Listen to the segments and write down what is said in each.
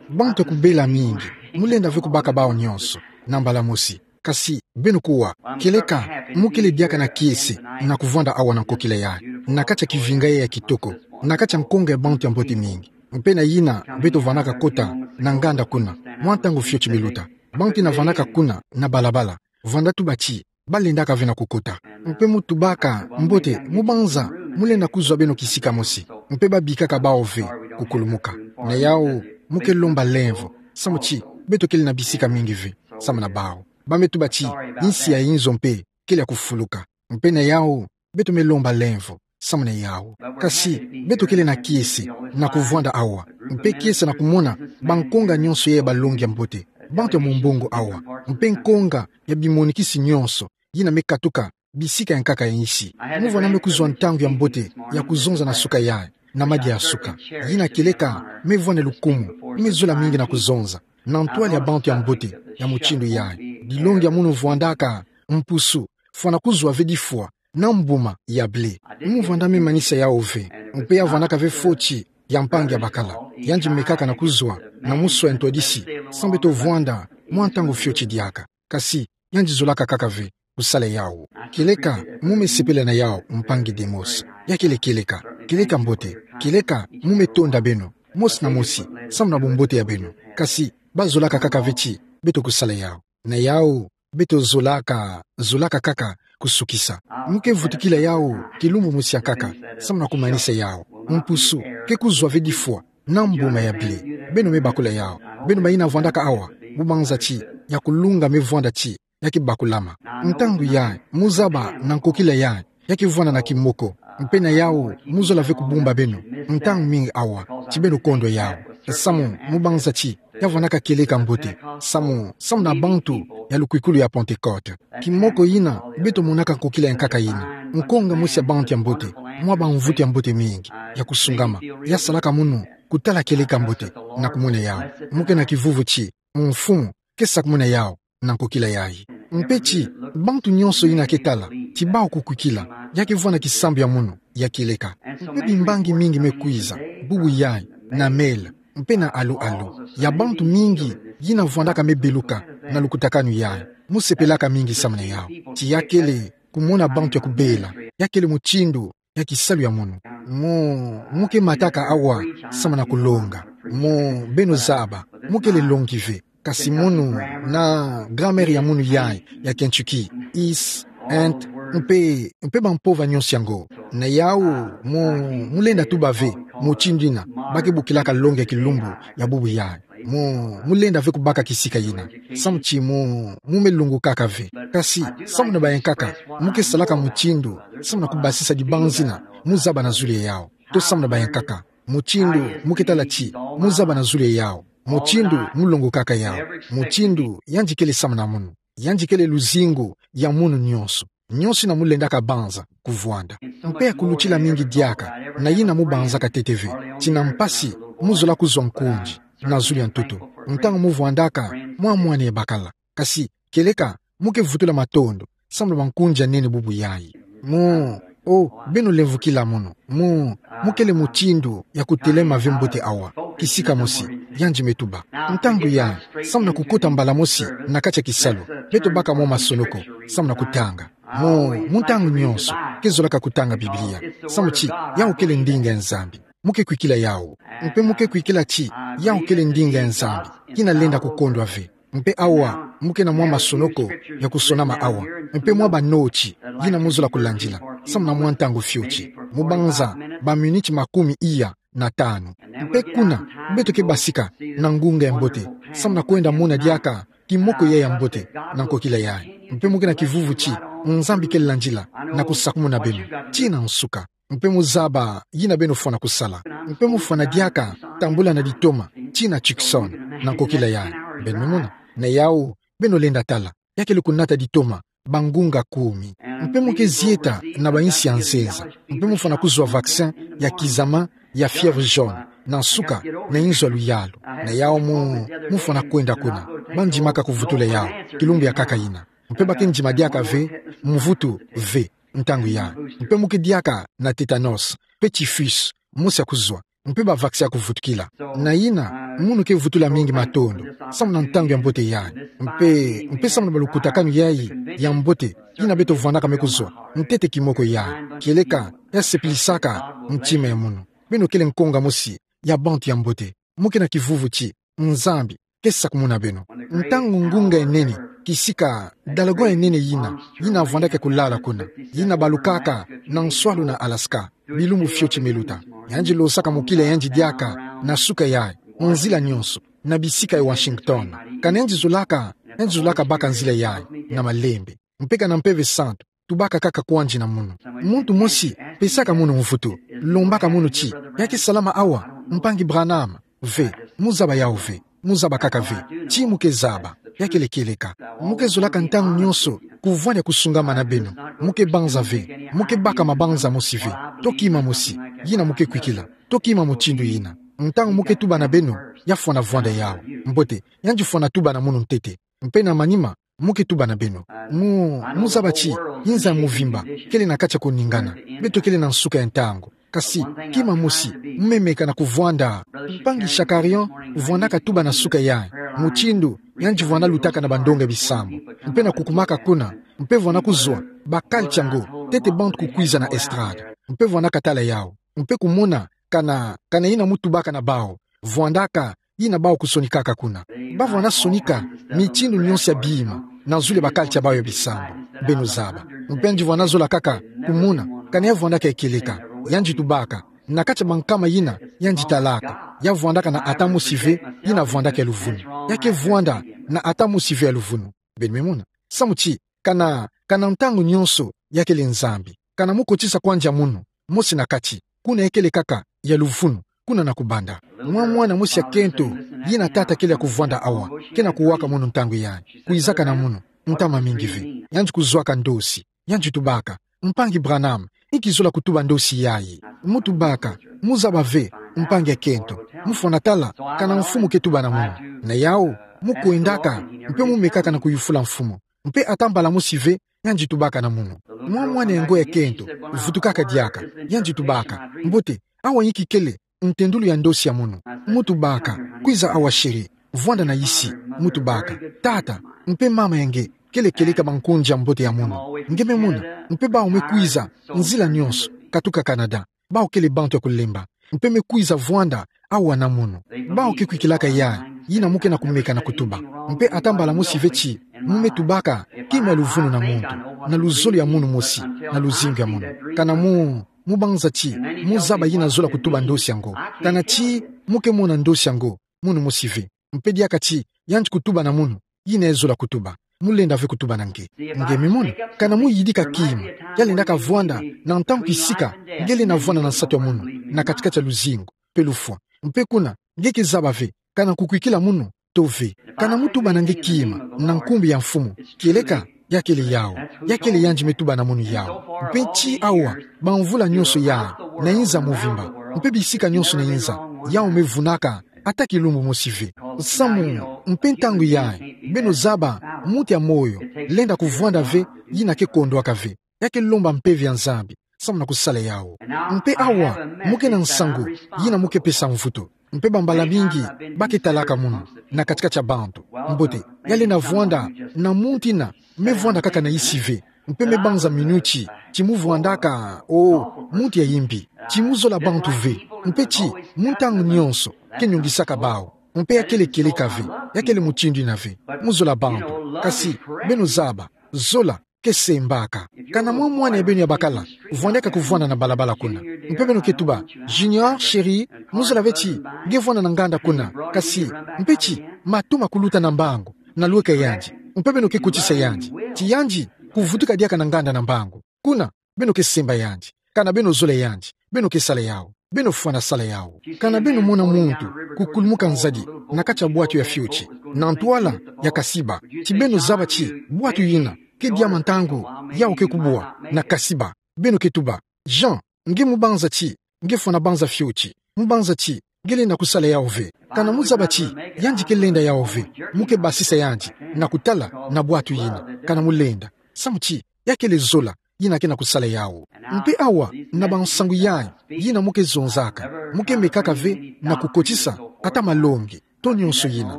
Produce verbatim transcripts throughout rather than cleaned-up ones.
Bantu ya kubela mingi, mulenda ve kubaka bawu nyonso na mbala mosi. Kasi beno kuwa, kieleka mu kele diaka na kiese na kuvwanda awa na nkokila yayi, na kati ya kivinga ya kitoko, na kati ya nkonga ya bantu ya mbote mingi. Mpe na yina beto vandaka kota na nganda kuna, mwa ntangu fioti miluta, bantu yina vandaka kuna na balabala, vanda tuba ti balendaka ve na kukota. Mpe mu tubaka: Mbote, mu banza, mulenda kuzwa beno kisika mosi? Mpe babikaka bawu ve: Kukulumuka. Na yawu, mu ke lomba lemvo, samu ti beto kele na bisika mingi ve samu na bawu. Ba me tuba ti insi ya inzo mpe kele ya kufuluka. Mpe na yawu, beto me lomba lemvo samu na yawu. Kasi beto kele na kiese na kuvwanda awa, mpe kiese na kumona bankonga nyonso ya balongi ya mbote, bantu ya mumbongo awa, mpe nkonga ya bimonikisi nyonso yina me katuka bisika ya nkaka ya insi. Mu vwanda me kuzwa ntangu ya mbote ya kuzonza na suka yayi, na madia ya suka. Yina kieleka me vwanda lukumu, me zola mingi na kuzonza na ntwala ya bantu ya mbote ya mutindu yayi. Dilongi ya munu vwandaka mpusu, fwana kuzwa ve difwa na mbuma ya ble. Mu vwanda me manisa yawu ve, mpe ya vwandaka ve foti ya mpangi ya bakala. Yandi mekaka na kuzwa na muswa ya ntwadisi, samu beto vwanda mwa ntangu fioti diaka. Kasi yandi zolaka kaka ve kusala yawu. Kieleka mu me sepela na yawu, mpangi Demos. Ya kele kieleka, kieleka mbote, kieleka mu me tonda beno, mosi na mosi, samu na bumbote ya beno. Kasi ba zolaka kaka ve ti beto kusala yawu. Na yawu, beto zolaka, zolaka kaka kusukisa. Mu ke vutukila yawu kilumbu mosi ya nkaka, samu na kumanisa yawu. Mpusu ke kuzwa ve difwa na mbuma ya ble. Beno me bakula yawu. Beno bayina vwandaka awa, mu banza ti ya kulunga me vwanda ti ya ke bakulama. Ntangu yayi, mu zaba na nkokila yayi, ya ke vwanda na kimoko. Mpe na yawu, mu zola ve kubumba beno ntangu mingi awa, ti beno kondwa yawu. Samu, mu banza ti ya vwandaka kieleka mbote, samu, samu na bantu ya lukwikulu ya Pentecote. Kimoko yina beto monaka nkokila ya nkaka yina, nkonga mosi ya bantu ya mbote, mwa bamvutu ya mbote mingi, ya kusungama, ya salaka munu kutala kieleka mbote, na kumona yawu. Mu ke na kivuvu ti mfumu ke sakumuna yawu na nkokila yayi. Mpe ti bantu nyonso yina ke tala, ti bawu kukwikila, ya ke vwanda kisambu ya munu ya kieleka. Mpe bimbangi mingi me kwiza bubu yayi, na mele, mpe na alu-alu, ya bantu mingi yina vwandaka me beluka na lukutakanu yayi. Mu sepelaka mingi samu na yawu. Ti ya kele kumona bantu ya kubela, ya kele mutindu ya kisalu ya munu. Mu, mu ke mataka awa samu na kulonga. Mu, beno zaba, mu kele longi ve. Kasi munu na grammaire ya munu yayi ya Kentucky, is, and, mpe, mpe bampova nyonso yango. Na yawu, mu, mu lenda tuba ve mutindu yina ba ke bokilaka longi ya kilumbu ya bubu yayi. Mu, mu lenda ve kubaka kisika yina, samu ti mu, mu me lungukaka ve. Kasi samu na bayankaka, mu ke salaka mutindu samu na kubasisa dibanzi yina mu zaba na zulu ya yawu. To samu na bayankaka, mutindu mu ke tala ti mu zaba na zulu ya yawu, mutindu mu lungukaka yawu, mutindu yandi kele samu na munu. Yandi kele luzingu ya munu nyonso, nyonso yina mu lendaka banza kuvwanda. Mpe ya kulutila mingi diaka, na yina mu banzaka ntete ve, ti na mpasi mu zola kuzwa nkunzi na zulu ya ntoto, ntangu mu vwandaka mwa mwana ya bakala. Kasi kieleka mu ke vutula matondo samu na bankunzi ya nene bubu yayi. Mu, o, beno lemvukila munu. Mu, mu kele mutindu ya kutelema ve mbote awa, kisika mosi, yandi me tuba. Ntangu yayi, samu na kukota mbala mosi na kati ya kisalu, beto baka mwa masonoko samu na kutanga. Mu, mu ntangu nyonso ke zolaka kutanga Biblia, samu ti yawu kele ndinga ya Nzambi. Mu ke kwikila yawu. Mpe mu ke kwikila ti yawu kele ndinga ya Nzambi, kina lenda kukondwa ve. Mpe awa, mu ke na mwa masonoko ya kusonama awa, mpe mwa banoti yina mu zola kulandila samu na mwa ntangu fioti. Mu banza baminiti makumi iya na tanu. Mpe kuna, beto ke basika na ngunga ya mbote samu na kwenda mona diaka kimoko yayi ya mbote na nkokila yayi. Mpe mu ke na kivuvu ti Nzambi ke landila na kusakumuna beno tii na nsuka. Mpe mu zaba yina beno fwana kusala. Mpe mu fwana diaka tambula na ditoma tii na Tucson, na nkokila yayi. Beno me mona? Na yawu, beno lenda tala, ya kele kunata ditoma bangunga kumi. Mpe mu ke zieta na bayinsi ya nzenza. Mpe mu fwana kuzwa vaccin ya kizama ya fièvre jaune, na nsuka na inzo ya luyalu. Na yawu mu, mu fwana kwenda kuna. Ba ndimaka kuvutula yawu kilumbu ya nkaka yina. Mpe ba ke ndima diaka ve mvutu ve ntangu yayi. Mpe mu ke diaka na tétanos, mpe typhus, mosi ya kuzwa, mpe ba vaccin ya kuvutukila. Na yina, Munu ke vutula mingi matondo, samu na ntangu ya mbote yayi. Mpe, mpe samu na balukutakanu yayi ya mbote, yina beto vwanaka me kuzwa, ntete kimoko yayi. Kieleka, ya sepilisaka ntima ya munu. Beno kele nkonga mosi ya bantu ya mbote. Mu ke na kivuvu ti Nzambi ke sakumuna beno. Ntangu ngunga ya nene kisika, dragon ya nene yina, yina vwandaka kulala kuna, yina balukaka na nswalu na Alaska, bilumbu fioti me luta, yandi losaka mokila yandi diaka na suka yayi, nzila nyonso, na bisika ya Washington. Kana yandi zolaka, yandi zolaka baka nzila yayi na malembe. Mpe kana Mpeve Santu tubaka kaka kwandi na munu. Muntu mosi pesaka munu mvutu, lombaka munu ti: "Ya ke salama awa, Mpangi Branham?" Ve, mu zaba yawu ve, mu zaba kaka ve. Ti mu ke zaba, ya kele kieleka. Mu ke zolaka ntangu nyonso kuvwanda kusungamana beno. Mu ke banza ve, mu ke baka mabanza mosi ve. To kima mosi, yina mu ke kwikila. To kima mutindu yina. Ntangu mu ke tuba na beno, ya fwana vwanda yawu. Mbote, yandi fwana tuba na munu ntete. Mpe na manima, mu ke tuba na beno. Mu, mu zaba ti inza ya muvimba kele na kati ya kuningana. Beto kele na nsuka ya ntangu. Kasi, kima mosi, mu me meka na kuvwanda. Mpangi Shakarian vwandaka tuba na suka yayi, mutindu yandi vwanda lutaka na bandonga ya bisambu, mpe na kukumaka kuna, mpe vwanda kuzwa bakalti yango, ntete bantu kukwiza na estrade, mpe vwanda katala yawu, mpe kumona kana, kana yina mu tubaka na bawu vwandaka, yina bawu kusonikaka kuna. Ba vwanda sonika mitindu nyonso ya bima na zulu ya bakalti ya bawu ya bisambu, beno zaba. Mpe yandi vwanda zola kaka kumona kana ya vwandaka ya kieleka. Yandi tubaka na kati ya bankama yina yandi talaka, ya vwandaka na ata mosi ve yina vwandaka ya luvunu. Ya ke vwanda na ata mosi ve ya luvunu. Beno me mona. Samu ti, kana, kana ntangu nyonso ya kele Nzambi. Kana mu kotisa kwandi ya munu mosi na kati, kuna ya kele kaka ya luvunu, kuna na kubanda. Mwa mwana mosi ya kento, yina tata kele ya kuvwanda awa, ke na kuwaka munu ntangu yayi, kwizaka na munu, ntama mingi ve. Yandi kuzwaka ndosi, yandi tubaka: "Mpangi Branham, inki zola kutuba ndosi yayi?" Mu tubaka: "Mu zaba ve, mpangi ya kento. Mu fwana tala kana Mfumu ke tuba na munu." Na yawu, mu kwendaka, mpe mu mekaka na kuyufula Mfumu. Mpe ata mbala mosi ve, yandi tubaka na munu. Mwa mwana yango ya kento vutukaka diaka, yandi tubaka: "Mbote, awa inki kele ntendulu ya ndosi ya munu?" Mu tubaka: "Kwiza awa, chéri, vwanda na isi." Mu tubaka: "Tata, mpe mama ya nge kele kieleka bankundi ya mbote ya munu. Nge me mona, mpe bawu me kwiza nzila nyonso, katuka Canada. Bawu kele bantu ya kulemba, mpe me kwiza vwanda awa na munu." Bawu ke kwikilaka yayi, yina mu ke na kumeka na kutuba. Mpe ata mbala mosi ve ti mu me tubaka kima ya luvunu na muntu, na luzolo ya munu mosi, na luzingu ya munu. Kana mu, mu banza ti mu zaba yina zola kutuba ndosi yango. Kana ti mu ke mona ndosi yango munu mosi ve. Mpe diaka ti yandi kutuba na munu yina ya zola kutuba. Mu lenda ve kutuba na nge. Nge me mona, kana mu yidika kima ya lendaka vwanda, na ntangu kisika nge lenda vwanda na nsatu ya munu, na kati-kati ya luzingu, mpe lufwa. Mpe kuna, nge ke zaba ve kana kukwikila munu to ve. Kana mu tuba na nge kima na nkumbu ya Mfumu, kieleka, ya kele yawu. Ya kele yandi me tuba na munu yawu. Mpe ti awa, bamvula nyonso yayi, na inza muvimba, mpe bisika nyonso na inza, yawu me vunaka ata kilumbu mosi ve. Samu, mpe ntangu yayi, beno zaba, muntu ya moyo lenda kuvwanda ve yina ke kondwaka ve. Ya ke lomba Mpeve ya Nzambi samu na kusala yawu. Mpe awa, mu ke na nsangu yina mu ke pesa mvutu. Mpe bambala mingi ba ke talaka munu na kati-kati ya bantu. Mbote, ya lenda vwanda na muntu yina me vwanda kaka na isi ve, mpe me banza minuti ti mu vwandaka, o, muntu ya imbi, ti mu zola bantu ve, mpe ti mu ntangu nyonso ke niongisaka bawu. Mpe ya kele kieleka ve, ya kele mutindu yina ve, mu zola bantu. Kasi, beno zaba, zola ke sembaka. Kana mwa mwana ya beno ya bakala vwandaka kuvwanda na balabala kuna, mpe beno ke tuba: "Junior, chéri, mu zola ve ti nge vwanda na nganda kuna, kasi, mpe ti matu ma kuluta na mbangu, na lweka yandi." Mpe beno ke kotisa yandi, ti yandi kuvutuka diaka na nganda na mbangu. Kuna, beno ke semba yandi. Kana beno zola yandi, beno ke sala yawu. Beno fwana sala yawu. Kana beno mona muntu kukulumuka nzadi na kati ya bwatu ya fioti, na ntwala ya kasiba, ti beno zaba ti bwatu yina ke diama ntangu yawu ke kubwa na kasiba, beno ke tuba: "Jean, nge mu banza ti nge fwana banza fioti, mu banza ti nge lenda kusala yawu ve." Kana mu zaba ti yandi ke lenda yawu ve, mu ke basisa yandi na kutala na bwatu yina, kana mu lenda. Samu ti ya kele zola yina ke na kusala yawu. Mpe awa, na bansangu yayi yina mu ke zonzaka, mu ke mekaka ve na kukotisa ata malongi, to nyonso yina.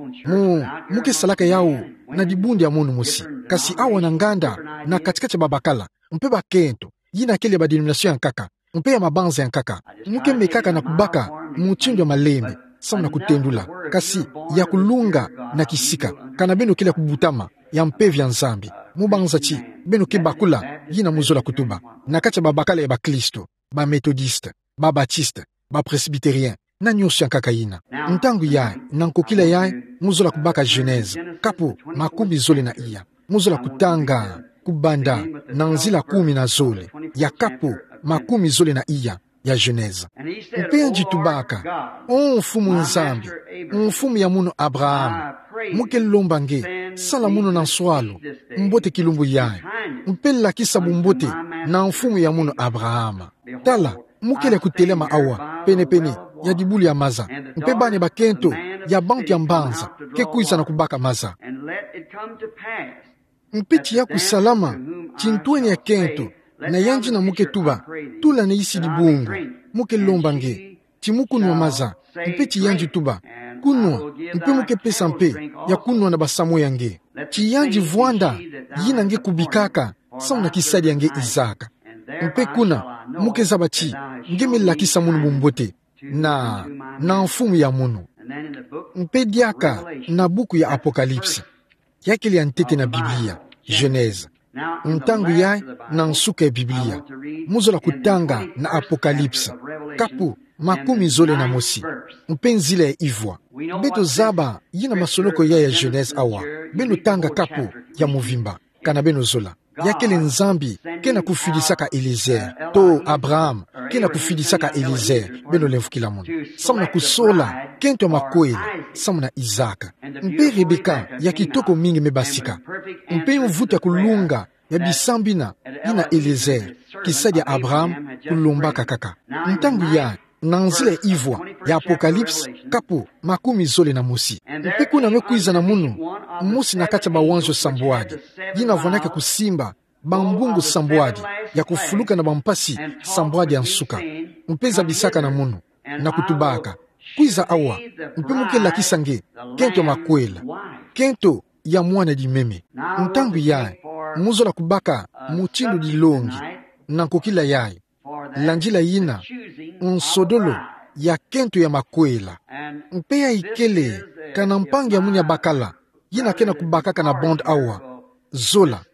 Mu, mu ke salaka yawu na dibundu ya munu mosi. Kasi awa na nganda, na kati-kati ya babakala, mpe bakento, yina kele ya ba denomination ya nkaka, mpe ya mabanza ya nkaka. Mu ke mekaka na kubaka mutindu ya malembe, samu na kutendula, kasi ya kulunga na kisika, kana beno kele ya kubutama, ya mpeve ya Nzambi. Mu banza ti, beno ke bakula, yina mu zola kutuba. Na kati ya babakala ya bakristo, ba Methodiste, ba Batiste, ba Presbytérien, na nyonso ya nkaka yina. Ntangu yayi, na nkokila yayi, mu zola kubaka Genèse, kapu, makumi zole na iya. Mu zola kutanga, kubanda, na nzila kumi na zole, ya kapu, makumi zole na iya, ya Genèse. Mpe yandi tubaka: O Mfumu Nzambi, Mfumu ya munu Abraham, mu ke lomba nge, sala munu na nswalu, mbote kilumbu yayi, mpe lakisa bumbote na mfumu ya munu Abraham. Tala, mu kele ya kutelama awa, pene-pene ya dibulu ya maza, mpe bana bakento ya bantu ya mbanza ke kwiza na kubaka maza. Mpe tiya kusalama, ti ntwenya kento, na yandi na mu ke tuba: Tula na isi dibungu, mu ke lomba nge, ti mu kunwa maza. Mpe ti yandi tuba: Kunwa, mpe mu ke pesa mpe ya kunwa na basamu ya nge. Ti yandi vwanda yina nge kubikaka, samu na kisadi ya nge Isaac. Mpe kuna, mu ke zaba ti nge me lakisa munu bumbote na, na mfumu ya munu. Mpe diaka na buku ya Apocalypse, ya kele ya ntete na Biblia, Genèse. Ntangu yayi, na nsuka ya Biblia, mu zola kutanga na Apocalypse, kapu, makumi zole na mosi, mpe nzila ya ivwa. Beto zaba yina masoloko yayi ya Genèse awa. Beno tanga kapu ya mvimba, kana beno zola. Ya kele Nzambi ke na kufidisaka Eliezer, to Abraham ke na kufidisaka Eliezer, beno lemvukila munu, samu na kusola kento ya makwela samu na Isaac. Mpe Rebecca ya kitoko mingi me basika. Mpe mvutu ya kulunga ya bisambina, yina Eliezer, kisadi ya Abraham, kulombaka kaka. Ntangu yayi, na nzila ya ivwa ya Apocalypse, kapu, makumi zole na mosi. Mpe kuna me kwiza na munu mosi na kati ya bawanzo sambwadi, yina vwanaka kusimba bambungu sambwadi, ya kufuluka na bampasi sambwadi ya nsuka. Mpe zabisaka na munu, na kutubaka: Kwiza awa, mpe mu ke lakisa nge kento ya makwela, kento ya mwana dimeme. Ntangu yayi, mu zola kubaka mutindu dilongi, na nkokila yayi, landila yina, nsodolo ya kento ya makwela. Mpe yayi kele, kana mpangi ya munu ya bakala, yina ke na kubakaka na bande awa, zola.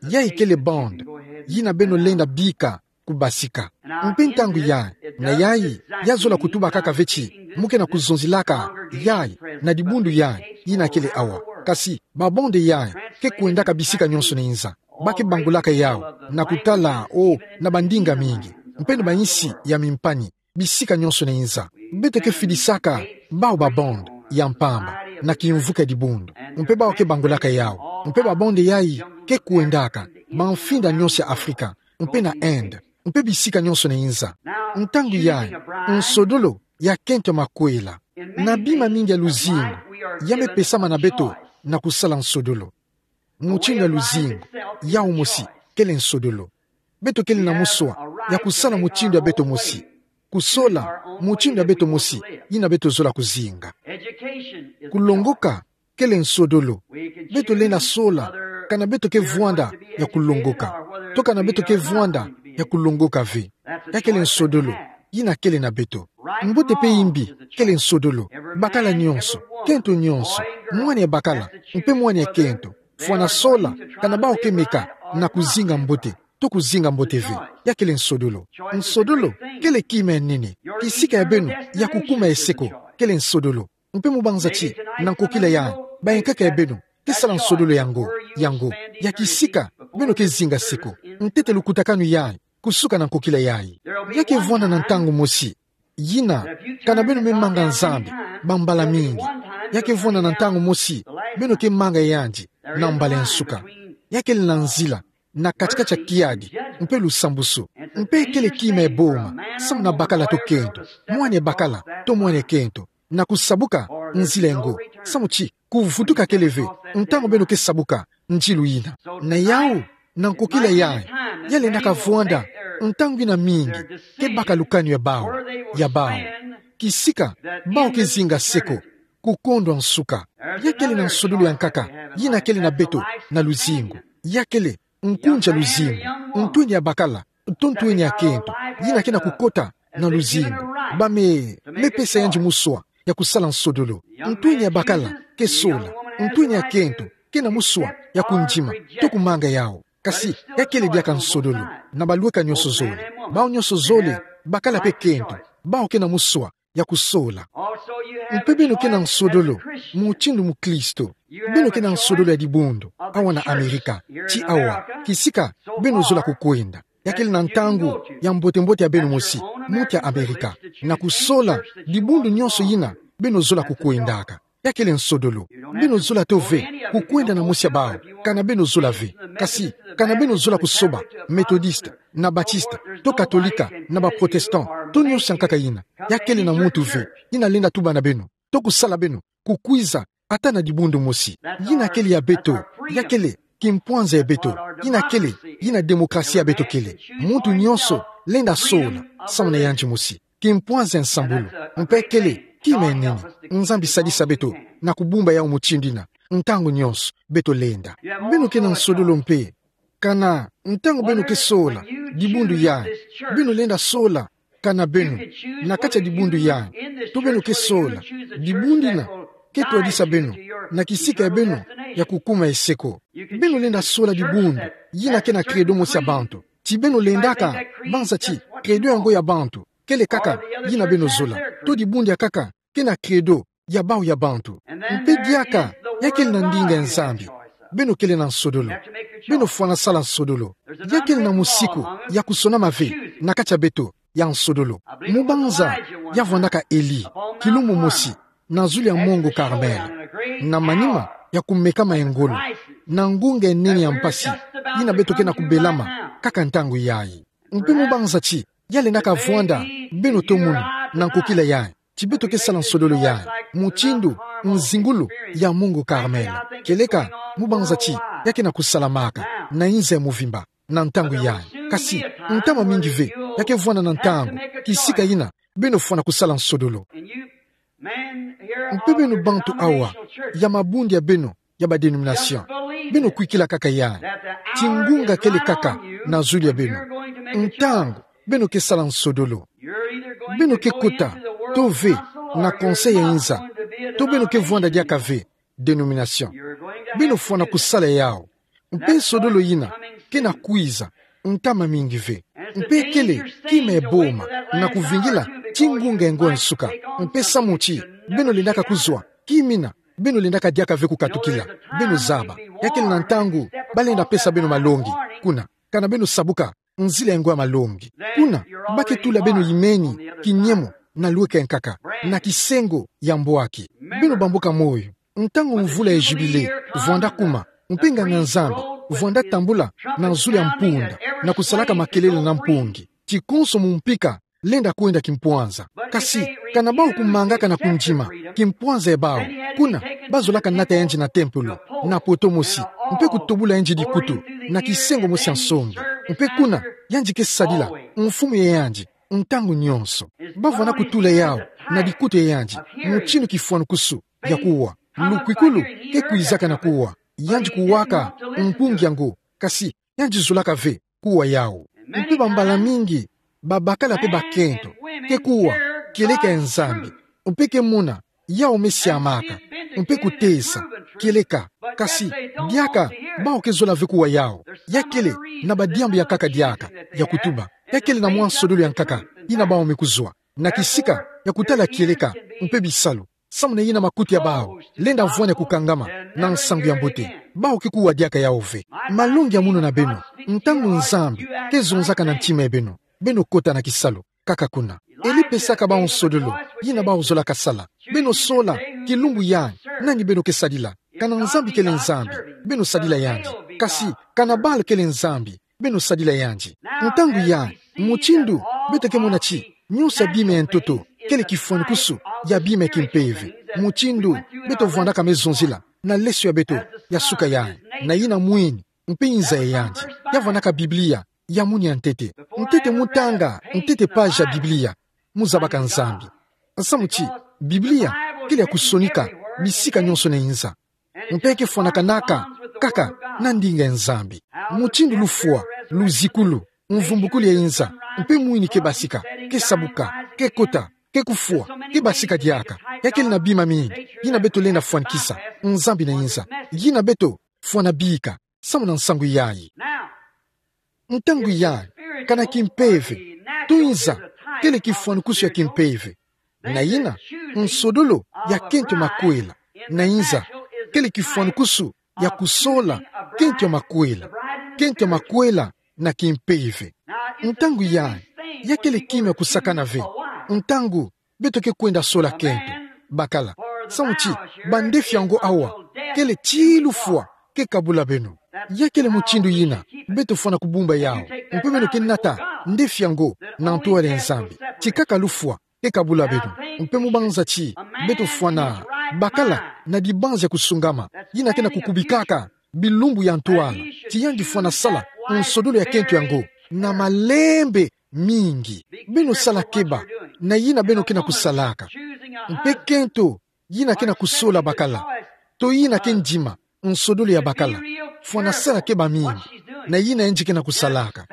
Yayi kele bande yina beno lenda bika kubasika. Mpe ntangu yayi, na yayi, ya zola kutuba kaka ve ti mu ke na kuzonzelaka yayi na dibundu yayi, yina kele awa. Kasi babande yayi ke kwendaka bisika nyonso na inza. Ba ke bangulaka yawu na kutala, o, na bandinga mingi, mpe na bainsi ya mimpani, bisika nyonso na inza. Beto ke fidisaka bawu babande ya mpamba na kimvuka ya dibundu, mpe bawu ke bangulaka yawu. Mpe babande yayi ke kwendaka bamfinda nyonso ya Afrika, mpe na Inde, mpe bisika nyonso na inza. Ntangu yayi, nsodolo ya kento ya makwela. Na bima mingi ya luzingu, ya me pesama na beto na kusala nsodolo. Mutindu ya luzingu yawu mosi kele nsodolo. Beto kele na muswa ya kusala mutindu ya beto mosi, kusola mutindu ya beto mosi, yina beto zola kuzinga. Kulongoka kele nsodolo. Beto lenda sola kana beto ke vwanda ya kulongoka, to kana beto ke vwanda ya kulongoka ve. Ya kele nsodolo yina kele na beto. Mbote mpe imbi kele nsodolo. Bakala nyonso, kento nyonso, mwana ya bakala mpe mwana ya kento, fwana sola kana bawu ke meka na kuzinga mbote, to kuzinga mbote ve. Ya kele nsodolo. Nsodolo kele kima ya nene. Kisika ya beno ya kukuma ya seko kele nsodolo. Mpe mu banza ti, na nkokila yayi, bayankaka ya beno ke sala nsodolo yango, yango, ya kisika beno ke zinga seko. Ntete lukutakanu yayi, kusuka na nkokila yayi. Ya ke vwanda na ntangu mosi yina, kana beno me manga Nzambi bambala mingi, ya ke vwanda na ntangu mosi beno ke manga yandi na mbala ya nsuka. Ya kele na nzila na kati-kati ya kiadi mpe lusambusu. Mpe kele kima ya boma samu na bakala to kento, mwana ya bakala to mwana ya kento, na kusabuka nzila yango, samu ti kuvutuka kele ve ntangu beno ke sabuka nzilu yina. Na yawu, na nkokila yayi, ya lendaka vwanda ntangu yina mingi ke baka lukanu ya bawu, ya bawu, kisika bawu ke zinga seko. ku kondo a nsuka. Ya kele na nsodolo ya nkaka yina kele na beto na luzingu. Ya kele nkunja luzingu, ntwenia bakala, to ntwenia kento, yina ke na kukota na luzingu. Ba me, me pesa yandi muswa ya kusala nsodolo. Ntwenia bakala ke sola, ntwenia kento ke na muswa ya kundima to kumanga yao. Kasi ya kele diaka nsodolo na balweka nyonso zole. Bao nyonso zole, bakala pe kento, bao ke na muswa ya kusola. Mpe beno ke na nsodolo mutindu mukristo. Beno ke na nsodolo ya dibundu awa na Amerika. Ti awa, kisika beno zola kukwenda. Ya kele na ntangu ya mbote-mbote ya beno mosi, muti ya Amerika, na kusola dibundu nyonso yina beno zola kukwendaka. Ya kele nsodolo. Beno zola to ve kukwenda na mosi ya bao kana beno zola ve. Kasi kana beno zola kusoba Methodiste, na Baptiste, to Katolika, na ba Protestant, to nyonso ya nkaka yina, ya kele na muntu ve yina lenda tuba na beno to kusala beno kukwiza ata na dibundu mosi. Yina kele ya beto. Ya kele kimpwanza ya beto. Yina kele yina demokrasia ya beto kele. Muntu nyonso lenda sola samu na yandi mosi. Kimpwanza ya nsambulu. Mpe kele kima ya nene. Nzambi sadisa beto na kubumba yao mutindu yina ntangu nyonso beto lenda. Beno ke na nsodolo mpe kana ntangu beno ke sola dibundu yai, beno lenda sola kana beno na kati ya dibundu yai, to beno ke sola dibundu yina ke twadisa beno na kisika ya beno ya kukuma eseko. Beno lenda sola dibundu yina ke na credo mosi ya bantu. Ti beno lendaka banza ti credo yango ya bantu kele kaka yina beno zola, to dibundu ya nkaka ke na credo ya bao ya bantu. Mpe diaka ya kele na ndinga ya Nzambi. Beno kele na nsodolo. Beno fwana sala nsodolo. Ya kele na musiku ya kusonama ve na kati ya beto ya nsodolo. Mu banza ya vwandaka Eli, kilumbu mosi, na zulu ya mongo Karmel, na manima ya kumekama ya ngolo, na ngunga ya nene ya mpasi, yina beto ke na kubelama kaka ntangu yai. Mpe mu banza ti ya lendaka vwanda beno to munu na nkokila yai, ti beto ke sala nsodolo yai mutindu nzingulu ya mongo Karmel. Kieleka mu banza ti ya ke na kusalamaka na inza ya muvimba na ntangu yai. Kasi ntama mingi ve ya ke vwanda na ntangu kisika yina beno fwana kusala nsodolo. Mpe beno bantu awa ya mabundu ya beno ya ba dénomination, beno kwikila kaka yai ti ngunga kele kaka na zulu ya beno ntangu beno ke sala nsodolo. Beno ke kota to ve na conseil ya inza, to beno ke vwanda diaka ve dénomination. Beno fwana kusala yao. Mpe nsodolo yina ke na kwiza ntama mingi ve. Mpe kele kima ya boma na kuvingila ti ngunga ya ngo ya nsuka. Mpe samu ti beno lendaka kuzwa kima yina beno lendaka diaka ve kukatukila, beno zaba ya kele na ntangu ba lenda pesa beno malongi kuna, kana beno sabuka nzila ya ngo ya malongi. Kuna ba ke tula beno yimeni kinyemo na lweka ya nkaka, na kisengo ya mbwaki. Beno bamboka moyo ntangu mvula ya Jubile vwanda kuma, mpe nganga-Nzambi vwanda tambula na zulu ya mpunda na kusalaka makelele na mpongi, ti konso mu mpika lenda kwenda kimpwanza. Kasi kana bao kumangaka na kundima kimpwanza ya bao, kuna ba zolaka nata yandi na tempelo na poto mosi, mpe kutobula yandi dikutu na kisengo mosi ya nsongi. Mpe kuna yandi ke sadila mfumu ya yandi ntangu nyonso. Ba vwanda kutula yao na dikutu ya yandi mutindu kifwanukusu ya kuwa. Lukwikulu ke kwizaka na kuwa. Yandi kuwaka mpongi ya ngo, kasi yandi zolaka ve kuwa yao. Mpe bambala mingi babakala mpe bakento ke kuwa kieleka ya Nzambi, mpe ke mona yao me siamaka, mpe kutesa kieleka. Kasi diaka bao ke zola ve kuwa yao. Ya kele na badiambu ya nkaka diaka ya kutuba. Ya kele na mwa nsodolo ya nkaka yina bao me kuzwa na kisika ya kutala kieleka mpe bisalu, samu na yina makutu ya bao lenda vwanya kukangama na nsangu ya mbote. Bao ke kuwa diaka yao ve. Malongi ya munu na beno, ntangu Nzambi ke zonzaka na ntima ya beno, beno kota na kisalu kaka kuna. Eli pesaka bao nsodolo yina bao zolaka sala. Beno sola kilumbu yai nani beno ke sadila. Kana Nzambi kele Nzambi, beno sadila yandi. Kasi kana Baal kele Nzambi, beno sadila yandi. Ntangu yai, mutindu beto ke mona ti nyonso ya bima ya ntoto kele kifwanukusu ya bima ya kimpeve, mutindu beto vwandaka me zonzila na leso ya beto ya suka yai, na yina mwini, mpe inza ya yandi, ya vwandaka Biblia ya munu ya ntete. Ntete mu tanga ntete page ya Biblia, mu zabaka Nzambi. Samu ti Biblia kele ya kusonika bisika nionso na inza. Mpe kefwanakanaka kaka na ndinga ya Nzambi. Mutindu lufwa, luzikulu, mvumbukulu ya inza, mpe mwini kebasika, kesabuka, kekota, kekufwa, kebasika diaka. Ya kele na bima mingi yina beto lenda fwanikisa. Nzambi na inza, yina beto fwana bika samu na nsangu yayi. Ntangu yayi, kana kimpeve, to inza kele kifwanukusu ya kimpeve. Na yina, nsodolo ya kento makwela. Na inza, kele kifwanukusu ya kusola kento ya makwela. Kento ya makwela na kimpeve. Ntangu yayi, ya kele kima ya kusakana ve ntangu beto ke kwenda sola kento. Bakala, samu ti bandefi yango awa kele ti lufwa ke kabula beno. Ya kele mutindu yina beto fwana kubumba yawu. Mpe beno ke nata ndefi yango na ntwala ya Nzambi, ti kaka lufwa ke kabula beno. Mpe mu banza ti beto fwana bakala na dibanza ya kusungama, yina ke na kukubikaka bilumbu ya ntwala, ti yandi fwana sala nsodolo ya kento yango na malembe mingi. Beno sala keba na yina beno ke na kusalaka. Mpe kento yina ke na kusola bakala, to yina ke ndima nsodolo ya bakala, fwana sala keba mingi na yina yandi ke na kusalaka,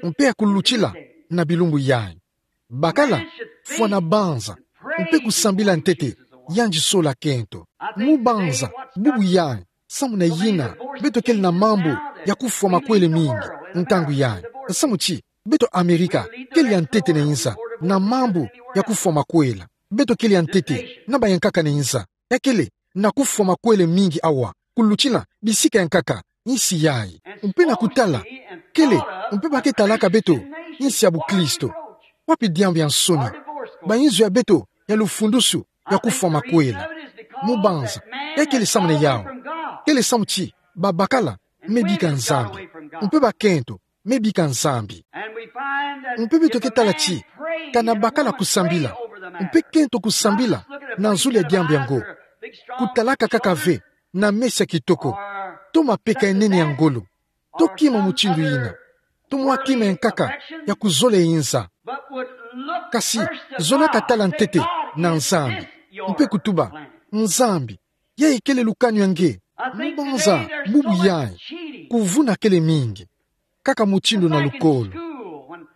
mpe ya kulutila na bilumbu yayi. Bakala, fwana banza mpe kusambila ntete yandi sola kento. Mu banza bubu yayi, samu na yina beto kele na mambu ya kufwa makwele mingi ntangu yayi. Samu ti beto Amerika kele ya ntete na inza na mambu ya kufwa makwela. Beto kele ya ntete na bayankaka na inza. Ya kele na kufwa makwele mingi awa kulutila bisika ya nkaka insi yayi. Mpe na kutala kele, mpe ba ke talaka beto insi ya bukristo, wapi diambu ya nsoni? Bayinzo ya beto ya lufundusu ya kufwa makwela. Mu banza, ya kele samu na yawu. Kele samu ti babakala me bika Nzambi, mpe bakento me bika Nzambi. Mpe beto ke tala ti kana bakala kusambila, mpe kento kusambila na zulu ya diambu yango, kutalaka kaka ve na mesa kitoko, to mapeka ya nene ya ngolo, to kima mutindu yina, to mwa kima ya nkaka ya kuzola inza. Kasi zolaka tala ntete na Nzambi, mpe kutuba: Nzambi, yayi kele lukanu ya nge? Mu banza bubu yayi, kuvuna kele mingi, kaka mutindu na lukolo.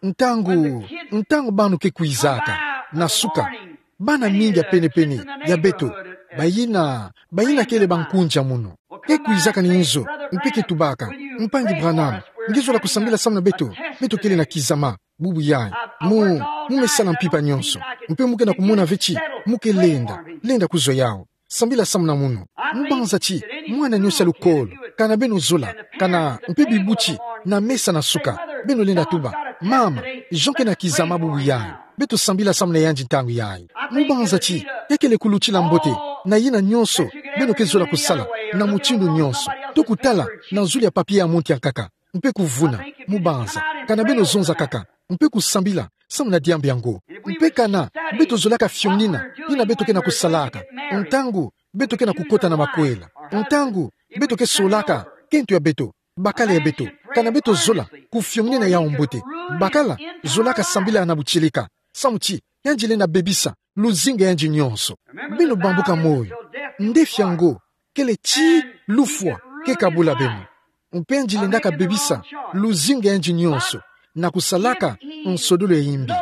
Ntangu, ntangu bana ke kwizaka na suka, bana mingi ya pene-pene ya beto, bayina, bayina kele bankunzi ya munu, ke kwizaka na inzo, mpe ke tubaka: Mpangi Branham, nge zola kusambila samu na beto? Beto kele na kizama bubu yayi. Mu, mu me sala mpimpa nionso, mpe mu ke na kumona ve ti mu ke lenda, lenda kuzwa yawu. Sambila samu na munu. Mu banza ti mwana nionso ya lukolo, kana beno zola, kana mpe bibuti na mesa na suka, beno lenda tuba: Mama, Jean ke na kizama bubu yayi. Beto sambila samu na yandi ntangu yayi. Mu banza ti ya kele kulutila mbote na yina nionso beno ke zola kusala, na mutindu nionso, to kutala na zulu ya papier ya muntu ya nkaka, mpe kuvuna. Mu banza kana beno zonza kaka, mpe kusambila samu na diambu yango. Mpe kana beto zolaka fionina yina beto ke na kusalaka ntangu beto ke na kukota na makwela, ntangu beto ke solaka kento ya beto, bakala ya beto, kana beto zola kufionina yawu mbote. Bakala zolaka sambila na butieleka, samu ti yandi lenda bebisa luzingu ya yandi nionso. Beno bambuka moyo, ndefi yango kele ti lufwa ke kabula beno. Mpe yandi lendaka bebisa luzingu ya yandi nionso na kusalaka nsodolo ya imbi.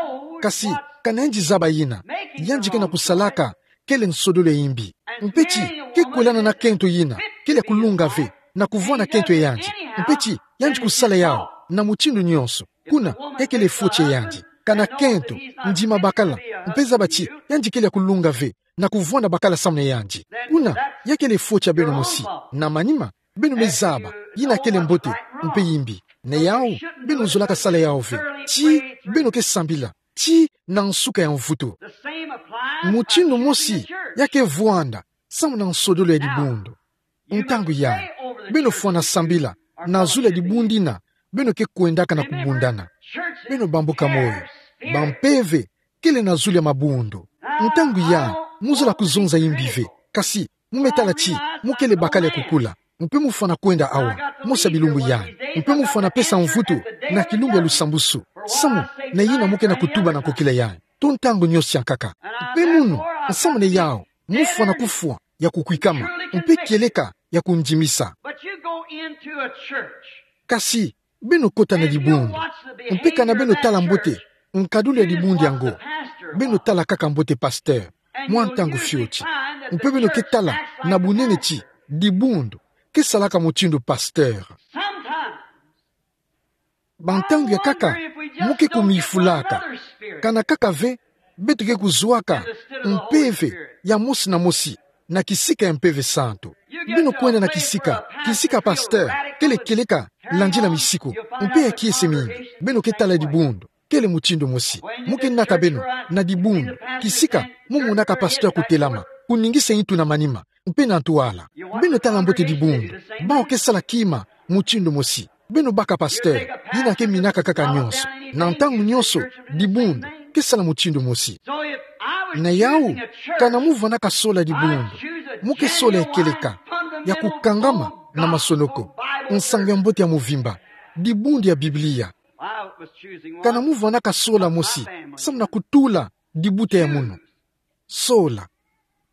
Kasi kana yandi zaba yina yandi ke na kusalaka kele nsodolo ya imbi, mpe ti ke kwelana na kento yina kele ya kulunga ve na kuvwanda kento ya yandi, mpe ti yandi kusala yawu na mutindu nionso, kuna ya kele foti ya yandi. Kana kento ndima bakala, mpe zaba ti yandi kele ya kulunga ve na kuvwanda bakala samu na yandi, kuna ya kele foti ya beno mosi. Na manima, beno me zaba yina kele mbote mpe imbi. Na yawu, beno zolaka sala yawu ve ti beno ke sambila ti na nsuka ya mvutu. Mutindu mosi ya ke vwanda samu na nsodolo ya dibundu. Ntangu yayi, beno fwana sambila na zulu ya dibundu yina beno ke kwendaka na kubundana. Beno bambuka moyo, bampeve kele na zulu ya mabundu. Ntangu yayi, mu zola kuzonza imbi ve, kasi mu me tala ti mu kele bakala ya kukula, mpe mu fwana kwenda awa mosi ya bilumbu yayi, mpe mu fwana pesa mvutu na kilumbu ya lusambusu, samu na yina mu ke na kutuba na nkokila yayi, to ntangu nionso ya nkaka. Mpe munu, samu na yawu, mu fwana kufwa ya kukwikama, mpe kieleka ya kundimisa. But you go into a church. Kasi, beno kota na dibundu. Mpe kana beno tala mbote nkadulu ya dibundu yango, beno tala kaka mbote pasteur mwa ntangu fioti. Mpe beno ke tala na bunene ti dibundu ke salaka mutindu pasteur. Sometimes, bantangu ya nkaka, mu ke kumifulaka. Kana kaka ve beto ke kuzwaka mpeve ya mosi na mosi na kisika ya Mpeve Santu. Beno kwenda na kisika, kisika pasteur kele kieleka landila misiku, mpe ya kiese mingi. Beno ke tala dibundu kele mutindu mosi. Mu ke nata beno na dibundu, kisika mu monaka pasteur kutelama, kuningisa ntu na manima, mpe na ntwala. Beno tala mbote dibundu, bawu ke sala kima mutindu mosi. Beno baka pasteur yina ke minaka kaka nyonso. Na ntangu nyonso, dibundu ke sala mutindu mosi. Na yawu, kana mu vwandaka sola dibundu, mu ke sola ya kieleka, ya kukangama na masonoko, Nsangu ya Mbote ya muvimba, dibundu ya Biblia. Kana mu vwandaka sola mosi samu na kutula dibuta ya munu. Sola.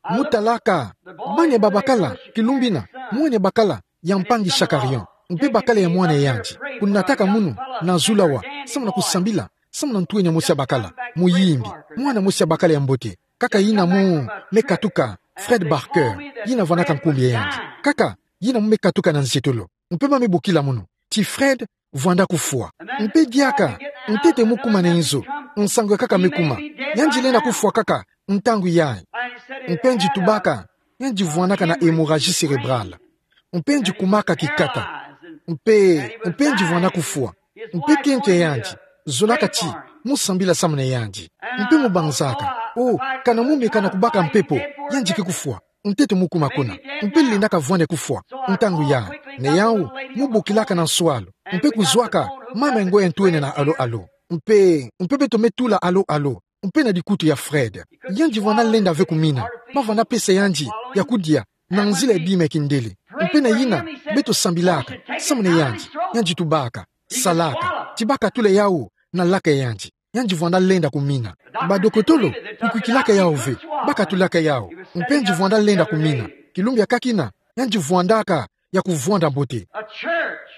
Mu talaka bani ya babakala kilumbu ina, mwana ya bakala ya mpangi Shakarian, mpe bakala ya mwana yandi, kunataka munu na zulu awa samu na kusambila samu na ntwenya mosi ya bakala, muyimbi, mwana mosi ya bakala ya mbote, kaka yina mu me katuka Fred Barker, yina vwandaka nkumbu ya yandi. Kaka yina mu me katuka na nzietolo. Mpe ba me bokila munu ti Fred vwanda kufwa. Mpe diaka, ntete mu kuma na inzo, nsangu ya nkaka me kuma, yandi lenda kufwa kaka ntangu yayi. Mpe yandi tubaka yandi vwandaka na hémorragie cérébrale. Mpe yandi kumaka kikata. Mpe, mpe yandi vwanda kufwa. Mpe kento ya yandi zolaka ti mu sambila samu na yandi. Mpe mu banzaka, oh, kana mu meka na kubaka mpepo, yandi ke kufwa. Ntete mu kuma kuna. Mpe lendaka vwanda kufwa ntangu yayi. Na yawu, mu bokilaka na nswalu, mpe kuzwaka mama ya ngo ya ntwenya na alo-alo. Mpe, mpe beto me tula alo-alo mpe na dikutu ya Fred. Yandi vwanda lenda ve kumina. Ba vwanda pesa yandi ya kudia na nzila ya bima ya kindele. Mpe na yina, beto sambilaka samu na yandi. Yandi tubaka, salaka ti ba katula yawu na laka ya yandi. Yandi vwanda lenda kumina. Badokotolo kukwikilaka yawu ve, ba katulaka yawu. Mpe yandi vwanda lenda kumina. Kilumbu ya nkakina, yandi vwandaka ya kuvwanda mbote. A church.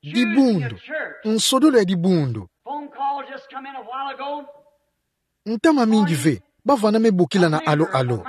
Dibundu. Choosing a church. Nsodolo ya dibundu. Phone call just come in a while ago. Ntama mingi ve ba vwanda me bokila na alo-alo.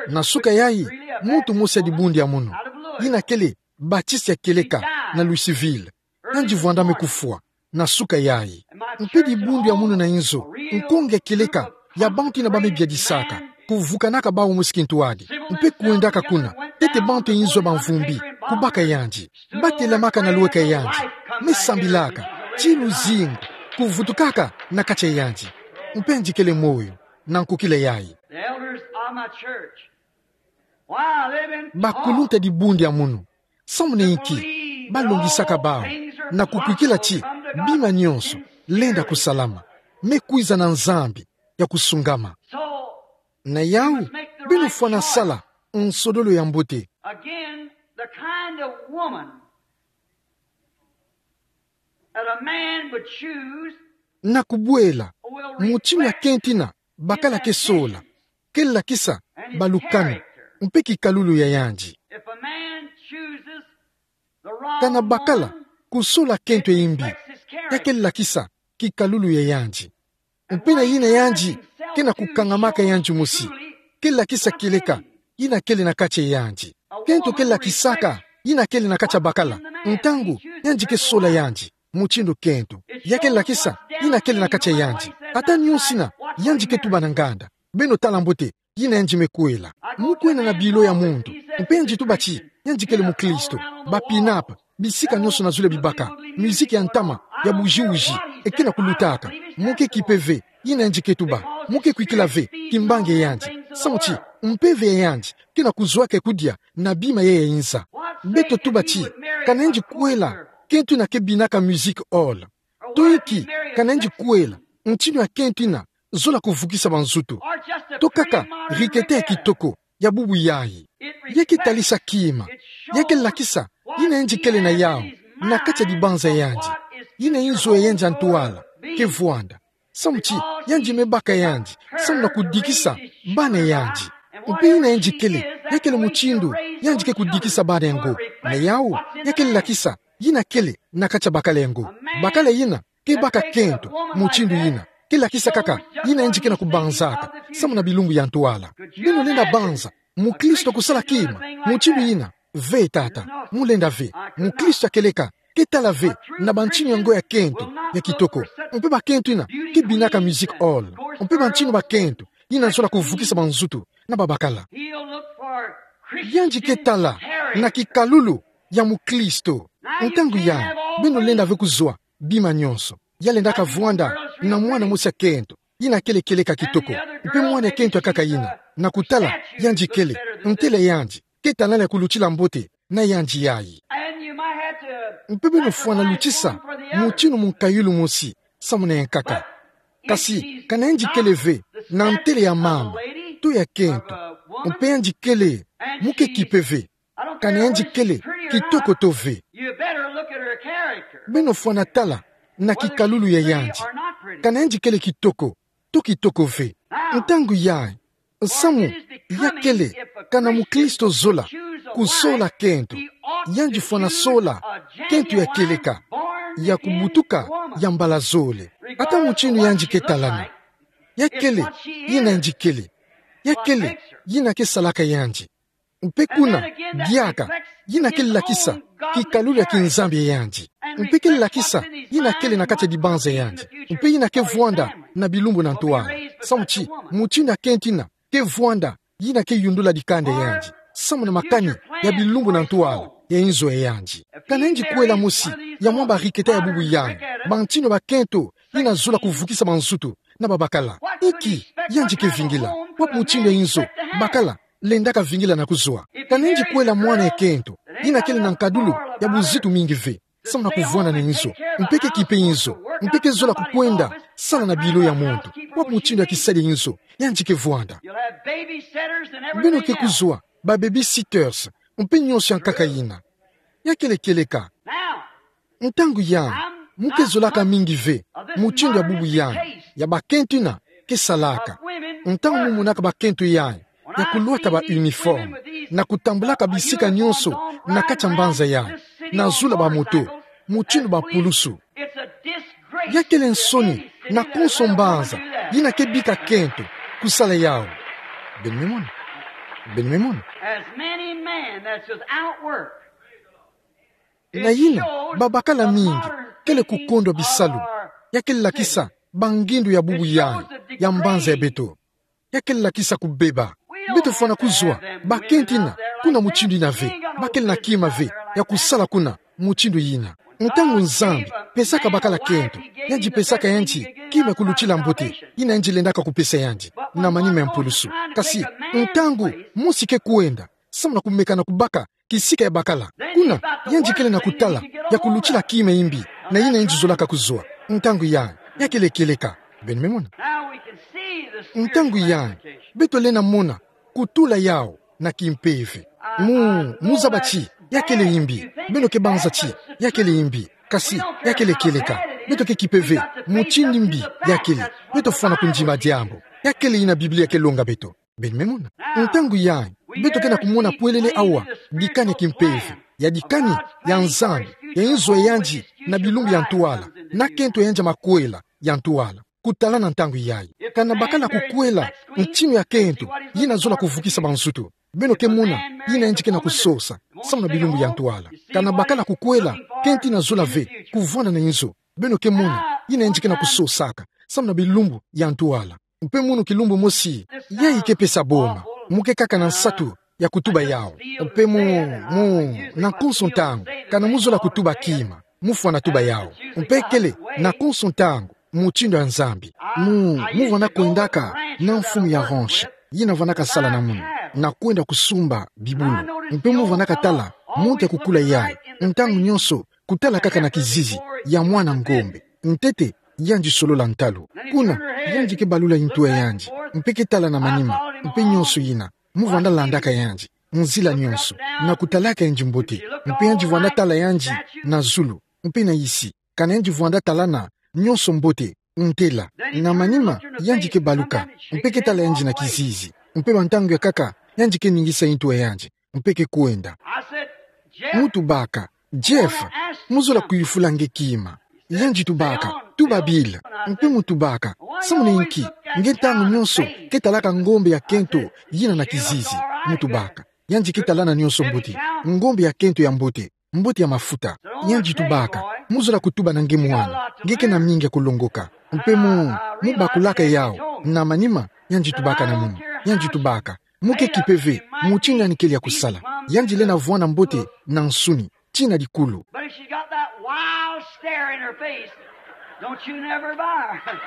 Na suka yayi, muntu mosi ya dibundu ya munu, yina kele batisi ya kieleka na Louisville, yandi vwanda me kufwa na suka yayi. Mpe dibundu ya munu na inzo, nkonge ya kieleka ya bantu yina ba me biadisaka, kuvukanaka bawu mosi kintwadi, mpe kwendaka kuna, ntete bantu ya inzo ya bamvumbi kubaka yandi. Ba telamaka na lweka ya yandi, me sambilaka ti luzingu kuvutukaka na kati ya yandi. Mpe yandi kele moyo na nkokila yayi. The elders of my church. Wow, they've been taught. Bakuluntu ya dibundu ya munu, samu na inki ba longisaka bawu na kukwikila ti bima nyonso lenda kusalama, me kwiza na Nzambi ya kusungama. So, na yawu, beno fwana sala nsodolo ya mbote. Again, the kind of woman that a man would choose. Na kubwela, mutindu ya kento yina bakala ke sola, ke lakisa balukanu mpe kikalulu ya yandi. If a man chooses the wrong woman, kana bakala kusola kento ya imbi, ya ke lakisa kikalulu ya yandi. Mpe na yina yandi ke na kukangamaka yandi mosi, ke lakisa kieleka yina kele na kati ya yandi. Kento ke lakisaka yina kele na kati ya bakala ntangu yandi ke sola yandi. Mutindu kento ya ke lakisa yina kele na kati ya yandi. Ata nyonso yina yandi ke tuba na nganda, beno tala mbote yina yandi me kwela. Mu kwenda na bilo ya muntu, mpe yandi tuba ti yandi kele mukristo. Ba pin-up, bisika nyonso na zulu ya bibaka, miziki ya ntama, ya bujiuji, e ke na kulutaka. Mu ke kipe ve yina yandi ke tuba, mu ke kwikila ve kimbangi ya yandi, samu ti mpeve ya yandi ke na kuzwaka kudia na bima ya ya inza. Beto tuba ti, kana yandi kwela kento yina ke binaka music hall, to inki kana yandi kwela mutindu ya kento yina zola kuvukisa banzutu, to kaka rikete ya kitoko ya bubu yayi. Ya ke talisa kima, ya ke lakisa yina yandi kele na yawu na kati ya dibanza ya yandi, yina inzo ya yandi ya ntwala ke vwanda. Samu ti yandi me baka yandi samu na kudikisa bana ya yandi. Mpe yina yandi kele, ya kele mutindu yandi ke kudikisa bana yango. Na yau, ya kele lakisa yina kele na kati ya bakala yango. Bakala yina ke baka kento mutindu yina, ke lakisa kaka yina yandi ke na kubanzaka samu na bilumbu ya ntwala. Beno lenda banza mukristo kusala kima mutindu yina? Ve tata, mu lenda ve. Mukristo ya kieleka ke tala ve na bantinu yango ya kento ya kitoko. Mpe bakento yina ke binaka music hall. Mpe bantinu bakento yina zola kuvukisa banzutu na babakala. Yandi ke tala na kikalulu ya mukristo. Ntangu yai, beno lenda ve kuzwa bima nyonso. Ya lendaka vwanda na mwana mosi ya kento yina kele kieleka kitoko, mpe mwana ya kento ya nkaka yina, na kutala yandi kele, ntele yandi ke talana ya kulutila mbote na yandi yai. Mpe beno fwana lutisa mutinu munkayulu mosi samu na ya nkaka. Kasi kana yandi kele ve na ntele ya mama to ya kento, mpe yandi kele, mu ke kipe ve kana yandi kele kitoko to ve. Beno fwana tala na kikalulu ya yandi, kana yandi kele kitoko to kitoko ve. Ntangu yai, samu ya kele kana mukristo zola kusola kento, yandi fwana sola kento ya kieleka, ya kubutuka ya mbala zole. Ata mutindu yandi ke talana, ya kele yina yandi kele, ya kele yina ke salaka yandi. Mpe kuna, diaka, yina ke lakisa kikalulu ya kinzambi ya yandi. Mpe ke lakisa yina kele na kati ya dibanza ya yandi. Mpe yina ke vwanda na bilumbu na ntwala. Samu ti mutindu ya kento yina ke vwanda, yina ke yundula dikanda ya yandi samu na makani ya bilumbu na ntwala ya inzo ya yandi. Kana yandi kwela mosi ya mwa bariketa ya bubu yai, bantinu bakento yina zola kuvukisa banzutu na babakala, inki yandi ke vingila? Wapi mutindu ya inzo bakala lendaka vingila na kuzwa? Kana yandi kwela mwana ya kento yina kele na nkadulu ya buzitu mingi ve samu na kuvwanda na inzo, mpe ke kipe inzo, mpe ke zola kukwenda sala na bilo ya muntu, wapi mutindu ya kisadi ya inzo yandi ke vwanda? Beno ke kuzwa ba babysitters mpe nyonso ya nkaka yina. Ya kele kieleka. Ntangu yai, mu ke zolaka mingi ve mutindu ya bubu yai ya bakento yina ke salaka. Ntangu mu monaka bakento yai ya kulwata ba uniforme na kutambulaka bisika nyonso na kati ya mbanza yai, na zulu ya bamoto, mutindu bampulusu, ya kele nsoni na konso mbanza yina ke bika kento kusala yau. Beno me mona? Beno me mona? As many men that's without work. Na yina, babakala mingi kele kukondwa bisalu. Ya kele lakisa bangindu ya bubu yai ya mbanza ya beto. Ya kele lakisa kubeba. Beto fwana kuzwa bakento yina kuna mutindu yina ve. Ba kele na kima ve ya kusala kuna mutindu yina. Ntangu Nzambi pesaka bakala kento, yandi pesaka yandi kima ya kulutila mbote yina yandi lendaka kupesa yandi na manima ya mpulusu. Kasi ntangu mosi ke kwenda samu na kumeka na kubaka kisika ya bakala, kuna yandi kele na kutala ya kulutila kima ya mbi na yina yandi zolaka kuzwa. Ntangu yai, ya kele kieleka. Beno me mona? Ntangu yai, beto lenda mona kutula yau na kimpeve. Mu, mu zaba ti ya kele mbi. Beno ke banza ti ya kele mbi. Kasi ya kele kieleka. Beto ke kipe ve mutindu mbi ya kele. Beto fwana kundima diambu. Ya kele yina Biblia ke longa beto. Beno me mona? Ntangu yai, beto ke na kumona pwelele awa dikani ya kimpeve, ya dikani ya Nzambi ya inzo ya yandi na bilumbu ya ntwala, na kento ya yandi ya makwela ya ntwala. Kutalana ntangu yai, kana bakala kukwela ntinu ya kento yina zola kuvukisa banzutu, beno ke mona yina yandi ke na kusosa samu na bilumbu ya ntwala. Kana bakala kukwela kento yina zola ve kuvwanda na inzo, beno ke mona yina yandi ke na kusosaka samu na bilumbu ya ntwala. Mpe munu kilumbu mosi, yai ke pesa boma. Mu ke kaka na nsatu ya kutuba yau. Mpe mu, mu, na konso ntangu, kana mu zola kutuba kima, mu fwana tuba yau. Mpe kele na konso ntangu mutindu ya Nzambi. Mu, mu vwanda kwendaka na mfumu ya ranch yina vandaka sala na munu, na kwenda kusumba bibulu. Mpe mu vandaka tala muntu ya kukula yai ntangu nyonso, kutala kaka na kizizi ya mwana ngombe. Ntete yandi solola ntalu. Kuna yandi ke balula intu ya yandi, mpe ke tala na manima, mpe nyonso yina. Mu vwanda landaka yandi nzila nyonso, na kutalaka yandi mbote. Mpe yandi vwanda tala yandi na zulu mpe na isi, kana yandi vwanda talana nyonso mbote. Ntela, na manima, yandi ke baluka, mpe ke tala yandi na kizizi. Mpe ba ntangu ya nkaka, yandi ke ningisa ntu yandi. Mpe ke kwenda. Mu tubaka, Jeff, mu zola kuyufula nge kima. Yandi tubaka, tuba Bill. Mpe mu tubaka, samuna inki, nge ntangu nyonso ke talaka ngombe ya kento yina na kizizi. Mu tubaka, yandi ke talana nyonso mbote, ngombe ya kento ya mbote, mbote ya mafuta. Yandi tubaka, mu zola kutuba na nge mwana, nge ke na mingi ya kulongoka. Mpe mu, mu bakulaka yawu, na manima, yandi tubaka na munu. Yandi tubaka, mu ke kipe ve mutindu yandi kele ya kusala. Yandi lenda vwanda mbote na nsuni, tii na likulu. But if she's got that wild stare in her face, don't you never buy her.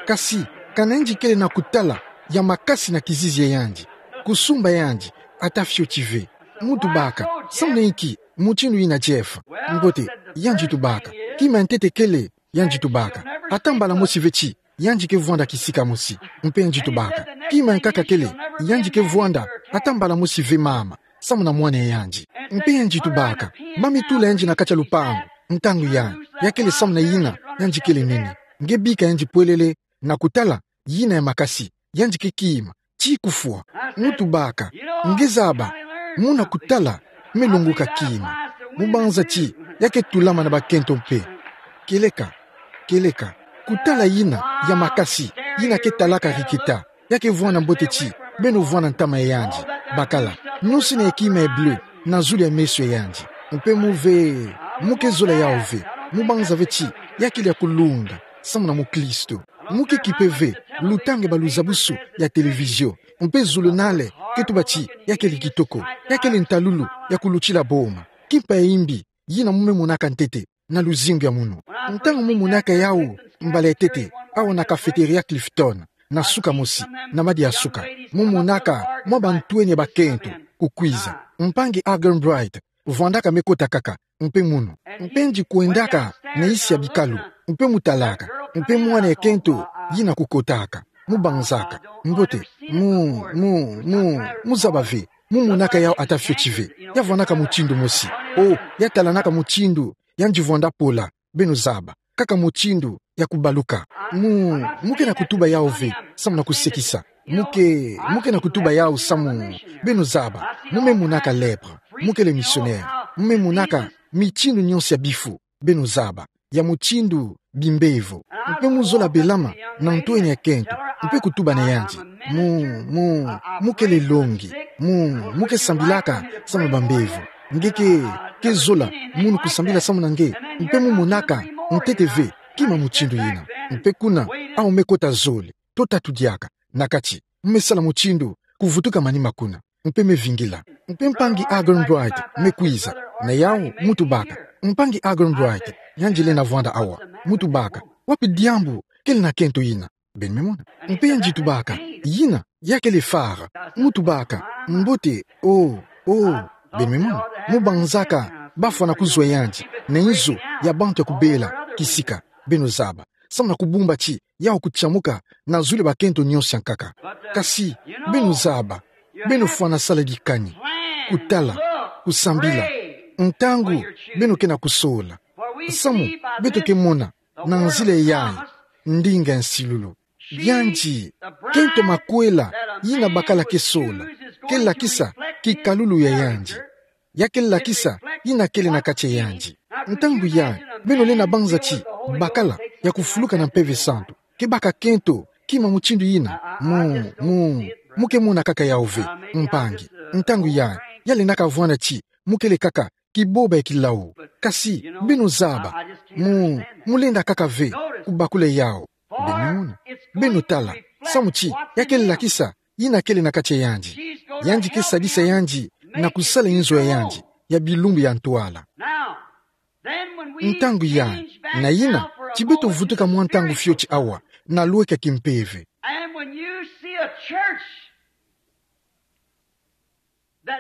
Kasi, kana yandi kele na kutala ya makasi na kizizi ya yandi, kusumba yandi, ata fioti ve. Mu tubaka, samuna inki, mutindu yina Jeff. Mbote, yandi tubaka, kima ya ntete kele, yandi tubaka, ata mbala mosi ve ti yandi ke vwanda kisika mosi. Mpe yandi tubaka, kima ya nkaka kele, yandi ke vwanda ata mbala mosi ve mama, samuna mwana ya yandi. Mpe yandi tubaka, ba mitula yandi na kati ya lupangu, ntangu yandi, ya kele samuna yina, yandi kele nene. Nge bika yandi pwelele, na kutala yina ya makasi, yandi ke kima, tii kufwa. Mu tubaka, nge zaba, muna kutala, me longoka kima. Mu banza ti ya ke tulama na bakento mpe. Kieleka, kieleka, kutala yina ya makasi, yina ke talaka rikita, ya ke vwanda mbote ti beno vwanda ntama ya yandi. Bakala, nyonso yina ya kima ya bleu na zulu ya meso ya yandi. Mpe mu ve, mu ke zola yawu ve, mu banza ve ti ya kele ya kulunda samuna mukristu. Mu ke kipe ve, luta nge ba luzabusu ya televizio, mpe zulunale ke tuba ti ya kele kitoko, ya kele ntalulu ya kulutila boma. Kimpa ya imbi yina mu me monaka ntete na luzingu ya munu. Ntangu mu monaka yawu mbala ya ntete, awa na cafeteria Clifton, na suka mosi, na madia suka, mu monaka mwa bantwenya bakento kukwiza. Mpangi Arganbright vwandaka me kota kaka, mpe munu. Mpe yandi kwendaka na isi ya bikalu, mpe mu talaka, mpe mwana ya kento yina kukotaka. Mu banzaka, mbote, mu, mu, mu, mu zaba ve, mu monaka yawu ata fioti ve. Ya vwandaka mutindu mosi. O, ya talanaka mutindu yandi vwanda pola, beno zaba. Kaka mutindu ya kubaluka. Mu, mu ke na kutuba yawu ve samuna kusekisa. Mu ke, mu ke na kutuba yawu samu, beno zaba. Mu me monaka lèpre. Mu kele misionere. Mu me monaka mitindu nyonso ya bifu, beno zaba, ya mutindu bimbevo. Mpe mu zola belama na ntwenya ya kento, mpe kutuba na yandi. Mu, mu, mu kele longi. Mu, mu ke sambilaka samu bambevo. Nge ke, ke zola munu kusambila samuna nge, mpe mu monaka ntete ve kima mutindu yina. Mpe kuna, awu me kota zole to tatu diaka na kati, mu me sala mutindu kuvutuka manima kuna, mpe me vingila. Mpe mpangi Arganbright me kwiza, na yawu mu tubaka. Mpangi Arganbright, yandi lenda vwanda awa. Mu tubaka, wapi diambu kele na kento yina? Beno me mona. Mpe yandi tubaka, yina ya kele fara. Mu tubaka, mbote, o, o, beno me mona. Mu banzaka bafwana kuzwa yandi na inzo ya bantu ya kubela kisika, beno zaba, samuna kubumba ti yawu kutiamuka na zulu ya bakento nyonso ya nkaka. Kasi, beno zaba, beno fwana sala dikani, kutala, kusambila, ntangu beno ke na kusola. Samu beto ke mona na nzila yayi, ndinga ya nsilulu. Yandi, kento makwela yina bakala ke sola, ke lakisa kikalulu ya yandi. Ya ke lakisa yina kele na kati ya yandi. Ntangu yayi, beno lenda banza ti bakala ya kufuluka na Mpeve Santu ke baka kento kima mutindu yina? Mu, mu, mu ke mona kaka yawu ve, mpangi. Ntangu yayi, ya lendaka vwanda ti mu kele kaka kiboba ya kilawu. Kasi, beno zaba, mu, mu lenda kaka ve kubakula yawu. Beno mona. Beno tala, samu ti ya ke lakisa yina kele na kati ya yandi. Yandi ke sadisa yandi na kusala inzo ya yandi ya bilumbu ya ntwala. Ntangu yayi, na yina, ti beto vutuka mwa ntangu fioti awa na lweka kimpeve.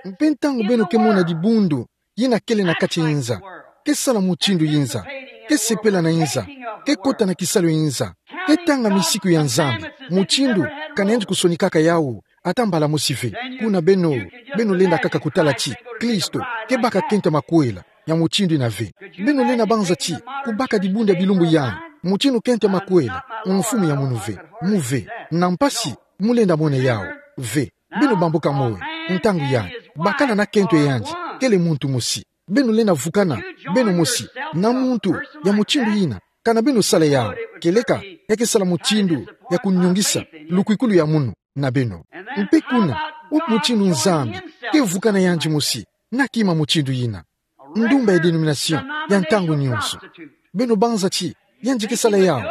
Mpe ntangu beno ke mona dibundu yina kele na kati ya inza, ke sala mutindu inza, ke sepela na inza, ke kota na kisalu ya inza, ke tanga misiku ya Nzambi mutindu ka nayandi kusonikaka yawu ata mbala mosi ve, kuna beno, beno lenda kaka kutala ti Kristo ke baka kento makwela, ya mutindu ina ve. Beno lenda banza ti kubaka dibundu ya bilumbu yai, mutindu kento ya makwela, mfumu ya munu ve, mu ve, na mpasi, mu lenda mona yau, ve. Beno bambuka moyo, ntangu yai, bakala na kento yandi, kele muntu mosi. Beno lenda vukana beno mosi na muntu ya mutindu ina, kana beno sala yau, kieleka, ya ke sala mutindu ya kunyongisa lukwikulu ya munu na beno. Mpe kuna, wapi mutindu Nzambi ke vukana yandi mosi na kima mutindu ina? Ndumba ya denomination ya ntangu nyonso. Beno banza ti yandi ke sala yau,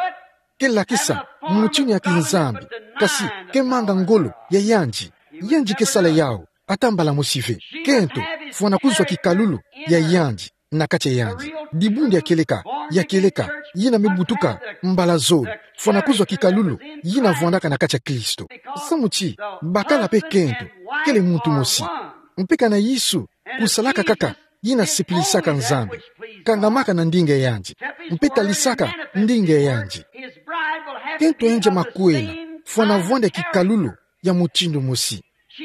ke lakisa mutindu ya kinzambi, kasi ke manga ngolo ya yandi. Yandi ke sala yau, ata mbala mosi ve. Kento, fwana kuzwa kikalulu ya yandi na kati ya yandi. Dibundu ya kieleka, ya kieleka, yina me butuka mbala zole, fwana kuzwa kikalulu yina vwandaka na kati ya Kristo. Samu ti bakala mpe kento kele muntu mosi. Mpe kana Yesu kusalaka kaka yina sipilisaka Nzambi, kangamaka na ndinga ya yandi, mpe talisaka ndinga ya yandi. Kento yandi ya makwela fwana vwanda kikalulu ya mutindu mosi.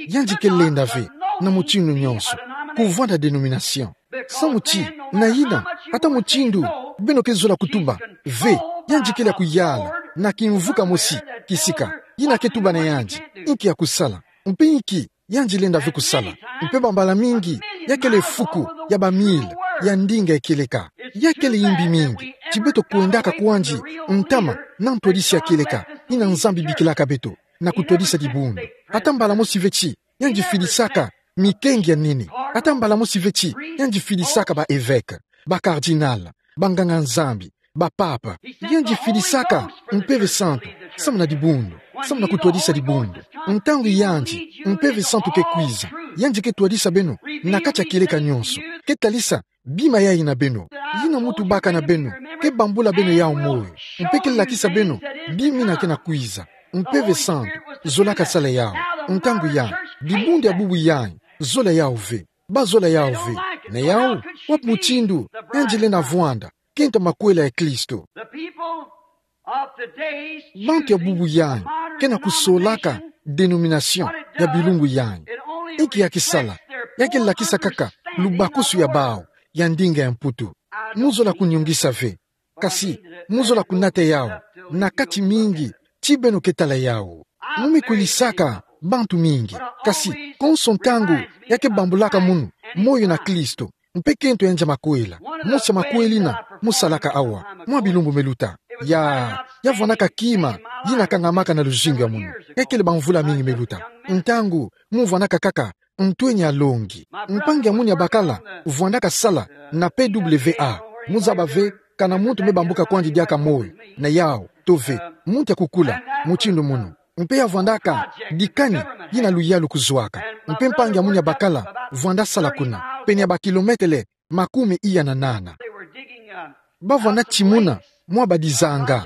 Yandi ke lenda ve na mutindu nyonso kuvwanda denomination. Samu ti na yina, ata mutindu beno ke zola kutuba ve, yandi kele ya kuyala na kimvuka mosi kisika, yina ke tuba na yandi inki ya kusala, mpe inki yandi lenda ve kusala. Mpe bambala mingi, ya kele fuku ya bamile ya ndinga ya kieleka. Ya kele yimbi mingi ti beto kwendaka kwandi ntama na ntwadisi ya kieleka ina Nzambi bikilaka beto na kutwadisa dibundu. Ata mbala mosi ve ti yandi filisaka mikengi ya nene. Ata mbala mosi ve ti yandi filisaka ba évêque, ba cardinal, banganga-Nzambi, ba papa. Yandi filisaka Mpeve Santu samu na dibundu, samu na kutwadisa dibundu. Ntangu yandi Mpeve Santu ke kwiza, yandi ke twadisa beno na kati ya kieleka nyonso, ke talisa bima yai na beno. Yina mu tubaka na beno ke bambula beno yau moyo, mpe ke lakisa beno bima ina ke na kwiza. Mpeve Santu zolaka sala yau. Ntangu yai, dibundu ya bubu yai zola yau ve. Ba zola yau ve. Na yau, wapi mutindu yandi lenda vwanda kento ya makwela ya Kristo? Bantu ya bubu yai ke na kusolaka denomination ya bilumbu yai. Inki ya ke sala? Ya ke lakisa kaka lubakusu ya bau ya ndinga ya Mputu. Mu zola kunyongisa ve, kasi mu zola kunata yau na kati mingi ti beno ke tala yau. Mu me kwilisaka bantu mingi, kasi konso ntangu ya ke bambulaka munu moyo na Kristo mpe kento yandi ya makwela. Mosi ya makwela ina mu salaka awa mwa bilumbu me luta. Ya, ya vwandaka kima yina kangamaka na luzingu ya munu. Ya kele bamvula mingi me luta, ntangu mu vwandaka kaka ntweni ya longi. Mpangi ya munu ya bakala vwandaka sala na P W A. Mu zaba ve kana muntu me bambuka kwandi diaka moyo na yau, to ve, muntu ya kukula mutindu munu. Mpe ya vwandaka dikani yina luyalu kuzwaka. Mpe mpangi ya munu ya bakala vwanda sala kuna, pene ya ba kilometele makumi iya na nana. Ba vwanda timuna mwa badizanga,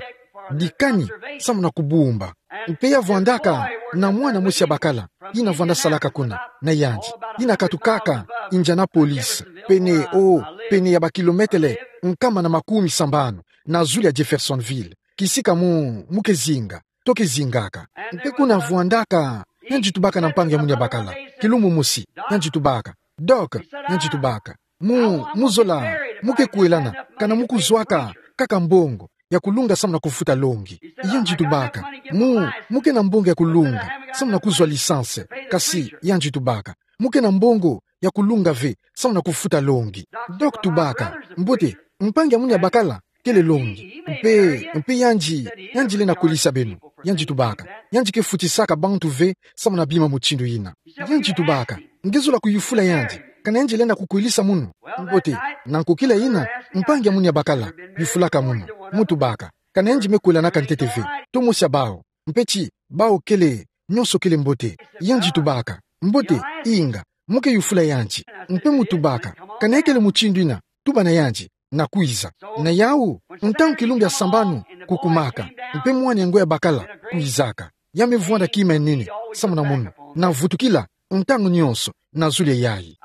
dikani samu na kubumba. Mpe ya vwandaka na mwana mosi ya bakala yina vwanda salaka kuna na yandi, yina katukaka Indianapolis, pene, o, pene ya ba kilometele nkama na makumi sambanu na zulu ya Jeffersonville, kisika mu, mu ke zinga, to ke zingaka. Mpe kuna vwandaka, yandi tubaka na mpangi ya munu ya bakala, kilumbu mosi, yandi tubaka, Doc, yandi tubaka, mu, mu zola, mu ke kwelana kana mu kuzwaka kaka mbongo ya kulunga samu na kufuta longi? Yandi tubaka, mu, mu ke na mbongo ya kulunga samu na kuzwa licence? Kasi yandi tubaka, mu ke na mbongo ya kulunga ve samu na kufuta longi? Doc tubaka, mbote, mpangi ya munu ya bakala kele longi. Mpe, mpe yandi, yandi lenda kwelisa beno. Yandi tubaka, yandi ke futisaka bantu ve samu na bima mutindu yina. Yandi tubaka, nge zola kuyufula yandi kana yandi lenda kukwelisa munu. Mbote, na nkokila yina, mpangi ya munu ya bakala yufulaka munu. Mu tubaka, kana yandi me kwelanaka ntete ve, to mosi ya bau? Mpe ti bau kele, nyonso kele mbote. Yandi tubaka, mbote, inga, mu ke yufula yandi. Mpe mu tubaka, kana ya kele mutindu yina, tuba na yandi, na kwiza. Na yau, ntangu kilumbu ya sambanu kukumaka, mpe mwana ya ngoi ya bakala kwizaka, ya me vwanda kima ya nene samu na munu, na vutukila ntangu nyonso na zulu ya yai.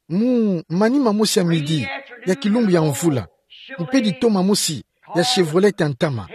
Mu manima mosi ya midi ya kilumbu ya mvula, mpe ditoma mosi ya Chevrolet ya ntama,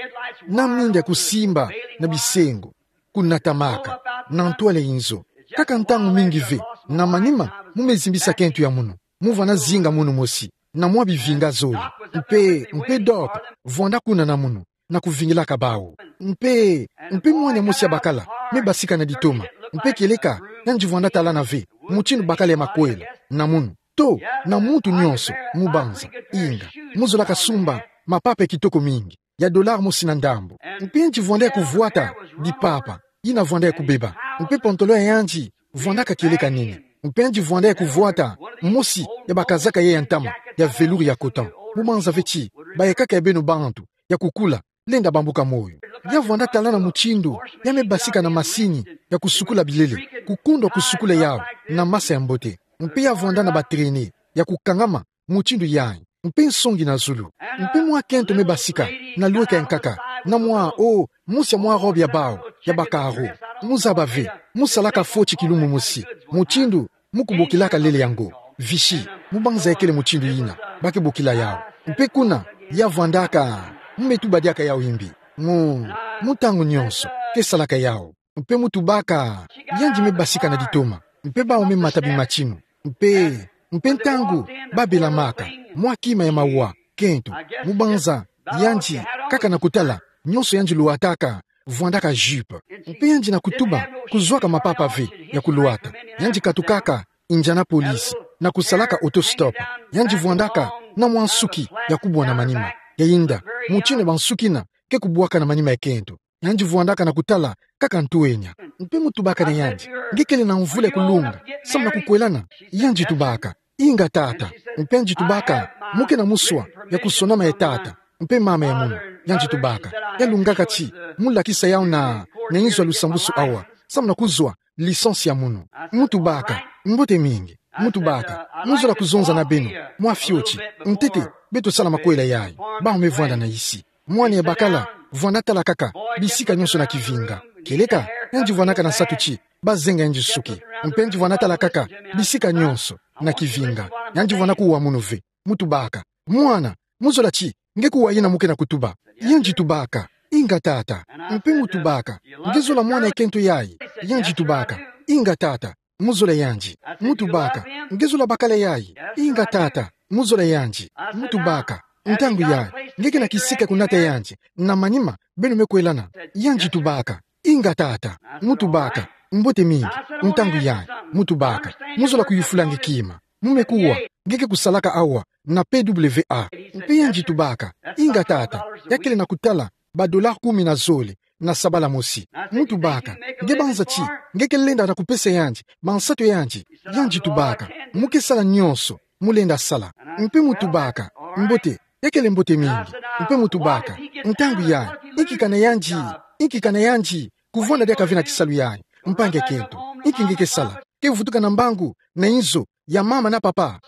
na minda ya kusimba na bisengo, kunatamaka na ntwala ya inzo. Kaka ntangu mingi ve, na manima mu me zimbisa kento ya munu. Mu vwanda zinga munu mosi na mwa bivinga zole. Mpe, mpe Doc vwanda kuna na munu, na kuvingilaka bawu. Mpe, mpe mwane mosi ya bakala me basika na ditoma. Mpe kieleka, yandi vwanda talana ve mutindu bakala ya makwela na munu. To, na muntu nyonso, mu banza, inga, mu zolaka sumba mapapa ya kitoko mingi, ya dollar mosi na ndambu. Mpe yandi vwanda ya kuvwata dipapa yina vwanda ya kubeba. Mpe pantalon ya yandi vwandaka kieleka nene. Mpe yandi vwanda ya kuvwata mosi ya bakazaka ya, ya ntama, ya velours ya coton. Mu banza ve ti bayekaka ya beno bantu ya kukula, lenda bambuka moyo. Ya vwanda talana mutindu ya me basika na masini ya kusukula bilele, kukundwa kusukula yawu na masa ya mbote. Mpe ya vwanda na batraînée ya kukangama mutindu yayi, mpe nsongi na zulu. Mpe mwa kento me basika na lweka ya nkaka, na mwa, o, mosi ya mwa robe ya bawu ya ba carreaux. Mu zaba ve, mu salaka fioti kilumbu mosi, mutindu mu kubokilaka lele yango Vichy, mu banza ya kele mutindu yina ba ke bokila yawu. Mpe kuna, ya vwandaka, mu me tuba diaka yawu yimbi, mu, mu ntangu nyonso ke salaka yawu. Mpe mu tubaka, yandi me basika na ditoma, mpe bawu me mata bimatinu. Mpe, mpe ntangu ba belamaka mwa kima ya mawa, kento, mu banza, yandi, kaka na kutala, nyonso yandi lwataka vwandaka jupe. Mpe yandi na kutuba kuzwaka mapapa ve ya kulwata. Yandi katukaka Indianapolis na kusalaka autostop. Yandi vwandaka na mwa nsuki ya kubwa na manima, ya yinda mutindu bansuki yina ke kubwaka na manima ya kento. Yandi vwandaka na kutala kaka ntwenya. Mpe mu tubaka na yandi: Nge kele na mvula ya kulunga samu na kukwelana? Yandi tubaka: Inga, tata. Mpe yandi tubaka: Mu ke na muswa ya kusonama ya tata mpe mama ya munu. Yandi tubaka: Ya lungaka ti mu lakisa yawu na, na inzo ya lusambusu awa, samu na kuzwa licence ya munu. Mu tubaka: Mbote mingi. Mu tubaka: Mu zola kuzonza na beno mwa fioti, ntete beto sala makwela yayi. Bawu me vwanda na isi. Mwane ya bakala vwanda tala kaka bisika nyonso na kivinga. Kieleka, yandi vwandaka na nsatu ti ba zenga yandi nsuki. Mpe yandi vwanda tala kaka bisika nyonso na kivinga. Yandi vwanda kuwa munu ve. Mu tubaka: Mwana, mu zola ti nge kuwa yina mu ke na kutuba? Yandi tubaka: Inga, tata. Mpe mu tubaka: Nge zola mwana ya kento yayi? Yandi tubaka: Inga, tata. Mu zola yandi. Mu tubaka: Nge zola bakala yayi? Inga, tata. Mu zola yandi. Mu tubaka: Ntangu yayi, nge ke na kisika kunata yandi na manima beno me kwelana? Yandi tubaka: Inga, tata. Mu tubaka: Mbote mingi. Ntangu yayi. Mu tubaka: Mu zola kuyufula nge kima. Mu me kuwa nge ke kusalaka awa na P W A. Mpe yandi tubaka: Inga, tata. Ya kele na kutala ba dollar kumi na zole na sabala mosi. Mu tubaka: Nge banza ti nge ke lenda na kupesa yandi bansatu ya yandi? Yandi tubaka: Mu ke sala nyonso mu lenda sala. Mpe mu tubaka: Mbote, ya kele mbote mingi. Mpe mu tubaka: Ntangu yayi, inki kana yandi, inki kana yandi kuvwanda diaka ve na kisalu yayi, mpangi ya kento? Inki nge ke sala? Ke vutuka na mbangu na inzo ya mama na papa?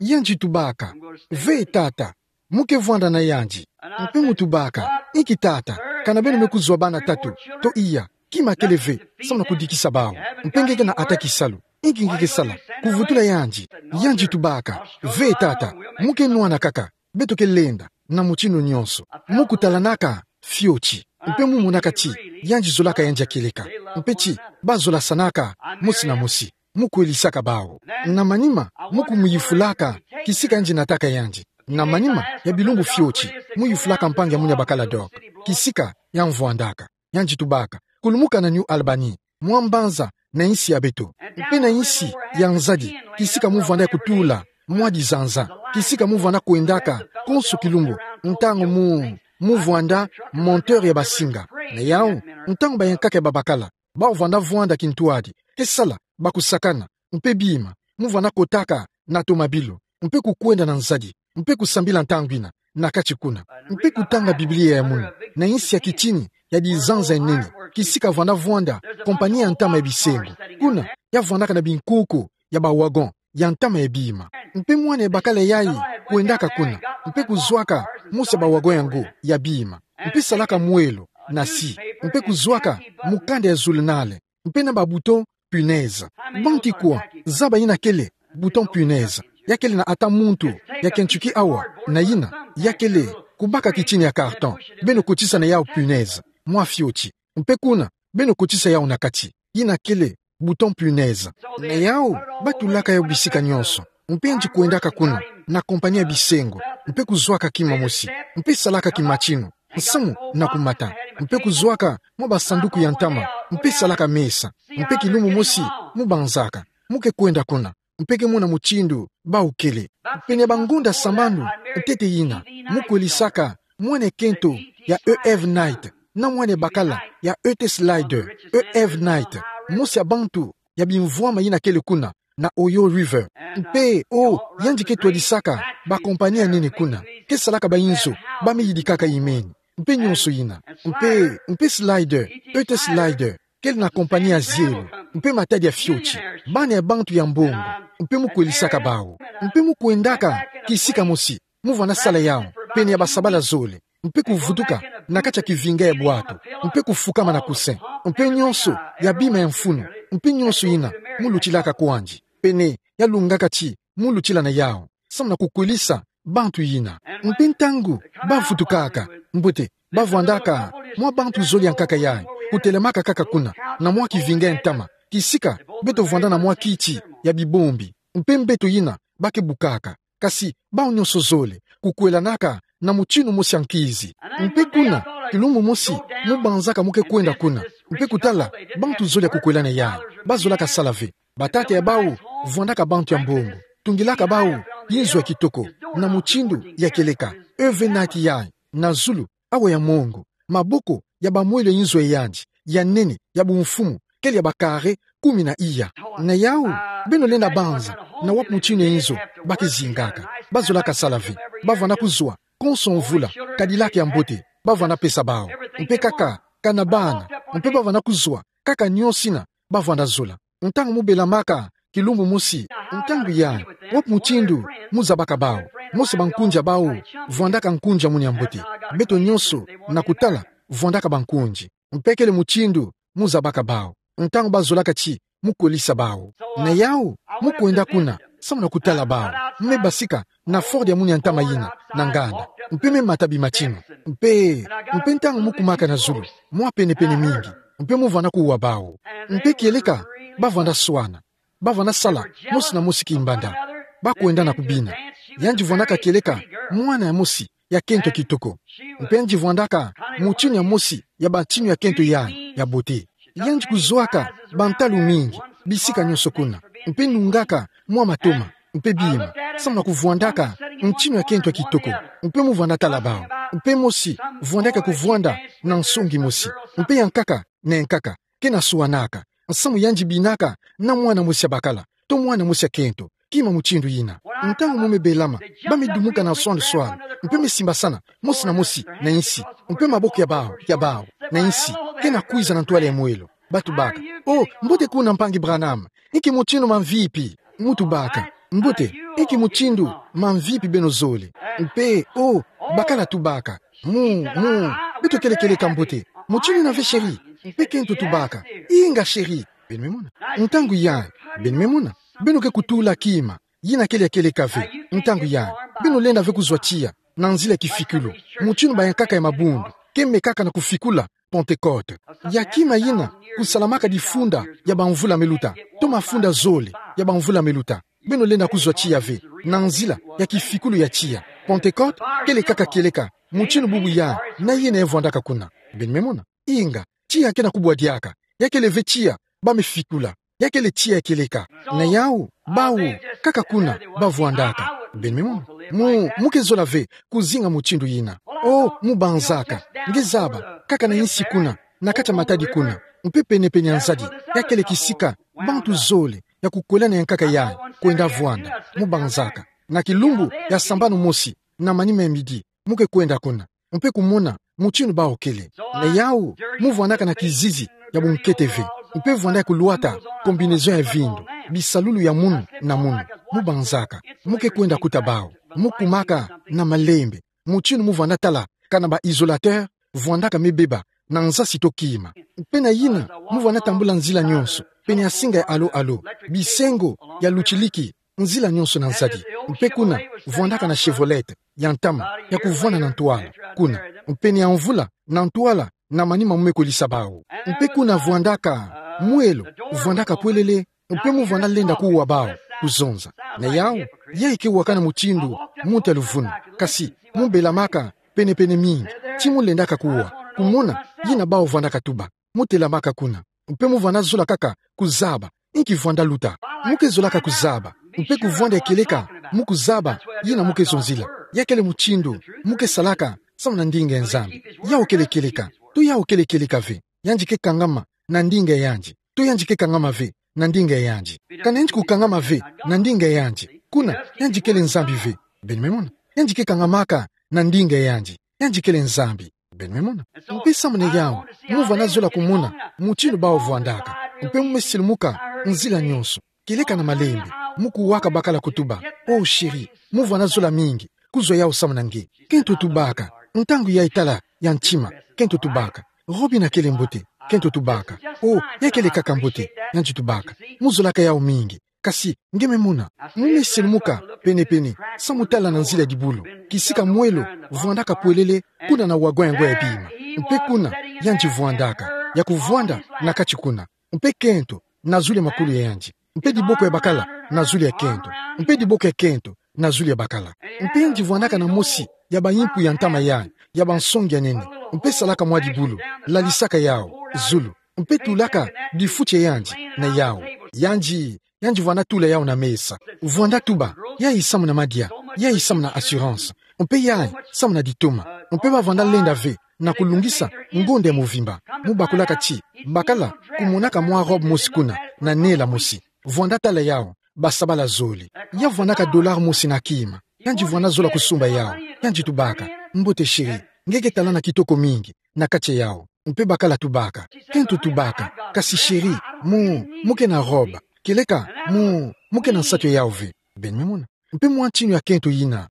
Yandi tubaka: Ve, tata. Mu ke vwanda na yandi. Mpe mu tubaka: Inki, tata, kana beno me kuzwa bana tatu to iya, kima kele ve samu na kudikisa bawu, mpe nge ke na ata kisalu? Inki nge ke sala? Kuvutula yandi. Yandi tubaka: Ve, tata. Mu ke nwana kaka. Beto ke lenda na mutindu nyonso. Mu kutalanaka fioti. Mpe mu monaka ti yandi zolaka yandi ya kieleka, mpe ti ba zolasanaka mosi na mosi. Mu kwelisaka bawu. Na manima, mu kumuyufulaka kisika yandi nataka yandi. Na manima ya bilumbu fioti, mu yufulaka mpangi ya munu ya bakala Doc kisika ya mvwandaka. Yandi tubaka: Kulumuka na New Albany, mwa mbanza na insi ya beto, mpe na insi ya nzadi, kisika mu vwanda ya kutula mwa dizanza, kisika mu vwanda kwendaka konso kilumbu, ntangu mu, mu vwanda monteur ya basinga. Na yawu, ntangu bayankaka ya babakala bawu vwanda vwanda kintwadi, ke sala bakusakana, mpe bima, mu vwanda kotaka na tomabilu, mpe kukwenda na nzadi, mpe kusambila ntangu yina na kati kuna, mpe kutanga Biblia ya munu na insi ya kitini ya dizanza ya nene, kisika vwanda vwanda kompani ya ntama ya bisengo. Kuna, ya vwandaka na binkuku ya ba wagon ya ntama ya bima. Mpe mwana ya bakala yayi kwendaka kuna, mpe kuzwaka mosi ya ba wagon yango ya bima, mpe salaka mwelo na si, mpe kuzwaka mukanda ya zulunale, mpe na ba bouton punaise. Banti kwa zaba yina kele bouton punaise? Ya kele na ata muntu ya Kentucky awa, na yina ya kele kubaka kitini ya carton, beno kotisa na yawu punaise mwa fioti, mpe kuna beno kotisa yawu na kati. Yina kele bouton punaise. Na yawu, ba tulaka yawu bisika nyonso. Mpe yandi kwendaka kuna na kompani ya bisengo, mpe kuzwaka kima mosi, mpe salaka kimatinu, nsamu na kumata, mpe kuzwaka mwa basanduku ya ntama, mpe salaka mesa, mpe kilumbu mosi mu banzaka, mu ke kwenda kuna, mpe ke mona mutindu bawu kele. Pene ya bangonda sambanu ntete yina, mu kwelisaka mwana ya kento ya E F Knight, na mwana ya bakala ya E T Slider, E F Knight, mosi ya bantu ya bimvwama yina kele kuna na Ohio River. Mpe, o, yandi ke twadisaka bakompani ya nene kuna, ke salaka bayinzo ba me yidikaka imeni, mpe nyonso yina. Mpe, mpe Slider, E T Slider, kele na kompani ya zielo, mpe matadi ya fioti, bana ya bantu ya mbongo, mpe mu kwelisaka bawu. Mpe mu kwendaka kisika mosi, mu vwanda sala yawu pene ya basabala zole, mpe kuvutuka na kati ya kivinga ya bwatu, mpe kufukama na kuse, mpe nyonso ya bima ya mfunu, mpe nyonso yina mu lutilaka kwandi, pene ya lungaka ti mu lutila na yawu, samu na kukwelisa bantu yina. Mpe ntangu bavutukaka, mbote, bavwandaka mwa bantu zole ya nkaka yayi, kutelamaka kaka kuna na mwa kivinga ya ntama, kisika beto vwanda na mwa kiti ya bibombi, mpe mbeto yina ba ke bukaka. Kasi bawu nyonso zole kukwelanaka na mutinu mosi ya nkizi. Mpe kuna, kilumbu mosi, mu banzaka mu ke kwenda kuna, mpe kutala bantu zole ya kukwelana yayi, bazolaka sala ve. Batata ya bawu vwandaka bantu ya mbongo, tungilaka bawu yinzo ya kitoko, na mutindu ya kieleka, E F Knight yayi, na zulu, awa ya mongo, maboko ya bamwelo ya yinzo ya yandi ya nene ya bumfumu, kele ya ba carré kumi na iya. Na yawu, beno lenda banza na wapi mutinu ya yinzo ba ke zingaka. Bazolaka sala ve. Bavwanda kuzwa konso mvula Cadillac ya mbote bavwanda pesa bawu, mpe kaka kana bana, mpe bavwanda kuzwa kaka nyonso yina bavwanda zola. Ntangu mu belamaka kilumbu mosi, ntangu yayi, wapi mutindu mu zabaka bawu? Mosi bankunzi ya bawu vwandaka nkunzi ya munu ya mbote. Beto nyonso, na kutala, vwandaka bankunzi. Mpe kele mutindu mu zabaka bawu, ntangu bazolaka ti mu kwelisa bawu. Na yawu, mu kwenda kuna samu na kutala bawu. Me basika na Ford ya munu ya ntama yina na nganda, mpe me mata bimatinu. Mpe, mpe ntangu mu kumaka na zulu, mwa penepene mingi, mpe mu vwanda kuwa bawu. Mpe kieleka, bavwanda swana, bavwanda sala mosi na mosi kimbanda. Bakwenda na kubina. Yandi vwandaka kieleka mwana ya mosi ya kento kitoko. Mpe yandi vwandaka mutinu ya mosi ya batinu ya kento yayi ya bote. Yandi kuzwaka bantalu mingi bisika nyonso kuna, mpe nungaka mwa matoma, mpe bima, samu na kuvwandaka mutinu ya kento kitoko. Mpe mu vwanda tala bawu. Mpe mosi vwandaka kuvwanda na nsongi mosi, mpe ya nkaka na ya nkaka, ke na swanaka, nsamu yandi binaka na mwana mosi ya bakala, to mwana mosi ya kento, kima mutindu yina. Ntangu mu me belama, ba me dumuka na swanu swanu, mpe me simbasana mosi na mosi na insi, mpe maboko ya bawu, ya bawu, na insi, ke na kwiza na ntwala ya mwelo. Ba tubaka: "O, mbote kuna, Mpangi Branham. Inki mutindu mamvipi?" Mu tubaka: "Mbote, inki mutindu mamvipi beno zole?" Mpe, o, bakala tubaka: "Mu, mu, beto kele kieleka mbote. Mutindu yina ve, chéri?" Mpe kento tubaka: "Inga, chéri." Beno me mona? Ntangu yayi, beno me mona, beno ke kutula kima yina kele ya kieleka ve. Ntangu yayi, beno lenda ve kuzwa tiya na nzila ya kifikulu, mutinu ba ya nkaka ya mabundu ke mekaka na kufikula Pentecôte. Ya kima yina kusalamaka difunda ya bamvula me luta, to mafunda zole ya bamvula me luta. Beno lenda kuzwa tiya ve na nzila ya kifikulu ya tiya. Pentecôte kele kaka kieleka mutinu bubu yayi, na yena ya vwandaka kuna. Beno me mona? Inga, tiya ke na kubwa diaka. Ya kele ve tiya ba me fikula. Ya kele tiya ya kieleka. Na yawu, bawu, kaka kuna bavwandaka. Beno me mona? Mu, mu ke zola ve kuzinga mutindu yina. O, mu banzaka, nge zaba, kaka na insi kuna, na kati ya matadi kuna, mpe penepene ya nzadi, ya kele kisika bantu zole ya kukwelana ya nkaka yayi kwenda vwanda. Mu banzaka, na kilumbu ya sambanu mosi, na manima ya midi, mu ke kwenda kuna, mpe kumona mutinu bawu kele. Na yawu, mu vwandaka na kizizi ya bunkete ve, mpe vwanda ya kulwata combinaison ya vindu, bisalulu ya munu na munu. Mu banzaka, mu ke kwenda kuta bawu, mu kumaka na malembe, mutinu mu vwanda tala kana ba isolateur vwandaka me beba na nzasi to kima. Mpe na yina, mu vwanda tambula nzila nyonso pene ya singa ya alo-alo, bisengo ya lutiliki, nzila nyonso na nzadi. Mpe kuna, vwandaka na Chevrolet ya ntama ya kuvwanda na ntwala kuna, pene ya mvula na ntwala, na manima mu me kwelisa bawu. Mpe kuna vwandaka mwelo, vwandaka pwelele, mpe mu vwanda lenda kuwa bawu. kuzonza. Na yau, yayi ke wakana mutindu muntu ya luvunu. Kasi, mu belamaka penepene mingi, ti mu lendaka kuwa, kumona yina bawu vwandaka tuba. Mu telamaka kuna, mpe mu vwanda zola kaka kuzaba inki vwanda luta. Mu ke zolaka kuzaba, mpe kuvwanda kieleka mu kuzaba yina mu ke zonzila. Ya kele mutindu mu ke salaka samu na ndinga ya Nzambi. Yau kele kieleka, to yau kele kieleka ve. Yandi ke kangama na ndinga yandi, to yandi ke kangama ve na ndinga yandi. Kana yandi kukangama ve na ndinga yandi, kuna yandi kele Nzambi ve. Beno me mona? Yandi ke kangamaka na ndinga yandi, yandi kele Nzambi. Beno me mona? Mpe samu na yau, mu vwanda zola kumona mutindu bawu vwandaka. Mpe mu me silumuka nzila nyonso, kieleka na malembe, mu kuwaka bakala kutuba: "Oh chérie, mu vwanda zola mingi kuzwa yau samu na nge." Kento tubaka. Ntangu yayi tala ya ntima, kento tubaka. Robe yina kele mbote, kento tubaka. Oh, ya kele kaka mbote, yandi tubaka. Mu zolaka yau mingi. Kasi nge me mona, mu me silumuka penepene, samu tala na nzila ya dibulu, kisika mwelo vwandaka pwelele kuna na wagon yango ya bima. Mpe kuna yandi vwandaka, ya kuvwanda na kati kuna. Mpe kento na zulu ya makulu ya yandi, mpe diboko ya bakala na zulu ya kento, mpe diboko ya kento na zulu ya bakala. Mpe yandi vwandaka na mosi ya bayimpu ya ntama yayi, ya bansongi ya nene, mpe salaka mwa dibulu, lalisaka yau zulu, mpe tulaka difuti ya yandi na yau. Yandi, yandi vwanda tula yau na mesa. Vwanda tuba: "Yayi samu na madia, yayi samu na assurance, mpe yayi samu na ditoma." Mpe ba vwanda lenda ve na kulungisa ngonda ya movimba. Mu bakulaka ti bakala kumonaka mwa robe mosi kuna na nela mosi. Vwanda tala yau, basabala zole. Ya vwandaka dollar mosi na kima. Yandi vwanda zola kusumba yau. Yandi tubaka: "Mbote chérie, nge ke talana kitoko mingi na kati ya yau." Mpe bakala tubaka, kento tubaka: "Kasi chérie, mu, mu ke na robe, kieleka mu, mu ke na nsatu ya yau ve." Beno me mona? Mpe mwa ntinu ya kento yina.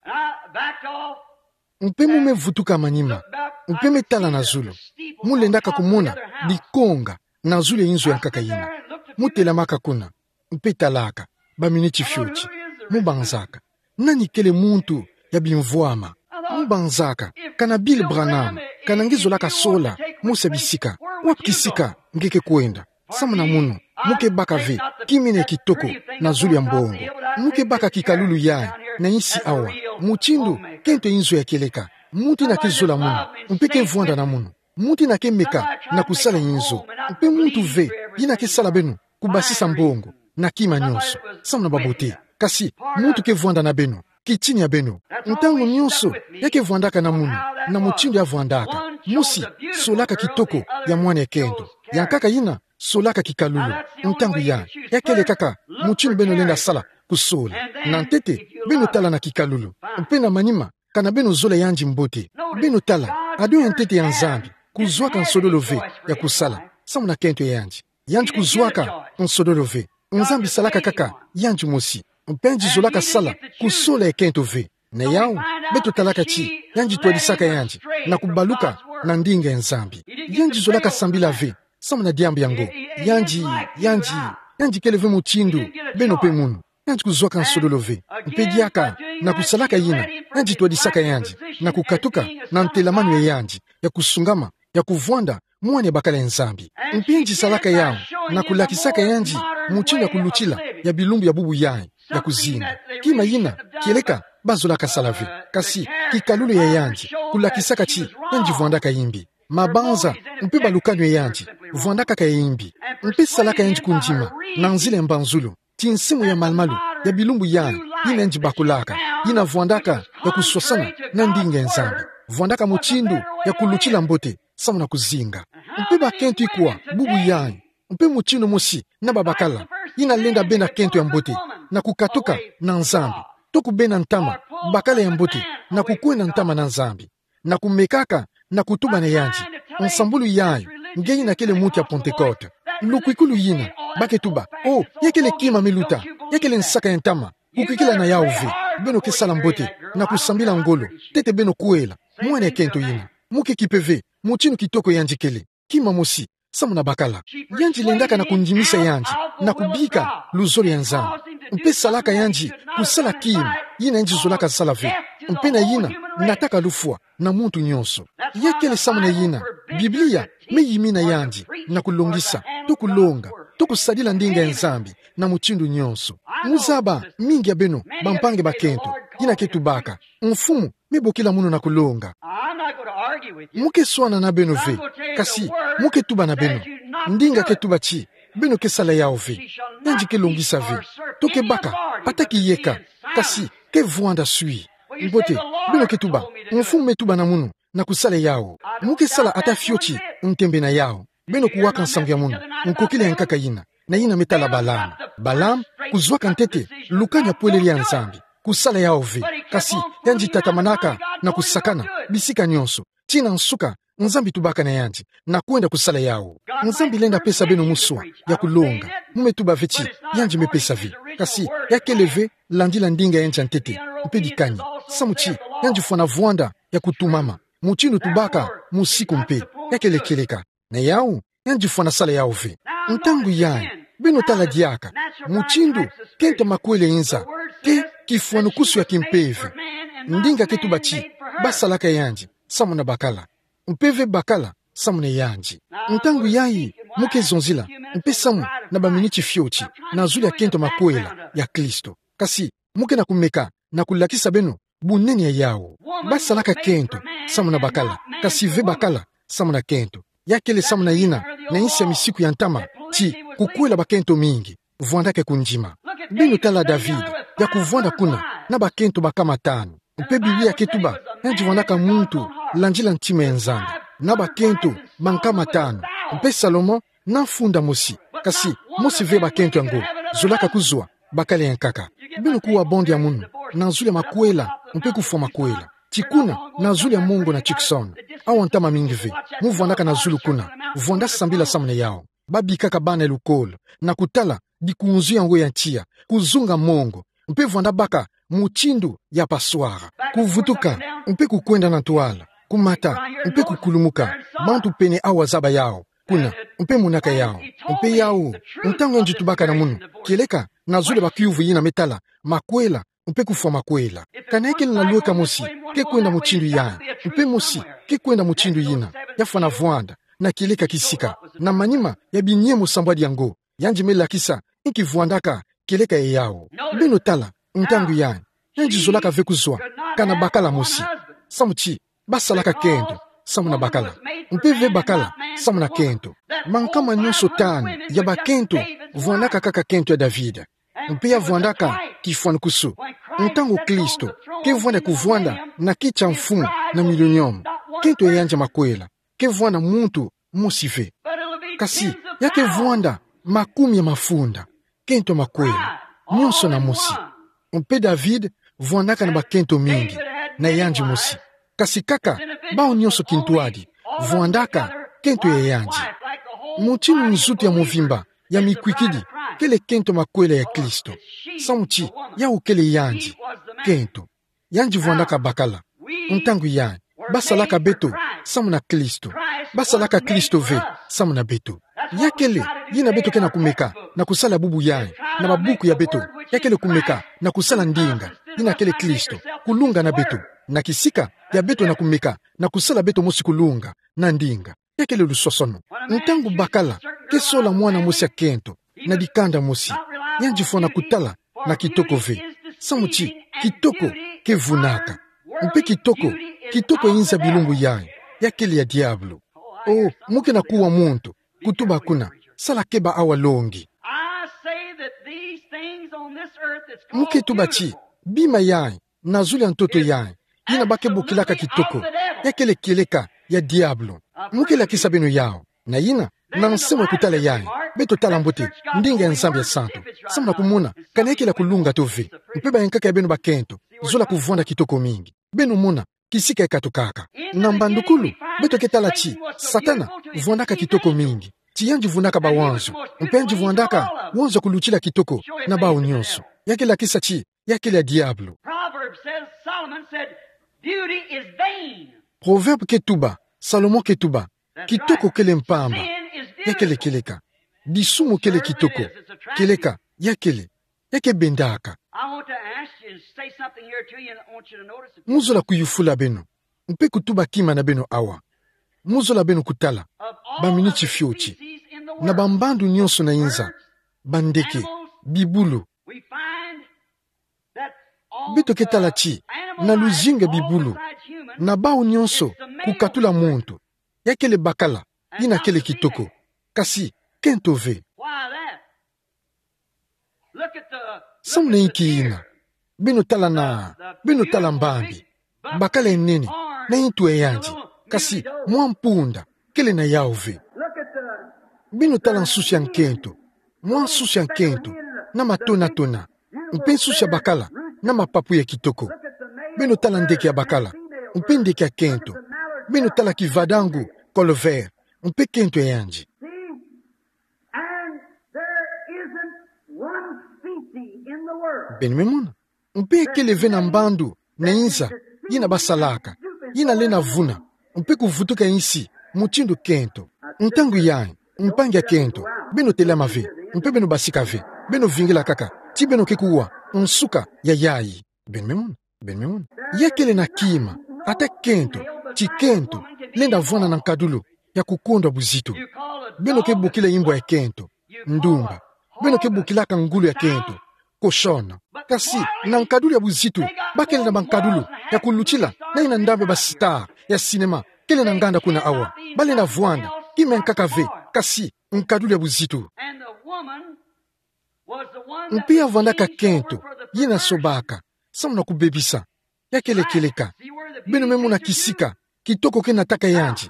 Mpe mu me vutuka manima, mpe me tala na zulu. Mu lendaka kumona bikonga na zulu ya inzo ya nkaka yina. Mu telamaka kuna, mpe talaka, baminiti fioti. Mu banzaka: "Nani kele muntu ya bimvwama?" Mu banzaka: "Kana Bill Branham, kana nge zolaka sola mosi ya bisika, wapi kisika nge ke kwenda?" Samu na munu, mu ke baka ve kima yina ya kitoko na zulu ya mbongo. Mu ke baka kikalulu yayi na insi awa. Mutindu kento ya inzo ya kieleka. Muntu yina ke zola munu, mpe ke vwanda na munu, muntu yina ke meka na kusala inzo, mpe muntu ve yina ke sala beno kubasisa mbongo na kima nyonso, samu na babote. Kasi muntu ke vwanda na beno, kitini ya beno. Ntangu nyonso ya ke vwandaka na munu, na mutindu ya vwandaka. Mosi, solaka kitoko ya mwana ya kento. Ya nkaka yina, solaka kikalulu. Ntangu yayi, ya kele kaka mutindu beno lenda sala kusola. Na ntete, beno tala na kikalulu. Mpe na manima, kana beno zola yandi mbote, beno tala, ado ya ntete ya Nzambi kuzwaka nsololo ve ya kusala samu na kento ya yandi. Yandi kuzwaka nsololo ve. Nzambi salaka kaka yandi mosi. Mpe yandi zolaka sala kusola ya kento ve. Na yau, beto talaka ti yandi twadisaka yandi na kubaluka na ndinga ya Nzambi. Yandi zolaka sambila ve samu na diambu yango. Yandi, yandi, yandi kele ve mutindu beno pe munu. Yandi kuzwaka nsololo ve. Mpe diaka, na kusalaka yina, yandi twadisaka yandi na kukatuka na ntelamanu ya yandi ya kusungama, ya kuvwanda mwana ya bakala ya Nzambi. Mpe yandi salaka yau na kulakisaka yandi mutindu ya kulutila ya bilumbu ya bubu yayi ya kuzinga. Kima yina, kieleka ba zolaka sala ve. Kasi kikalulu ya yandi kulakisaka ti yandi vwandaka yimbi. Mabanza mpe balukanu ya yandi vwandaka kaka ya yimbi. Mpe salaka yandi kundima na nzila ya mbanzulu, tinsimu ya malumalu ya bilumbu yayi yina yandi bakulaka, yina vwandaka ya kuswasana na ndinga ya Nzambi. Vwandaka mutindu ya kulutila mbote samu na kuzinga. Mpe bakento ikwa bubu yayi, mpe mutindu mosi na babakala, yina lenda bena kento ya mbote na kukatuka na Nzambi, to kubena ntama, bakala ya mbote, na kukwenda ntama na Nzambi, na kumekaka na kutuba na yandi nsambulu yayi, nge yina kele muntu ya Pentecote. Lukwikulu yina, ba ke tuba: "Oh, ya kele kima me luta, ya kele nsaka ya ntama, kukwikila na yau ve, beno ke sala mbote na kusambila ngolo, ntete beno kwela mwana ya kento yina." Mu ke kipe ve mutindu kitoko yandi kele. Kima mosi samu na bakala. Yandi lendaka na kundimisa yandi na kubika luzolo ya Nzambi. Mpe salaka yandi kusala kima yina yandi zolaka sala ve, mpe na yina nataka lufwa na muntu nyonso. Ya kele samu na yina Biblia me yimina yandi na kulongisa, to kulonga, to kusadila ndinga ya Nzambi na mutindu nyonso. Muzaba, mingi ya beno, bampangi bakento, yina ke tubaka: Mfumu, me bokila munu na kulonga. I'm not gonna argue with you. Mu ke swana na beno ve, kasi mu ke tuba na beno. Ndinga ke tuba ti beno ke sala yawu ve, yandi ke longisa ve. To ke baka, ata ki yeka, kasi ke vwanda swi. Mbote, beno ke tuba: Mfumu me tuba na munu na kusala yawu. Mu ke sala ata fioti ntembe na yawu. Beno kuwaka nsangu ya munu, nkokila ya nkaka yina, na yina me tala Balaam. Balaam, kuzwaka ntete lukani ya pwelele ya Nzambi, kusala yawu ve. Kasi yandi tatamanaka na kusakana bisika nyonso, tii na nsuka, Nzambi tubaka na yandi na kwenda kusala yawu. Nzambi lenda pesa beno muswa ya kulonga. Mu me tuba ve ti yandi me pesa ve, kasi ya kele ve landila ndinga ya yandi ya ntete mpe dikani. Samu ti yandi fwana vwanda ya kutumama, mutindu tubaka musiku mpe, ya kele kieleka. Na yawu, yandi fwana sala yawu ve. Ntangu yayi, beno tala diaka mutindu kento makwela inza, ke kifwanukusu ya kimpeve. Ndinga ke tuba ti basalaka yandi samu na bakala, mpe ve bakala samu na yandi. Ntangu yayi, mu ke zonzila mpe samu na baminiti fioti na zulu ya kento makwela ya Kristo. Kasi mu ke na kumeka na kulakisa beno bunene ya yawu. Basalaka kento samu na bakala, kasi ve bakala samu na kento. Ya kele samu na yina, na nsi ya misiku ya ntama, ti kukwela bakento mingi vwandaka kundima. Beno tala David, ya kuvwanda kuna na bakento bankama tanu. Mpe Biblia ke tuba yandi vwandaka muntu landila ntima ya Nzambi, na bakento bankama tanu. Mpe Salomo na mfunda mosi, kasi mosi ve bakento yango zolaka kuzwa bakala ya nkaka. Beno kuwa bande ya munu na zulu ya makwela mpe kufwa makwela. Ti kuna na zulu ya Mongo na Tucson, awa ntama mingi ve, mu vwandaka na zulu kuna, vwanda sambila samu na yawu. Babikaka bana ya lukolo na kutala dikunzu yango ya tiya, kuzunga mongo, mpe vwanda baka mutindu ya passoire, kuvutuka mpe kukwenda na ntwala, kumata mpe kukulumuka. Bantu pene awa zaba yawu kuna, mpe monaka yawu. Mpe yawu, ntangu yandi tubaka na munu, kieleka na zulu ya bakiuvu yina me tala makwela mpe kufwa makwela. Kana ya kele na lweka mosi ke kwenda mutindu yayi, mpe mosi ke kwenda mutindu yina, ya fwana vwanda na kieleka kisika, na manima ya binyemo sambwadi yango, yandi me lakisa inki vwandaka kieleka ya yawu. Beno tala, ntangu yayi, yandi zolaka ve kuzwa kana bakala mosi, samu ti basalaka kento samu na bakala, mpe ve bakala samu na kento. Bankama nyonso tanu ya bakento vwandaka kaka kento ya David, mpe ya vwandaka kifwanukusu. Ntangu Kristo ke vwanda kuvwanda na kiti ya mfumu na millennium, kento ya yandi ya makwela ke vwanda muntu mosi ve. Kasi ya ke vwanda makumi ya mafunda, kento makwela, nyonso na mosi. Mpe David vwandaka na bakento mingi, na yandi mosi. Kasi kaka bawu nyonso kintwadi vwandaka kento ya yandi. Mutindu nzutu ya mvimba ya mikwikidi kele kento makwela ya Kristo, samu ti yawu kele yandi kento. Yandi vwandaka bakala. Ntangu yayi, basalaka beto samu na Kristo. Basalaka Kristo ve samu na beto. Ya kele yina beto ke na kumeka na kusala bubu yayi, na babuku ya beto. Ya kele kumeka na kusala ndinga, yina kele Kristo, kulunga na beto, na kisika ya beto na kumeka na kusala beto mosi kulunga na ndinga. Ya kele lusosono. Ntangu bakala ke sola mwana mosi ya kento na dikanda mosi, yandi fwana kutala na kitoko ve, samu ti kitoko ke vunaka. Mpe kitoko, kitoko inza bilumbu yayi, ya kele ya diabulu. Oh, mu ke na kuwa muntu kutuba kuna, sala keba awa longi. I say that these things on this earth that's called beautiful. Mu ke tuba ti bima yayi na zulu ya ntoto yayi, yina ba ke bokilaka kitoko, ya kele kieleka ya diabulu. Mu ke lakisa beno yawu. Na yina, na nsembo ya kutala yayi, beto tala mbote ndinga ya Nzambi ya santu, samu na kumona kana ya kele ya kulunga to ve. Mpe bayankaka ya beno bakento zola kuvwanda kitoko mingi. Beno mona kisika ya katukaka. Na mbandukulu, beto ke tala ti Satana vwandaka kitoko mingi, ti yandi vunaka bawanzu, mpe yandi vwandaka wanzu ya kulutila kitoko na bawu nyonso. Ya ke lakisa ti ya kele ya diabulu. Proverbs says, Solomon said, "Beauty is vain." Proverbe ke tuba, Salomo ke tuba, kitoko kele mpamba, ya kele kieleka. Disumu kele kitoko, kieleka, ya kele, ya ke bendaka. I want to ask you to say something here to you, and I want you to notice it. Mu zola kuyufula beno, mpe kutuba kima na beno awa. Mu zola beno kutala, baminiti fioti. na bambandu nyonso na inza, bandeke, bibulu. Beto ke tala ti, na luzingu ya bibulu, na bau nyonso, kukatula muntu, ya kele bakala, yina kele kitoko. Kasi, kento ve. Samu na inki yina? Beno tala na, beno tala mbambi. Bakala ya nene, na ntu ya yandi. Kasi, mwa mpunda, kele na yau ve. Beno tala nsusu ya nkento. Mwa nsusu ya nkento, na matonatona. Mpe nsusu ya bakala, na mapapu ya kitoko. Beno tala ndeke ya bakala. Mpe ndeke ya kento. Beno tala kivadangu, colvert. Mpe kento ya yandi. And there isn't one species in the world. Beno me mona. Mpe kele ve na mbandu, na inza, yina basalaka, yina lenda vuna, mpe kuvutuka insi, mutindu kento. Ntangu yayi, mpangi ya kento, beno telama ve, mpe beno basika ve, beno vingila kaka, ti beno ke kuwa, nsuka, ya yayi. Beno me mona. Beno me mona. Ya kele na kima, ata kento, ti kento, lenda vwanda na nkadulu, ya kukondwa buzitu. Beno ke bokila imbo ya kento, ndumba. Beno ke bokilaka ngulu ya kento, cochon. Kasi, na nkadulu ya buzitu, ba kele na bankadulu, ya kulutila, na yina ndambu ya ba star, ya cinéma, kele na nganda kuna awa. Ba lenda vwanda, kima ya nkaka ve, kasi, nkadulu ya buzitu. Mpe ya vwandaka kento, yina sobaka, samu na kubebisa. Ya kele kieleka. Beno me mona kisika, kitoko ke nataka yandi.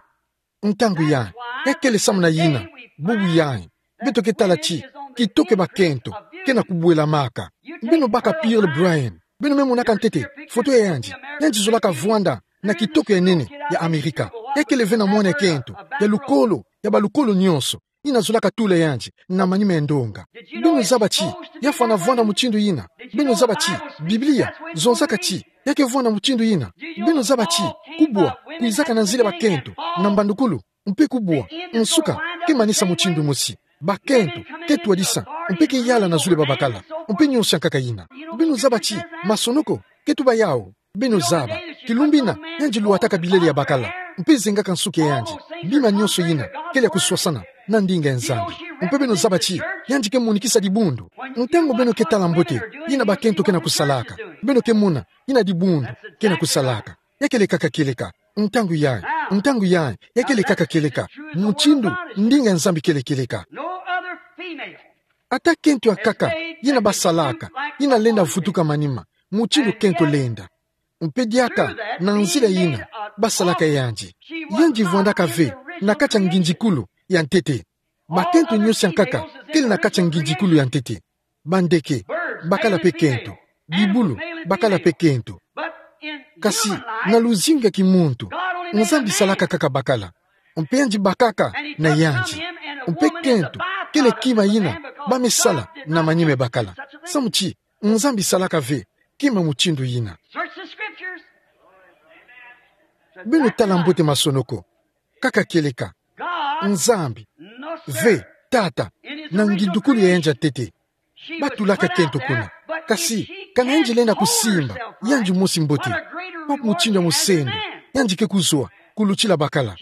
Ntangu yayi, ya kele samu na yina, bubu yayi. Beto ke tala ti, kitoko ya bakento, ke na kubwelamaka. Beno baka Pearl Bryan. Beno me monaka ntete, foto ya yandi. Yandi zolaka vwanda, na kitoko ya nene, ya Amerika. Ya kele ve na mwana ya kento, ya lukolo, ya balukolo nyonso. Yina zolaka tula yandi, na manima ya ndonga. Beno zaba ti, ya fwana vwanda mutindu yina. Beno zaba ti, Biblia, zonzaka ti, ya ke vwanda mutindu yina. Beno zaba ti, kubwa, kwizaka na nzila ya bakento, na mbandukulu, mpe kubwa, nsuka, ke manisa mutindu mosi. Bakento, ke twadisa, mpe ke yala na zulu ya babakala, mpe nyonso ya nkaka yina. Beno zaba ti, masonoko, ke tuba yau. Beno zaba, kilumbu yina, yandi lwataka bilele ya bakala, mpe zengaka nsuki ya yandi, bima nyonso yina, kele ya kuswasana, na ndinga ya Nzambi. Mpe beno zaba ti, yandi ke monikisa dibundu. Ntangu beno ke tala mbote, yina bakento ke na kusalaka, beno ke mona, yina dibundu, ke na kusalaka. Ya kele kaka kieleka, ntangu yayi, ntangu yayi, ya kele kaka kieleka, mutindu, ndinga ya Nzambi kele kieleka. No other female. Ata kento ya nkaka, yina basalaka, yina lenda vutuka manima, mutindu kento lenda. Mpe diaka, na nzila yina, basalaka yandi. Yandi vwandaka ve, na kati ya ngindikulu, ya ntete. Bakento nyonso ya nkaka, kele na kati ya ngindikulu ya ntete. Bandeke, bakala mpe kento. Bibulu, bakala mpe kento. Kasi, na luzingu ya kimuntu, Nzambi salaka kaka bakala. Mpe yandi bakaka na yandi. Mpe kento, kele kima yina, ba me sala na manima ya bakala. Samu ti, Nzambi salaka ve, kima mutindu yina. Search the scriptures. Beno tala mbote masonoko. Kaka kieleka. Nzambi. Ve, tata. Na ngindikulu ya yandi ya ntete. Batulaka kento kuna. Kasi, kana yandi lenda kusimba, yandi mosi mbote. Wapi mutindu ya musendo, yandi ke kuzwa, kulutila bakala.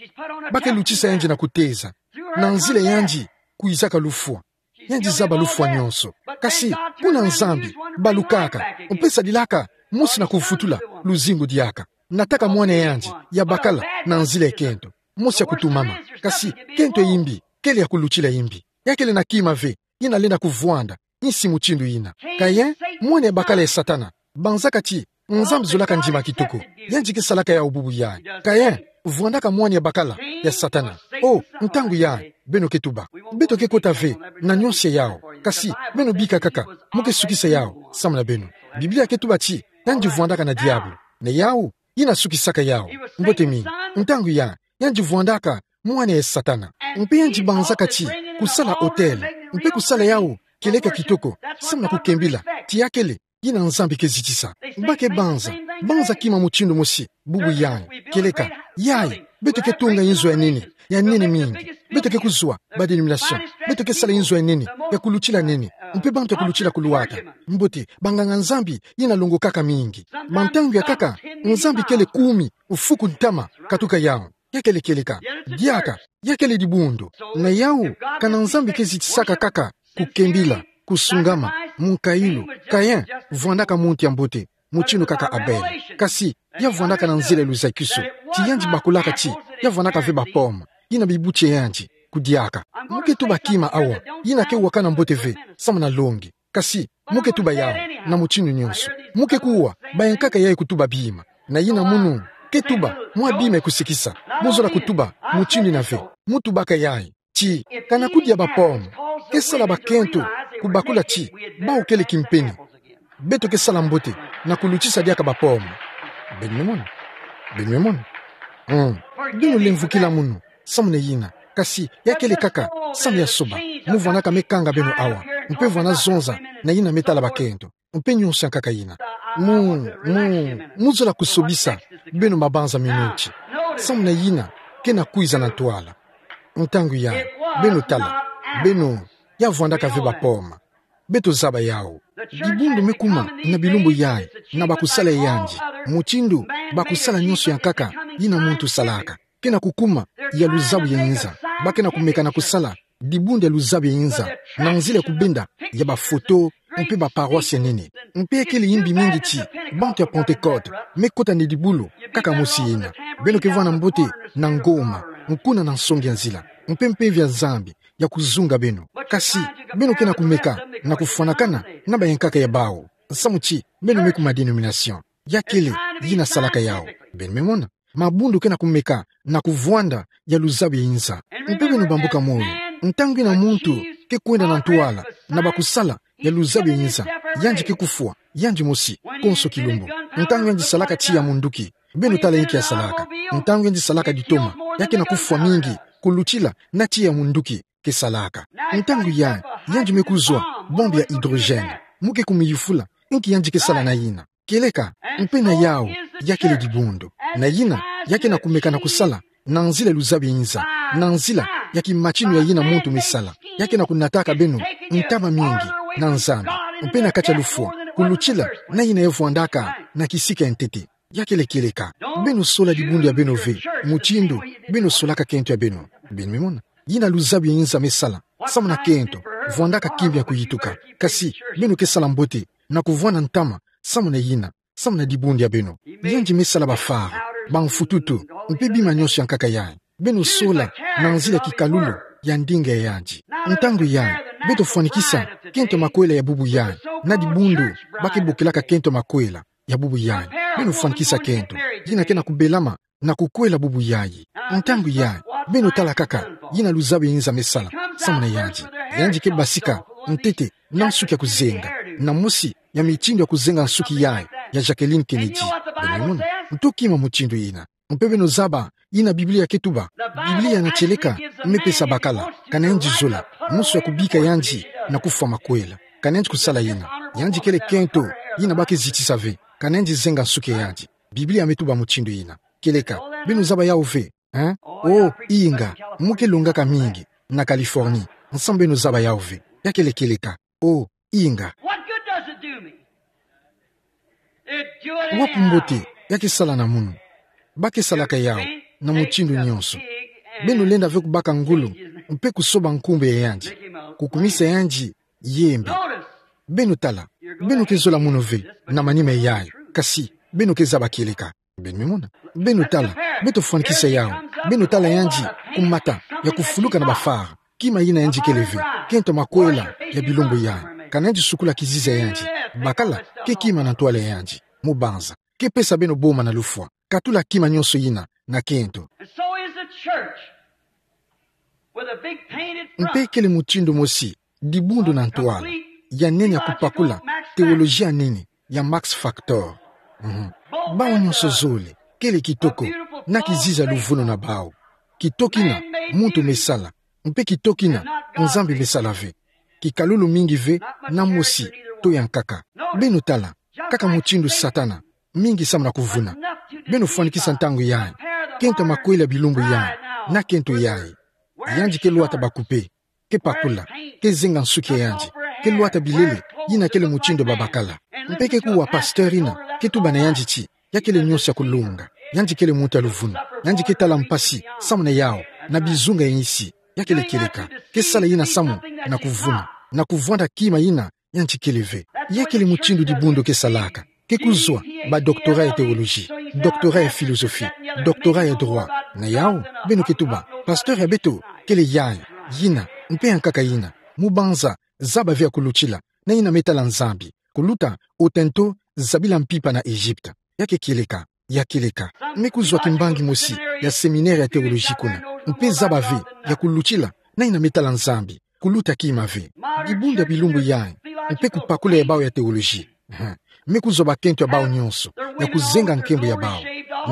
Ba ke lutisa yandi na kuteza. Na nzila yandi, kwizaka lufwa. Yandi zaba lufwa nyonso. Kasi, kuna Nzambi, balukaka, mpe sadilaka, mosi na kuvutula, luzingu diaka. Nataka mwana yandi, ya bakala, na nzila ya kento. Mosi ya kutumama. Kasi, kento ya imbi, kele ya kulutila imbi. Ya kele na kima ve, yina lenda kuvwanda, insi mutindu yina. Kayin, mwana ya bakala ya Satana. Banzaka ti, Nzambi zolaka ndima kitoko. Yandi ke salaka yau bubu yayi. Kayin, vwandaka mwana ya bakala, ya Satana. Oh, ntangu yayi, beno ke tuba. Beto ke kota ve, na nyonso ya yau. Kasi, beno bika kaka, mo ke sukisa yau, samu na beno. Biblia ke tuba ti, yandi vwandaka na diabulu. Na yau, yina sukisaka yau. Mbote mingi. Ntangu yayi, yandi vwandaka, mwana ya Satana. Mpe yandi banzaka ti, kusala autel. Mpe kusala yau, kieleka kitoko. Samu na kukembila, ti ya kele, yina Nzambi ke zitisa. Ba ke banza, banza kima mutindu mosi, bubu yayi, kieleka, yayi, beto ke tunga inzo ya nene, ya nene mingi. Beto ke kuzwa, ba dénomination. Beto ke sala inzo ya nene, ya kulutila nene. Mpe bantu ya kulutila kulwata. Mbote, banganga Nzambi, yina longokaka mingi. Bantangu ya nkaka, Nzambi kele kumi, mfuku ntama, katuka yau. Ya kele kieleka. Diaka, Ya kele dibundu. Na yawu, kana Nzambi ke zitisaka kaka kukembila, kusungama, munkayulu, Kayin vwandaka muntu ya mbote, mutindu kaka Abele. Kasi, ya vwandaka na nzila ya luzakisu. Ti yandi bakulaka ti, ya vwandaka ve ba pomme, yina bibuti ya yandi kudiaka. Mo ke tuba kima awa, yina ke wakana mbote ve, samu na longi. Kasi, mo ke tuba yawu, na mutindu nyonso. Mo ke kuwa, bayankaka yayi kutuba bima. Na yina munu ke tuba mwa bima ya kusikisa. Mo zola kutuba mutindu yina ve. Mo tubaka yayi ti, kana kudia ba pomme ke sala bakento kubakula ti, bawu kele kimpeni. Beto ke sala mbote na kulutisa diaka ba pomme. Beno me mona? Beno me mona? Mm. Beno lemvukila munu, samu na yina. Kasi, ya kele kaka samu ya soba. Mo vwandaka me kanga beno awa. Mpe vwanda zonza na yina me tala bakento. Mpe nyonso ya nkaka yina. Mo, mo, mo zola kusobisa beno mabanza minuti. Samu na yina ke na kwiza na ntwala. Ntangu yayi, beno tala, beno, ya vwandaka ve ba pomme. Beto zaba yawu. Dibundu me kuma na bilumbu yayi, na bakusala ya yandi, mutindu bakusala nyonso ya nkaka yina muntu salaka. Ke na kukuma ya luzabu ya inza. Ba ke na kumeka na kusala dibundu ya luzabu ya inza, na nzila ya kubenda ya ba photo, mpe ba paroisse ya nene. Mpe ya kele imbi mingi ti, bantu ya Pentecôte me kota na edibulu kaka mosi yina. Beno ke vwanda mbote na ngoma, nkuna na nsongi ya nzila, mpe mpeve ya Nzambi ya kuzunga beno. Kasi, beno ke na kumeka na kufwanakana na bayankaka ya bawu, samu ti beno me kuma dénomination. Ya kele yina salaka yawu. Beno me mona? Mabundu ke na kumeka na kuvwanda ya luzabu ya inza. Mpe beno bambuka moyo. Ntangu yina muntu ke kwenda na ntwala na bakusala ya luzabu ya inza, yandi ke kufwa, yandi mosi, konso kilumbu. Ntangu yandi salaka tiya munduki, beno tala inki ya salaka. Ntangu yandi salaka ditoma, ya ke na kufwa mingi kulutila na tiya munduki ke salaka. Ntangu yayi, yandi me kuzwa bombe ya hydrogène. Mo ke kumiyufula inki yandi ke sala na yina. Kieleka, mpe na yawu, ya kele dibundu. Na yina, ya ke na kumeka na kusala na nzila ya luzabu ya inza, na nzila ya kimatinu ya yina muntu me sala. Ya ke na kunataka beno ntama mingi na Nzambi, mpe na kati ya lufwa, kulutila na yina ya vwandaka na kisika ya ntete. Ya kele kieleka. Beno sola dibundu ya beno ve mutindu beno solaka kento ya beno. Beno me mona? Yina luzabu ya inza me sala samu na kento, vwandaka kimbi ya kuyituka. Kasi, beno ke sala mbote na kuvwanda ntama samu na yina, samu na dibundu ya beno. Yandi me sala bafare, bamfututu, mpe bima nyonso ya nkaka yayi. Beno sola na nzila ya kikalulu ya ndinga ya yandi. Ntangu yayi, beto fwanikisa kento ya makwela ya bubu yayi na dibundu ba ke bokelaka kento ya makwela ya bubu yayi. Beno fwanikisa kento yina ke na kubelama na kukwela bubu yayi. Ntangu yayi, beno tala kaka yina luzabu ya inza me sala samu na yandi. Yandi ke basika ntete na nsuki ya kuzenga, na mosi ya mitindu ya kuzenga nsuki yayi ya Jacqueline Kennedy. Beno mona? Nto kima mutindu yina. Mpe beno zaba yina Biblia ke tuba. Biblia na tieleka me pesa bakala, kana yandi zola, mosi ya kubika yandi na kufwa makwela. Kana yandi kusala yina. Yandi kele kento yina ba ke zitisa ve. Kana yandi zenga nsuki ya yandi. Biblia me tuba mutindu yina. Kieleka, beno zaba yawu ve, hein? Oh, inga, mo ke longaka mingi na Californie. Nsambu beno zaba yawu ve. Ya kele kieleka. Oh, inga. What good does it do me? It do it anyhow. Wapi mbote ya ke sala na munu? Ba ke salaka yawu na mutindu nyonso. Beno lenda ve kubaka ngolo mpe kusoba nkumbu ya yandi, kukumisa yandi yembe. Beno tala, beno ke zola munu ve na manima yayi, kasi beno ke zaba kieleka. Beno me mona? Beno tala, beto fwanikisa yawu. Beno tala yandi kumata ya kufuluka na bafare. Kima yina yandi kele ve, kento ya makwela ya bilumbu yayi. Kana yandi sukula kizizi ya yandi, bakala ke kima na ntwala ya yandi. Mo banza, ke pesa beno boma na lufwa. Katula kima nyonso yina na kento. And so is the church with a big painted front. Mpe kele mutindu mosi dibundu na ntwala ya nene ya kupakula teolojia nene ya Max Factor. Mhm. Bawu nyonso zole kele kitoko na kizizi ya luvunu na bawu. Kitoki na muntu me sala, mpe kitoki na Nzambi me sala ve. Kikalulu mingi ve na mosi to ya nkaka. Beno tala, kaka mutindu Satana, mingi samu na kuvuna. Beno fwanikisa ntangu yayi, kento ya makwela ya bilumbu yayi na kento yayi. Yandi ke lwata bakupe, ke pakula, ke zenga nsuki ya yandi, ke lwata bilele yina kele mutindu ya babakala. Mpe ke kuwa pasteur yina ke tuba na yandi ti, ya kele nyonso ya kulunga. Yandi kele muntu ya luvunu. Yandi ke tala mpasi samu na yawu. na bizunga ya insi. Ya kele kieleka. Ke sala yina samu na kuvuna, na kuvwanda kima yina yandi kele ve. Ya kele mutindu dibundu ke salaka. Ke kuzwa ba doctorat ya théologie, doctorat ya philosophie, doctorat ya droit. Na yau, beno ke tuba, pasteur ya beto kele yayi, yina, mpe yankaka yina. Mubanza, zaba ve ya kulutila, na yina me tala Nzambi. Kuluta, otento, zabila mpimpa na Egypte. Ya ke kieleka, ya kieleka. Me kuzwa kimbangi mosi ya séminaire ya théologie kuna, mpe zaba ve ya kulutila, na yina me tala Nzambi. Kuluta kima ve. Dibundu ya bilumbu yayi, mpe kupakula ya bau ya théologie. Ehe. Me kuzwa bakento ya bau nyonso ya kuzenga nkembo ya bau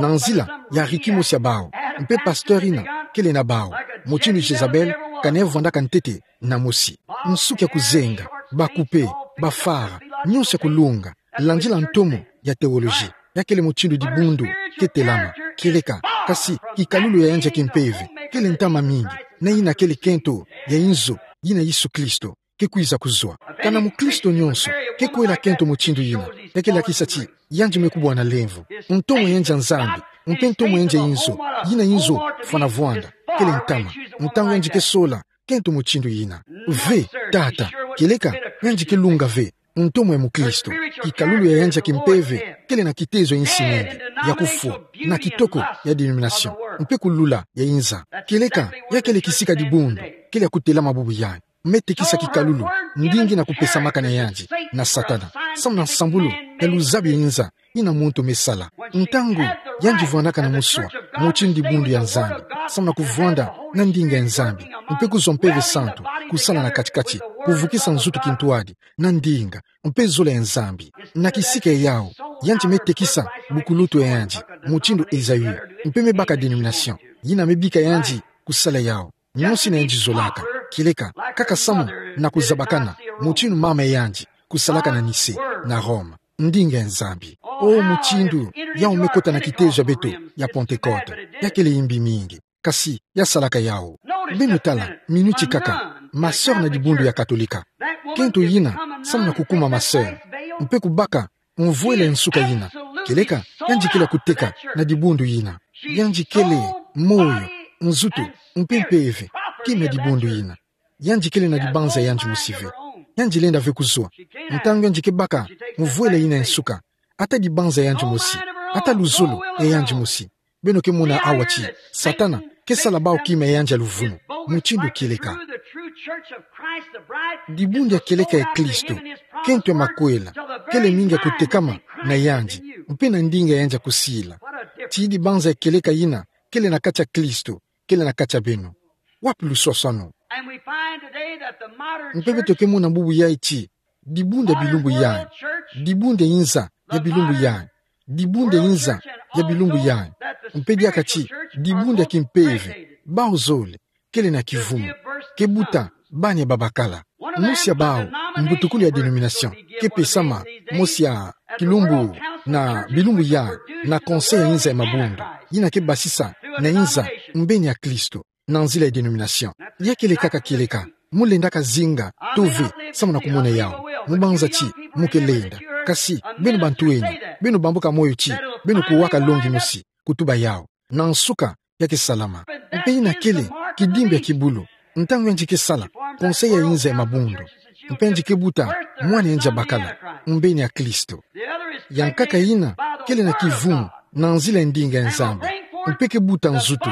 na nzila ya riki mosi ya bau. Mpe pasteur yina kele na bau, mutindu Jezabel kani vwandaka ntete na mosi. Nsuki ya kuzenga, ba coupé, ba fard, nyonso ya kulunga, landila ntomo ya théologie. Ya kele mutindu dibundu ke telama, kieleka. Kasi kikalulu ya yandi ya kimpeve kele ntama mingi, na yina kele kento ya inzo, yina Yesu Kristo ke kwiza kuzwa. Kana mukristo nyonso ke kwela kento mutindu yina, ya ke lakisa ti yandi me kubwana lemvo. Ntomo ya yandi ya Nzambi, mpe ntomo ya yandi ya inzo, yina inzo fwana vwanda, kele ntama. Ntangu yandi ke sola kento mutindu yina, ve, tata, kieleka, yandi ke lunga ve ntomo ya mukristo. Kikalulu ya yandi ya kimpeve kele na kitezo ya insi mingi, ya kufwa, na kitoko ya dénomination, mpe kulula ya inza. Kieleka, ya kele kisika dibundu kele ya kutelama bubu yayi. Me tekisa kikalulu, ndinga yina kupesamaka na yandi na Satana, samu na nsambulu ya luzabi ya inza yina muntu me sala. Ntangu yandi vwandaka na muswa mutindu dibundu ya Nzambi, samu na kuvwanda na ndinga ya Nzambi, mpe kuzwa Mpeve Santu kusala na kati-kati, kuvukisa nzutu kintwadi na ndinga, mpe zola ya Nzambi. Na kisika yau, yandi me tekisa bukulutu ya yandi, mutindu Esaü, mpe me baka dénomination yina me bika yandi kusala yau. Nyonso yina yandi zolaka, kieleka, kaka samu na kuzabakana, mutindu mama ya yandi kusalaka na Nicée, na Rome. Ndinga ya Nzambi. O mutindu yau me kota na kitezo ya beto ya Pentecôte. Ya kele yimbi mingi, kasi ya salaka yau. Beno tala, minuti kaka, ma sœur na dibundu ya Katolika. Kento yina samu na kukuma ma sœur, mpe kubaka mvwela ya nsuka yina, kieleka, yandi kele ya kuteka na dibundu yina. Yandi kele moyo, nzutu, mpe mpeve, kima ya dibundu yina. Yandi kele na dibanza ya yandi mosi ve. Yandi lenda ve kuzwa. Ntangu yandi ke baka mvwela yina ya nsuka, ata dibanza ya yandi mosi, ata luzolo ya yandi mosi. Beno ke mona awa ti Satana ke sala bau kima ya yandi ya luvunu, mutindu kieleka. Dibundu ya kieleka ya Kristo, kento ya makwela, kele mingi ya kutekama na yandi, mpe na ndinga ya yandi ya kusila. Ti dibanza ya kieleka yina kele na kati ya Kristo, kele na kati ya beno. Wapi luswaswanu? Mpe beto ke mona bubu yayi ti dibundu ya bilumbu yayi, dibundu ya inza ya bilumbu yayi, dibundu ya inza ya bilumbu yayi, mpe diaka ti dibundu ya kimpeve, bau zole, kele na kivumu, ke buta bani ya babakala. Mosi ya bau mbutukulu ya dénomination ke pesama mosi ya kilumbu na bilumbu yayi na Conseil ya inza ya mabundu, yina ke basisa na inza mbeni ya Kristo na nzila ya dénomination. Ya kele kaka kieleka. Mu lendaka zinga tove samu na kumona yau, mubanza ti mu ke lenda. Kasi beno bantu eni, beno bambuka moyo ti beno kuwaka longi mosi, kutuba yau. Na nsuka ya ke salama. Mpe yina kele kidimbu ya kibulu, ntangu yandi ke sala Conseil ya inza ya mabundu, mpe yandi ke buta mwana yandi ya bakala, mbeni ya Kristo. Yankaka yina kele na kivumu na nzila ya ndinga ya Nzambi, mpe ke buta nzutu,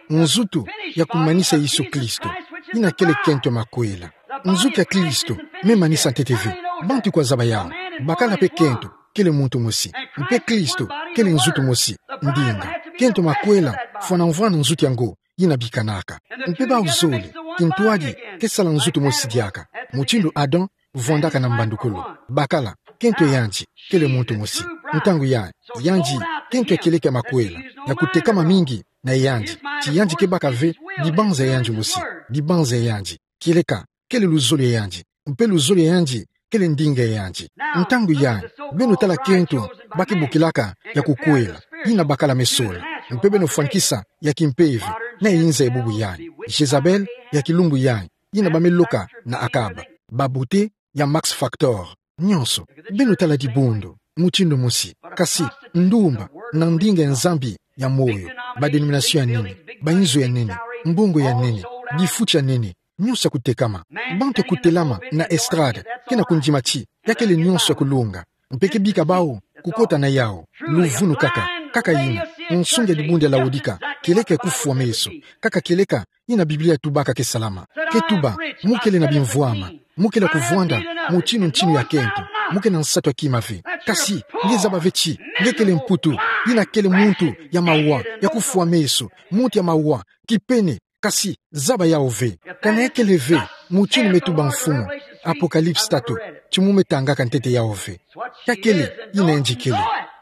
nzutu ya kumanisa Yesu Kristo, yina kele kento ya makwela. Nzutu ya Kristo me manisa ntete ve. Bantu kwa zaba yau, bakala mpe kento kele muntu mosi, mpe Kristo kele nzutu mosi, ndinga. Kento ya makwela fwana mvwama na nzutu yango yina bikanaka. Mpe bau zole, kintwadi ke sala nzutu mosi diaka, mutindu Adam vwandaka na mbandukulu. Bakala, kento ya yandi kele muntu mosi. Ntangu yayi, yandi kento ya kieleka ya makwela, ya kutekama mingi na yandi, ti yandi ke baka ve dibanza ya yandi mosi, dibanza ya yandi, kieleka, kele luzolo ya yandi, mpe luzolo ya yandi kele ndinga ya yandi. Ntangu yayi, beno tala kento ba ke bokilaka ya kukwela, yina bakala me sola, mpe beno fwanikisa ya kimpeve na inza ya bubu yayi, Jezabel ya kilumbu yayi, yina ba me loka na Akab, ba beauté ya Max Factor. Nyonso, beno tala dibundu mutindu mosi, kasi ndumba na ndinga ya Nzambi ya moyo, ba dénomination ya nene, ba inzo ya nene, mbongo ya nene, bifuti ya nene, nyonso ya kutekama. Bantu ya kutelama na estrade, ke na kundima ti ya kele nyonso ya kulonga. Mpe ke bika bau kukota na yau, luvunu kaka, kaka yina, nsunga ya dibundu ya Laodika, kieleka ya kufwa meso, kaka kieleka yina Biblia tubaka ke salama. Ke tuba: Mu kele na bimvwama, mu kele ya kuvwanda mutinu ntinu ya kento, mu kele na nsatu ya kima ve. Kasi nge zaba ve ti nge kele mputu, yina kele muntu ya mawa, ya kufwa meso, muntu ya mawa, kipene. Kasi zaba yau ve. Kana ya kele ve, mutinu me tuba mfumu, Apocalypse tatu, ti mu me tangaka ntete yau ve. Ya kele, yina yandi kele.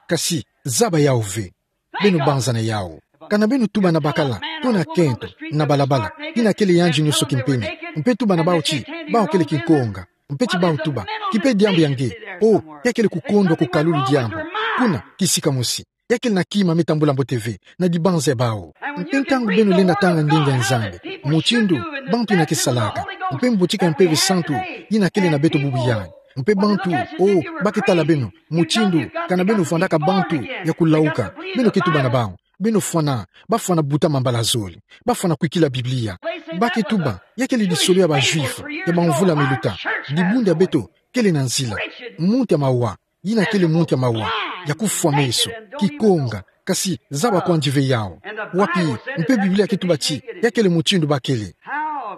Kasi zaba yau ve. Beno banza na yau. Kana beno tuba na bakala, to na kento, na balabala, yina kele yandi nyonso kimpene, mpe tuba na bau ti bau kele kinkonga, mpe ti bau tuba: Kipe diambu ya nge. O, ya kele kukondwa kukalulu diambu. Kuna, kisika mosi, ya kele na kima me tambula mbote ve na dibanza ya bau. Mpe ntangu beno lenda tanga ndinga ya Nzambi, mutindu bantu yina ke salaka, mpe mbotika ya Mpeve Santu yina kele na beto bubu yai, mpe bantu, o, ba ke tala beno, mutindu kana beno vwandaka bantu ya kulauka, beno ke tuba na bau: Beno fwana, ba fwana buta mambala zole, ba fwana kwikila Biblia. Ba ke tuba: Ya kele lisolo ya ba Juifs ya bamvula miluta. Dibundu ya beto kele na nzila. Muntu ya mawa, yina kele muntu ya mawa, ya kufwa meso, kikonga. Kasi zaba kwandi ve yau. Wapi? Mpe Biblia ke tuba ti ya kele mutindu ba kele.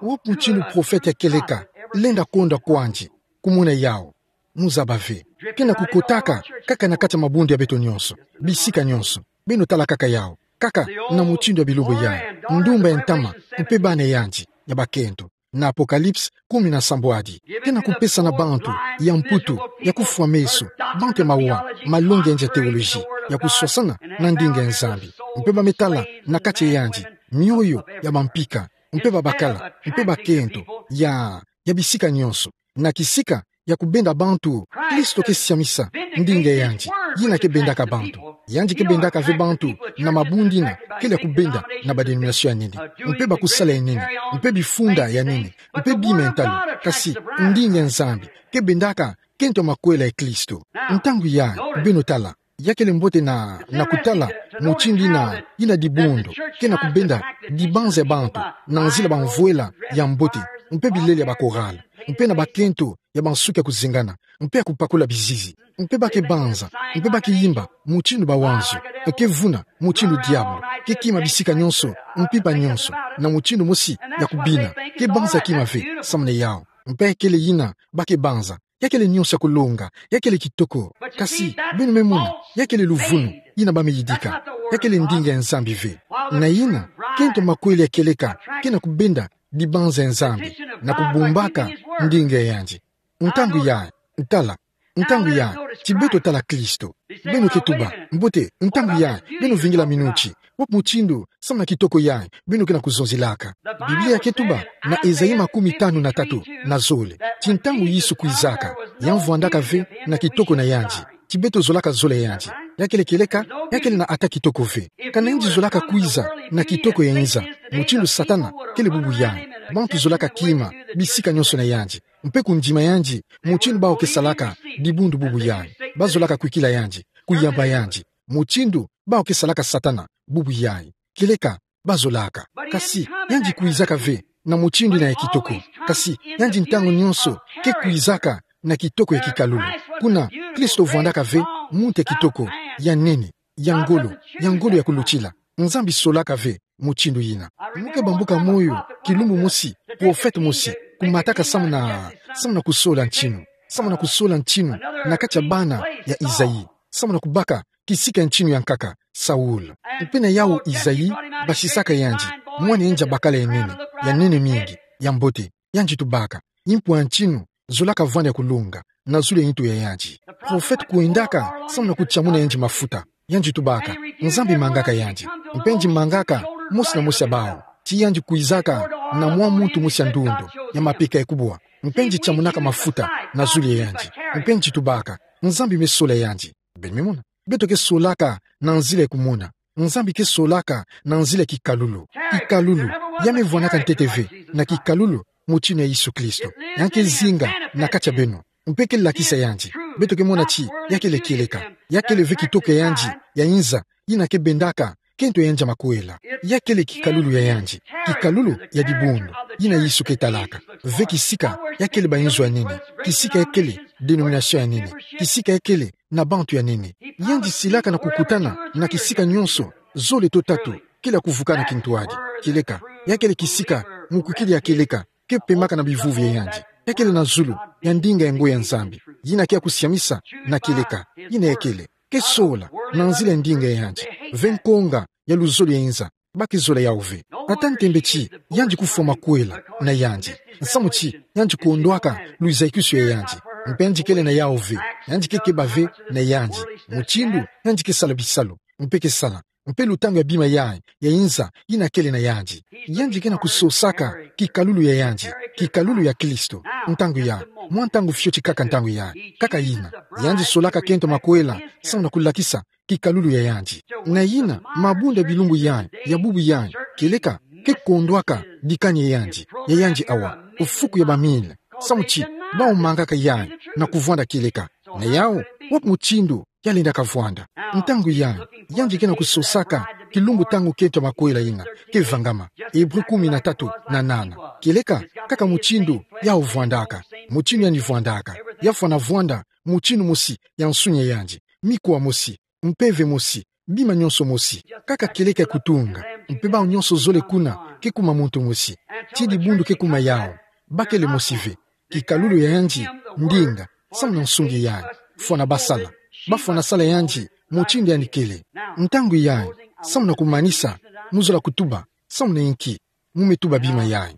Wapi mutindu profete ya kieleka lenda kondwa kwandi? Kumona yau. Mu zaba ve. Ke na kukotaka kaka na kati ya mabundu ya beto nyonso, bisika nyonso. Beno tala kaka yau. Kaka na mutindu ya bilumbu yai, ndumba ya ntama, mpe bana yandi ya bakento, na Apocalypse kumi na sambwadi. Ke na kupesa na bantu ya mputu, ya kufwa meso, bantu ya mawa, malongi ya nge ya théologie, ya kuswasana na ndinga ya Nzambi. Mpe ba me tala na kati ya yandi mioyo ya bampika, mpe babakala, mpe bakento, ya, ya bisika nyonso, na kisika ya kubenda bantu. Kristo ke siamisa ndinga ya yandi, yina ke bendaka bantu. Yandi ke bendaka ve bantu na mabundu yina kele ya kubenda na ba dénomination ya nene, mpe bakusala ya nene, mpe bifunda ya nene, mpe bima ya ntalu. Kasi ndinga ya Nzambi ke bendaka kento makwela ya Kristo. Ntangu yai, beno tala, ya kele mbote na, na kutala mutindu yina, yina dibundu ke na kubenda dibanza ya bantu na nzila bamvwela ya mbote, mpe bilele ya ba chorale, mpe na bakento ya bansuki ya kuzengana, mpe ya kupakula bizizi, mpe ba ke banza, mpe ba ke yimba mutindu bawanzio, ke vuna mutindu diabulu, ke kima bisika nyonso, mpimpa nyonso, na mutindu mosi ya kubina. Ke banza kima ve samu na yau. Mpe kele yina ba ke banza. Ya kele nyonso ya kulonga, ya kele kitoko. Kasi beno me mona, ya kele luvunu yina ba me yidika. Ya kele ndinga ya Nzambi ve. Na yina, kento makwela ya kieleka ke na kubenda dibanza ya Nzambi, na kubumbaka ndinga ya yandi. Ntangu yai, tala, ntangu yai, ti beto tala Kristo. Beno ke tuba: Mbote, ntangu yai, beno vingila minu ti wapi mutindu, samu na kitoko yai beno ke na kuzonzelaka? Biblia ke tuba na Esaïe makumi tanu na tatu na zole, ti ntangu Yesu kwizaka, ya mvwandaka ve na kitoko na yandi. Ti beto zolaka zola ya yandi. Ya kele kieleka, ya kele na ata kitoko ve. Kana yandi zolaka kwiza na kitoko ya nza, mutindu Satana kele bubu yai. Bantu zolaka kima bisika nyonso na yandi, mpe kundima yandi, mutindu bau ke salaka dibundu bubu yai. Ba zolaka kwikila yandi, kuyamba yandi, mutindu bau ke salaka Satana bubu yai. Kieleka ba zolaka. Kasi yandi kwizaka ve na mutindu yina ya kitoko. Kasi yandi ntangu nyonso ke kwizaka na kitoko ya kikalulu. Kuna Kristo vwandaka ve muntu ya kitoko, ya nene, ya ngolo, ya ngolo ya kulutila. Nzambi solaka ve mutindu yina. Mu ke bambuka moyo kilumbu mosi, profete mosi kumataka samu na, samu na kusola ntinu, samu na kusola ntinu na kati ya bana ya Isaïe, samu na kubaka kisika ya ntinu ya nkaka, Saul. Mpe na yau Isaïe basisaka yandi, mwana yandi ya bakala ya nene, ya nene mingi, ya mbote. Yandi tubaka: Impwa ya ntinu zolaka vwanda ya kulunga na zulu ya ntu ya yandi. Profete kwendaka samu na kutiamuna yandi mafuta. Yandi tubaka: Nzambi mangaka yandi. Mpe yandi mangaka mosi na mosi ya bau. Ti yandi kwizaka na mwa muntu mosi ya ndundu, ya mapeka ya kubwa. Mpe yandi tiamunaka mafuta na zulu ya yandi. Mpe yandi tubaka: Nzambi me sola yandi. Beno me mona? Beto ke solaka na nzila ya kumona. Nzambi ke solaka na nzila ya kikalulu. Kikalulu, ya me vwanaka ntete ve na kikalulu, mutindu ya Yesu Kristo. Ya ke zinga na kati ya beno. Mpe ke lakisa yandi. Beto ke mona ti ya kele kieleka. Ya kele ve kitoko ya yandi ya inza, yina ke bendaka kento ya yandi ya makwela. Ya kele kikalulu ya yandi, kikalulu ya dibundu, yina Yesu ke talaka. Ve kisika ya kele bayinzo ya nene, kisika ya kele denomination ya nene, kisika ya kele na bantu ya nene. Yandi silaka na kukutana na kisika nyonso, zole to tatu, kele ya kuvukana kintwadi. Kieleka, ya kele kisika mukwikili ya kieleka ke pemaka na bivuvu ya yandi. Ya kele na zulu, ya ndinga ya ngo ya Nzambi, yina ke ya kusiamisa na kieleka. Yina ya kele, ke sola na nzila ya ndinga ya yandi. Ve nkonga ya luzolo ya inza, ba ke zola yawu ve. Ata ntembe ti yandi kufwa makwela na yandi, nsamu ti yandi kondwaka luzayikisu ya yandi. Mpe yandi kele na yawu ve, yandi ke keba ve na yandi mutindu yandi ke sala bisalu, mpe ke sala, mpe lutangu ya bima yayi ya inza yina kele na yandi. Yandi ke na kusosaka kikalulu ya yandi, kikalulu ya Kristo. Ntangu yayi, mwa ntangu fioti kaka ntangu yayi, kaka yina, yandi solaka kento makwela, samu na kulakisa kikalulu ya yandi. Na yina, mabundu ya bilumbu yayi, ya bubu yayi, kieleka, ke kondwaka dikani ya yandi, ya yandi awa, ofuku ya ba mille, samu ti bawu mangaka yayi na kuvwanda kieleka. Na yawu, wapi mutindu ya lendaka vwanda? Ntangu yayi, yandi ke na kusosaka kilumbu ntangu kento makwela yina ke vangama. Hébreux kumi na tatu na nana. Kieleka, kaka mutindu yawu vwandaka, mutindu yandi vwandaka, ya fwana vwanda mutindu mosi ya nsunia yandi, mikuwa mosi, mpeve mosi, bima nyonso mosi. Kaka kieleka ya kutunga, mpe bawu nyonso zole kuna ke kuma muntu mosi. Ti dibundu ke kuma yawu, ba kele mosi ve. Kikalulu ya yandi, ndinga, samu na nsungi yayi, fwana ba sala, ba fwana sala yandi mutindu yandi kele. Ntangu yayi, samu na kumanisa, mu zola kutuba, samu na inki mu me tuba bima yayi?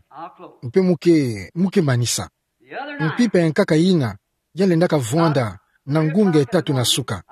Mpe mu ke, mu ke manisa. Mpimpa ya nkaka yina ya lendaka vwanda na ngunga ya tatu na suka,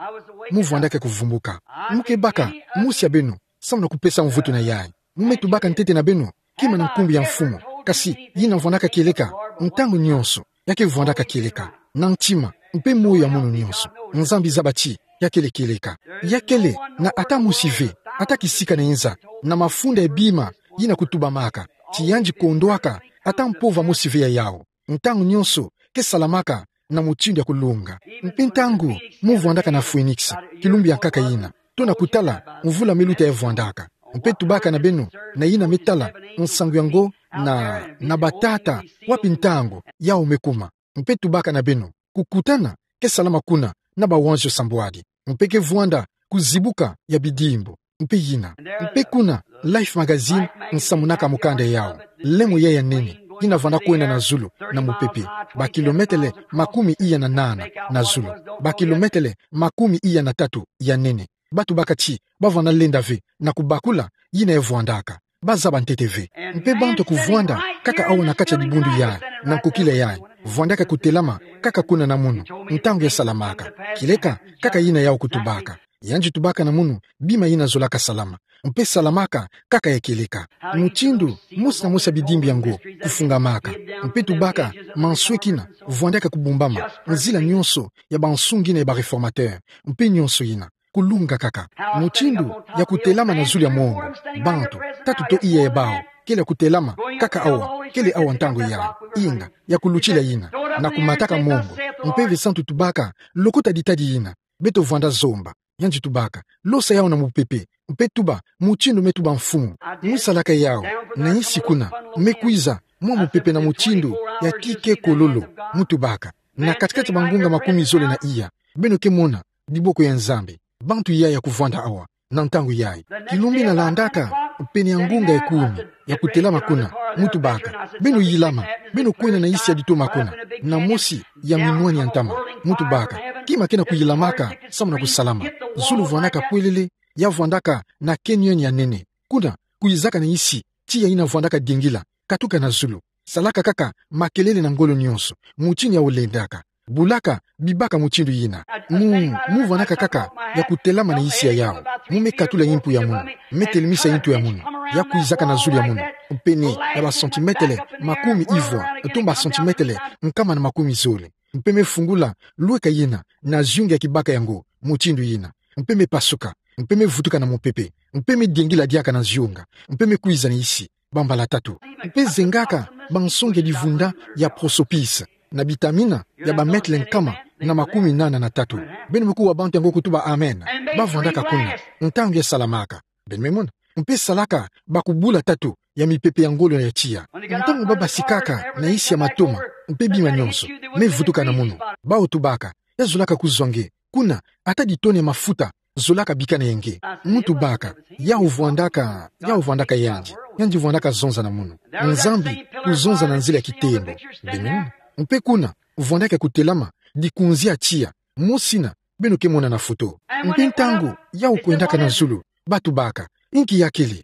mu vwandaka ya kuvumbuka. Mu ke baka mosi ya beno samu na kupesa mvutu na yayi. Mu me tubaka ntete na beno, kima na nkumbu ya Mfumu, kasi yina vwandaka kieleka, ntangu nyonso, ya ke vwandaka kieleka, na ntima, mpe moyo ya munu nyonso. Nzambi zaba ti ya kele kieleka. Ya kele na ata mosi ve, ata kisika na inza, na mafunda ya bima yina kutubamaka, ti yandi kondwaka, ata mpova mosi ve ya yawu. Ntangu nyonso ke salamaka na mutindu ya kulunga. Mpe ntangu mu vwandaka na Phoenix, kilumbu ya nkaka yina, tona kutala mvula me luta ya vwandaka. Mpe tubaka na beno, na yina me tala nsangu yango na, na batata, wapi ntangu yawu me kuma. Mpe tubaka na beno, kukutana ke salama kuna na bawanzio sambwadi, mpe ke vwanda kuzibuka ya bidimbu. Mpe yina, mpe kuna, Life Magazine nsamunaka mukanda yawu, lemo yayi ya nene, yina vwanda kwenda na zulu na mupepe, bakilometele makumi iya na nana na zulu, bakilometele makumi iya na tatu ya nene. Ba tubaka ti ba vwanda lenda ve na kubakula yina ya vwandaka. Ba zaba ntete ve. Mpe bantu ya kuvwanda kaka awa na kati ya dibundu yayi, na nkokila yayi, vwandaka kutelama kaka kuna na munu, ntangu ya salamaka. Kieleka, kaka yina yawu kutubaka. Yandi tubaka na munu bima yina zolaka salama, mpe salamaka kaka ya kieleka. Mutindu mosi na mosi ya bidimbu yango kufungamaka. Mpe tubaka mansweki yina vwandaka kubumbama, nzila nyonso ya bansungi yina ya ba réformateur, mpe nyonso yina kulunga kaka. Mutindu ya kutelama na zulu ya mongo, bantu, tatu to iya ya bawu kele ya kutelama kaka awa, kele awa ntangu yayi, inga, ya kulutila yina, na kumataka mongo. Mpeve Santu tubaka, lokota ditadi yina beto vwanda zomba. Yandi tubaka, losa yawu na mupepe, mpe tuba mutindu me tuba Mfumu. Mu salaka yawu na insi kuna, me kwiza mwa mupepe na mutindu ya kike kololo. Mu tubaka, na kati-kati ya bangunga makumi zole na iya, beno ke mona diboko ya Nzambi, bantu yayi ya kuvwanda awa na ntangu yayi. Kilumbu yina landaka, pene ya ngunga ya kumi, ya kutelama kuna. Mu tubaka, beno yilama, beno kwenda na insi ya ditoma kuna, na mosi ya minwani ya ntama. Mu tubaka, kima ke na kuyilamaka samu na kusalama. Zulu vwandaka pwelele, ya vwandaka na canyon ya nene. Kuna, kwizaka na insi, tiya yina vwandaka diengila, katuka na zulu. Salaka kaka makelele na ngolo nyonso, mutindu yawu lendaka. Bulaka, bibaka mutindu yina. Mu, mu vwandaka kaka ya kutelama na insi ya yawu. Mu me katula yimpu ya munu, me telemisa yintu ya munu, ya kwizaka na zulu ya munu, pene ya ba centimetre makumi ivwa, to mba centimetre nkama na makumi zole. Mpe me fungula lweka yina na zionga ya kibaka yango, mutindu yina. Mpe me pasuka, mpe me vutuka na mupepe, mpe me diengila diaka na zionga, mpe me kwiza na insi, bambala tatu. Mpe zengaka bansonge divunda ya prosopis, na bitamina ya ba mètre nkama na makumi nana na tatu. Beno me kuwa bantu yango kutuba amen. Ba vwandaka kuna, ntangu ya salamaka. Beno me mona. Mpe salaka bakubula tatu ya mipepe ya ngolo ya tiya. Ntangu ba basikaka na isi ya matoma, mpe bima nyonso, me vutuka na munu. Bau tubaka, ya zolaka kuzwa nge. Kuna, ata ditone ya mafuta zolaka bikana ya nge. Mu tubaka, yau vwandaka, yau vwandaka yandi. Yandi vwandaka zonza na munu. Nzambi kuzonza na nzila ya kitembo. Beno me mona. Mpe kuna, vwandaka kutelama, dikunzi ya tiya. Mosi ina, beno ke mona na foto. Mpe ntangu yau kwendaka na zulu, ba tubaka, inki ya kele?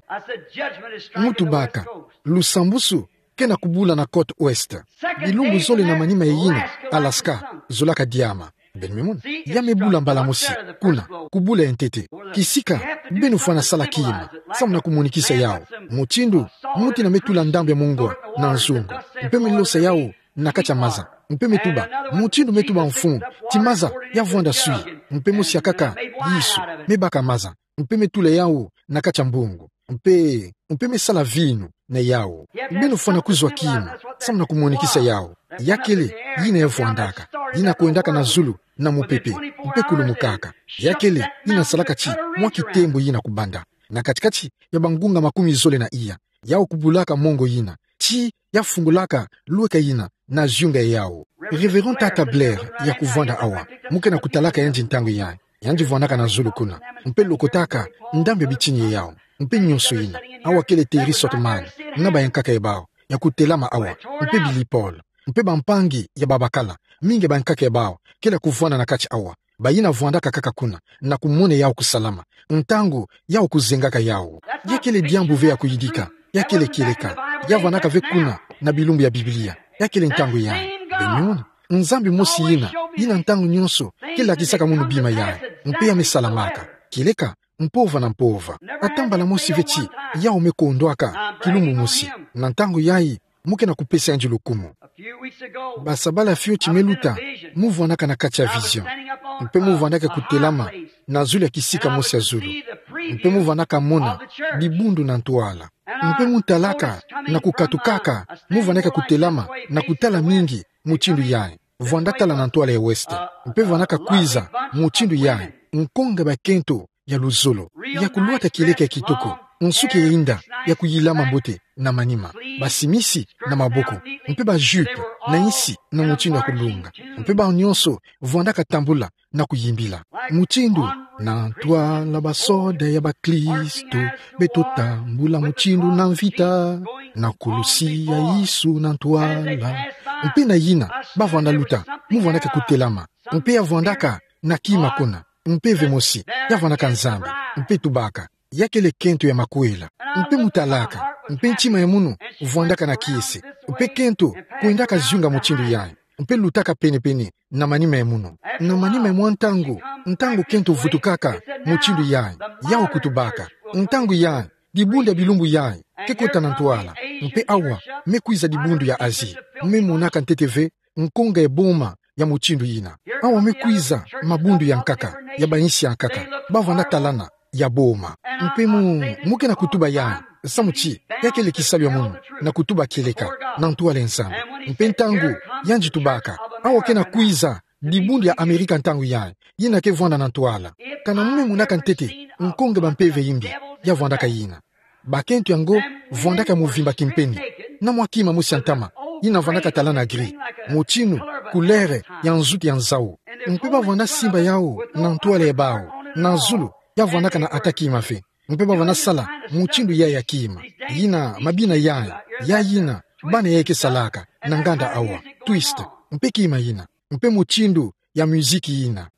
Mu tubaka, lusambusu ke na kubula na côte ouest. Bilumbu zole na manima ya yina, Alaska zolaka diama. Beno me mona. Ya me bula mbala mosi, kuna, kubula ya ntete. Kisika beno fwana sala kima, samu na kumonikisa yau mutindu muti ina me tula ndambu ya mongo na nzungu. Mpe me losa yau na kati ya maza. Mpe me tuba, mutindu me tuba mfumu, ti maza ya vwanda swi. Mpe mosi ya kaka, Yesu, me baka maza. Mpe me tula yau na kati ya mbungu. Mpe, mpe me sala vinu na yau. Beno fwana kuzwa kima, samu na kumonikisa yau. Ya kele, yina ya vwandaka. Yina kwendaka na zulu, na mupepe, mpe kulumukaka. Ya kele, yina salaka ti, mwa kitembo yina kubanda. Na kati-kati ya bangunga makumi zole na iya. Yau kubulaka mongo yina. Ti ya fungulaka lweka yina na ziunga ya yau. Révérend Tata Blair ya kuvwanda awa. Mu ke na kutalaka yandi ntangu yayi. Yandi vwandaka na zulu kuna. Mpe lokotaka ndambu ya bitini ya yau. Mpe nyonso yina. Awa kele Terry Sothmann na bayankaka ya bau ya kutelama awa. Mpe Billy Paul. Mpe bampangi ya babakala. Mingi ya bayankaka ya bau kele ya kuvwanda na kati awa. Bayina vwandaka kaka kuna, na kumona yau kusalama. Ntangu yau kuzengaka yau. Ya kele diambu ve ya kuyidika. Ya kele kieleka. Ya vwandaka ve kuna, na bilumbu ya Biblia. Ya kele ntangu yayi. Beno me mona. Nzambi mosi yina, yina ntangu nyonso ke lakisaka munu bima yayi. Mpe ya me salamaka. Kieleka, mpova na mpova. Ata mbala mosi ve ti, yau me kondwaka kilumbu mosi. Na ntangu yayi, mu ke na kupesa yandi lukumu. Basabala fioti me luta, mu vwandaka na kati ya vision. Mpe mu vwandaka kutelama na zulu ya kisika mosi ya zulu. Mpe mu vwandaka mona dibundu na ntwala. Mpe mu talaka na kukatukaka, mu vwandaka kutelama na kutala mingi mutindu yayi. Vwanda tala na ntwala ya ouest. Mpe vwandaka kwiza mutindu yayi. Nkonga bakento ya luzolo, ya kulwata kieleka ya kitoko, nsuki ya inda, ya kuyilama mbote na manima, basimisi na maboko, mpe bajupe na insi na mutindu ya kulunga, mpe bau nyonso vwandaka tambula na kuyimbila. Mutindu, na ntwala basoda ya bakristu, beto tambula mutindu na mvita, na kulusi ya Yesu na ntwala. Mpe na yina, ba vwanda luta, mu vwandaka kutelama, mpe ya vwandaka na kima kuna. Mpe ve mosi, ya vwandaka Nzambi, mpe tubaka, ya kele kento ya makwela. Mpe mu talaka, mpe ntima ya munu vwandaka na kiese, mpe kento kwendaka ziunga mutindu yayi, mpe lutaka pene-pene na manima ya munu. Na manima ya mwa ntangu, ntangu kento vutukaka mutindu yayi, yau kutubaka, ntangu yayi, dibundu ya bilumbu yayi ke kota na ntwala. Mpe awa me kwiza dibundu ya Asie. Me monaka ntete ve nkonga ya boma ya mutindu yina. Awa me kwiza mabundu ya nkaka, ya bainsi ya nkaka, ba vwanda talana ya boma. Mpe mu, mu ke na kutuba yayi, samu ti ya kele kisalu ya munu, na kutuba kieleka na ntwala ya Nzambi. Mpe ntangu yandi tubaka, awa ke na kwiza dibundu ya Amerika ntangu yayi, yina ke vwanda na ntwala. Kana mu me monaka ntete nkonga ya bampeve yimbi, ya vwandaka yina. Bakento yango vwandaka ya muvimba kimpeni, na mwa kima mosi ya ntama, yina vwandaka talana gris, mutindu couleur ya nzutu ya nzau. Mpe ba vwanda simba yau na ntwala ya bau, na zulu, ya vwandaka na ata kima ve. Mpe ba vwanda sala mutindu yayi ya kima, yina mabina yayi, ya yina bana yayi ke salaka na nganda awa, twist, mpe kima yina, mpe mutindu ya miziki yina.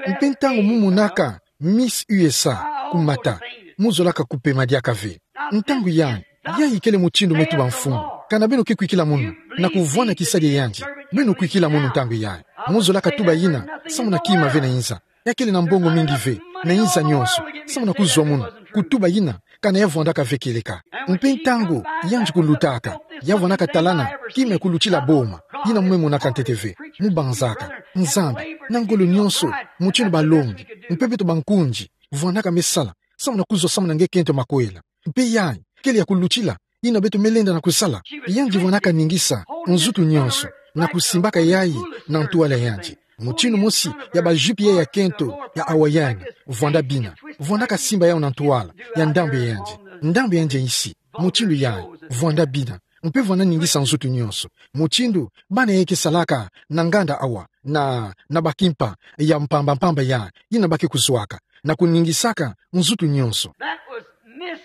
Mpe ntangu mu monaka Miss U S A kumata, mu zolaka kupema diaka ve. Ntangu yayi, yayi kele mutindu me tuba mfumu. Kana beno ke kwikila munu na kuvwanda kisadi ya yandi, beno kwikila munu ntangu yayi. Mu zolaka tuba yina, samu na kima ve na inza. Ya kele na mbongo mingi ve, na inza nyonso, samu na kuzwa munu, kutuba yina, kana ya vwandaka ve kieleka. Mpe ntangu yandi kulutaka, ya vwandaka talana kima ya kulutila boma, yina mu me monaka ntete ve, mu banzaka, Nzambi, na ngolo nyonso, mutindu balongi, mpe beto bankundi, vwandaka me sala, samu na kuzwa samu na nge kento makwela. Mpe yayi kele ya kulutila, yina beto me lenda na kusala. Yandi vwandaka ningisa nzutu nyonso, na kusimbaka yayi na ntwala ya yandi. Mutindu mosi ya bajupe ya kento ya Hawaiana, vwanda bina. Vwandaka simba yau na ntwala ya ndambu ya yandi, ndambu ya yandi ya nsi. Mutindu yayi, vwanda bina. Mpe vwanda ningisa nzutu nyonso. Mutindu bana yai ke salaka na nganda awa, na, na bakimpa ya mpamba mpamba ya, yina ba ke kuzwaka, na kuningisaka nzutu nyonso. That was Miss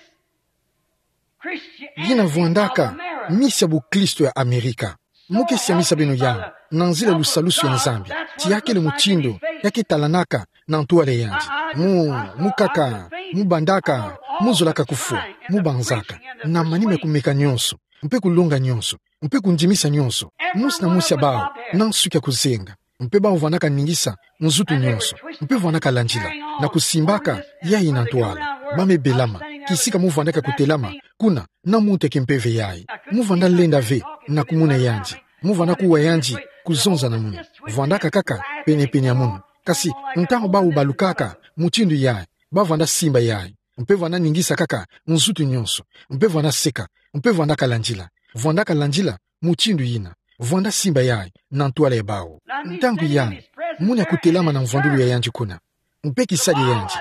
Christianity. Yina vwandaka of America. Miss ya buklisto ya Amerika. Mu ke siamisa beno yau, na nzila ya lusalusu ya Nzambi. Ti ya kele mutindu ya ke talanaka na ntwala ya yandi. Mu, mu kaka, mu bandaka, mu zolaka kufwa, mu banzaka na manima ya kumeka nyonso, mpe kulonga nyonso, mpe kundimisa nyonso, mosi na mosi ya bau, na nsuki ya kuzenga. Mpe bau vwandaka ningisa nzutu nyonso, mpe vwandaka landila, na kusimbaka yai na ntwala. Ba me belama, kisika mu vwandaka kutelama kuna, na muntu ya kimpeve yai. Mu vwanda lenda ve na kumona yandi. Mu vwanda kuwa yandi kuzonza na munu. Vwandaka kaka penepene ya munu. Kasi ntangu bau balukaka mutindu yai, ba vwanda simba yai. Mpe vwanda ningisa kaka nzutu nyonso. Mpe vwanda seka. Mpe vwandaka landila. Vwandaka landila mutindu yina. Vwanda simba yai na ntwala ya bau. Ntangu yai, munu ya kutelama na mvwandulu ya yandi kuna, mpe kisadi ya yandi,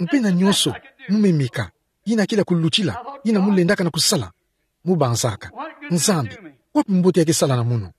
mpe na nyonso mu me meka, yina kele ya kulutila, yina mu lendaka na kusala, mu banzaka: Nzambi, wapi mbote ya ke sala na munu?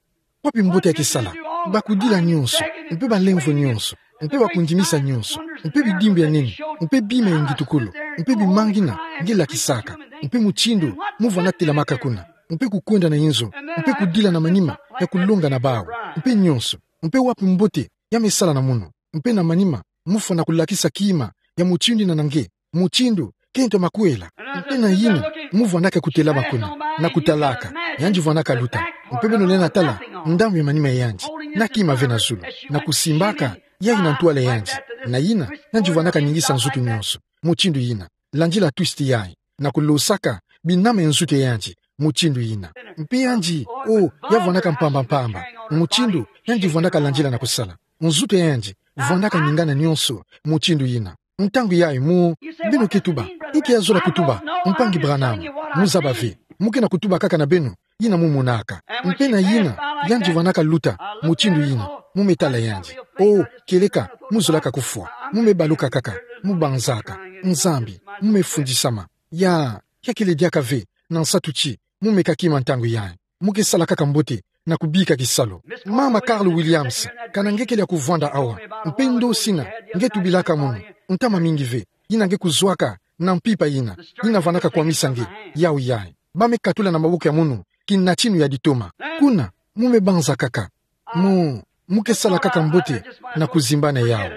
Wapi mbote ya ke sala? Bakudila nyonso, mpe balemvo nyonso, mpe bakundimisa nyonso, mpe bidimbu ya nene, mpe bima ya ngitukulu, mpe bima ngina nge lakisaka, mpe mutindu mu vwanda telamaka kuna, mpe kukwenda na inzo, mpe kudila na manima ya kulonga na bau, mpe nyonso, mpe wapi mbote ya me sala na munu? Mpe na manima mu fwa na kulakisa kima ya mutindu yina na nge, mutindu kento makwela. Mpe na yina, mu vwandaka kutelama kuna, na kutalaka, yandi vwandaka luta. Mpe beno lenda tala ndambu ya manima ya yandi, na kima ve na zulu, na kusimbaka yai na ntwala ya yandi. Na yina, yandi vwandaka ningisa nzutu nyonso mutindu yina. Landila twist yai, na kulosaka binama ya nzutu ya yandi mutindu yina. Mpe yandi, o, ya vwandaka mpamba mpamba, mutindu yandi vwandaka landila na kusala. Nzutu ya yandi vwandaka ningana nyonso mutindu yina. Ntangu yai mu, beno ke tuba: Inki ya zola kutuba, mpangi Branham? Mu zaba ve. Mu ke na kutuba kaka na beno yina mu monaka. Mpe na yina, yandi vwandaka luta mutindu yina. Mu me tala yandi. O, kieleka mu zolaka kufwa. Mu me baluka kaka, mu banzaka: Nzambi, mu me fundisama. Ya, ya kele diaka ve, na nsatu ti mu meka kima ntangu yai. Mu ke sala kaka mbote na kubika kisalu. Mama Carol Williams, kana nge kele ya kuvwanda awa, mpe ndosi yina nge tubilaka munu, ntama mingi ve, yina nge kuzwaka na mpimpa yina, yina vwandaka kwamisa nge, yau yai. Ba me katula na maboko ya munu kinatinu ya ditoma. Kuna, mu me banza kaka. Mu, mu ke sala kaka mbote na kuzimbana yau.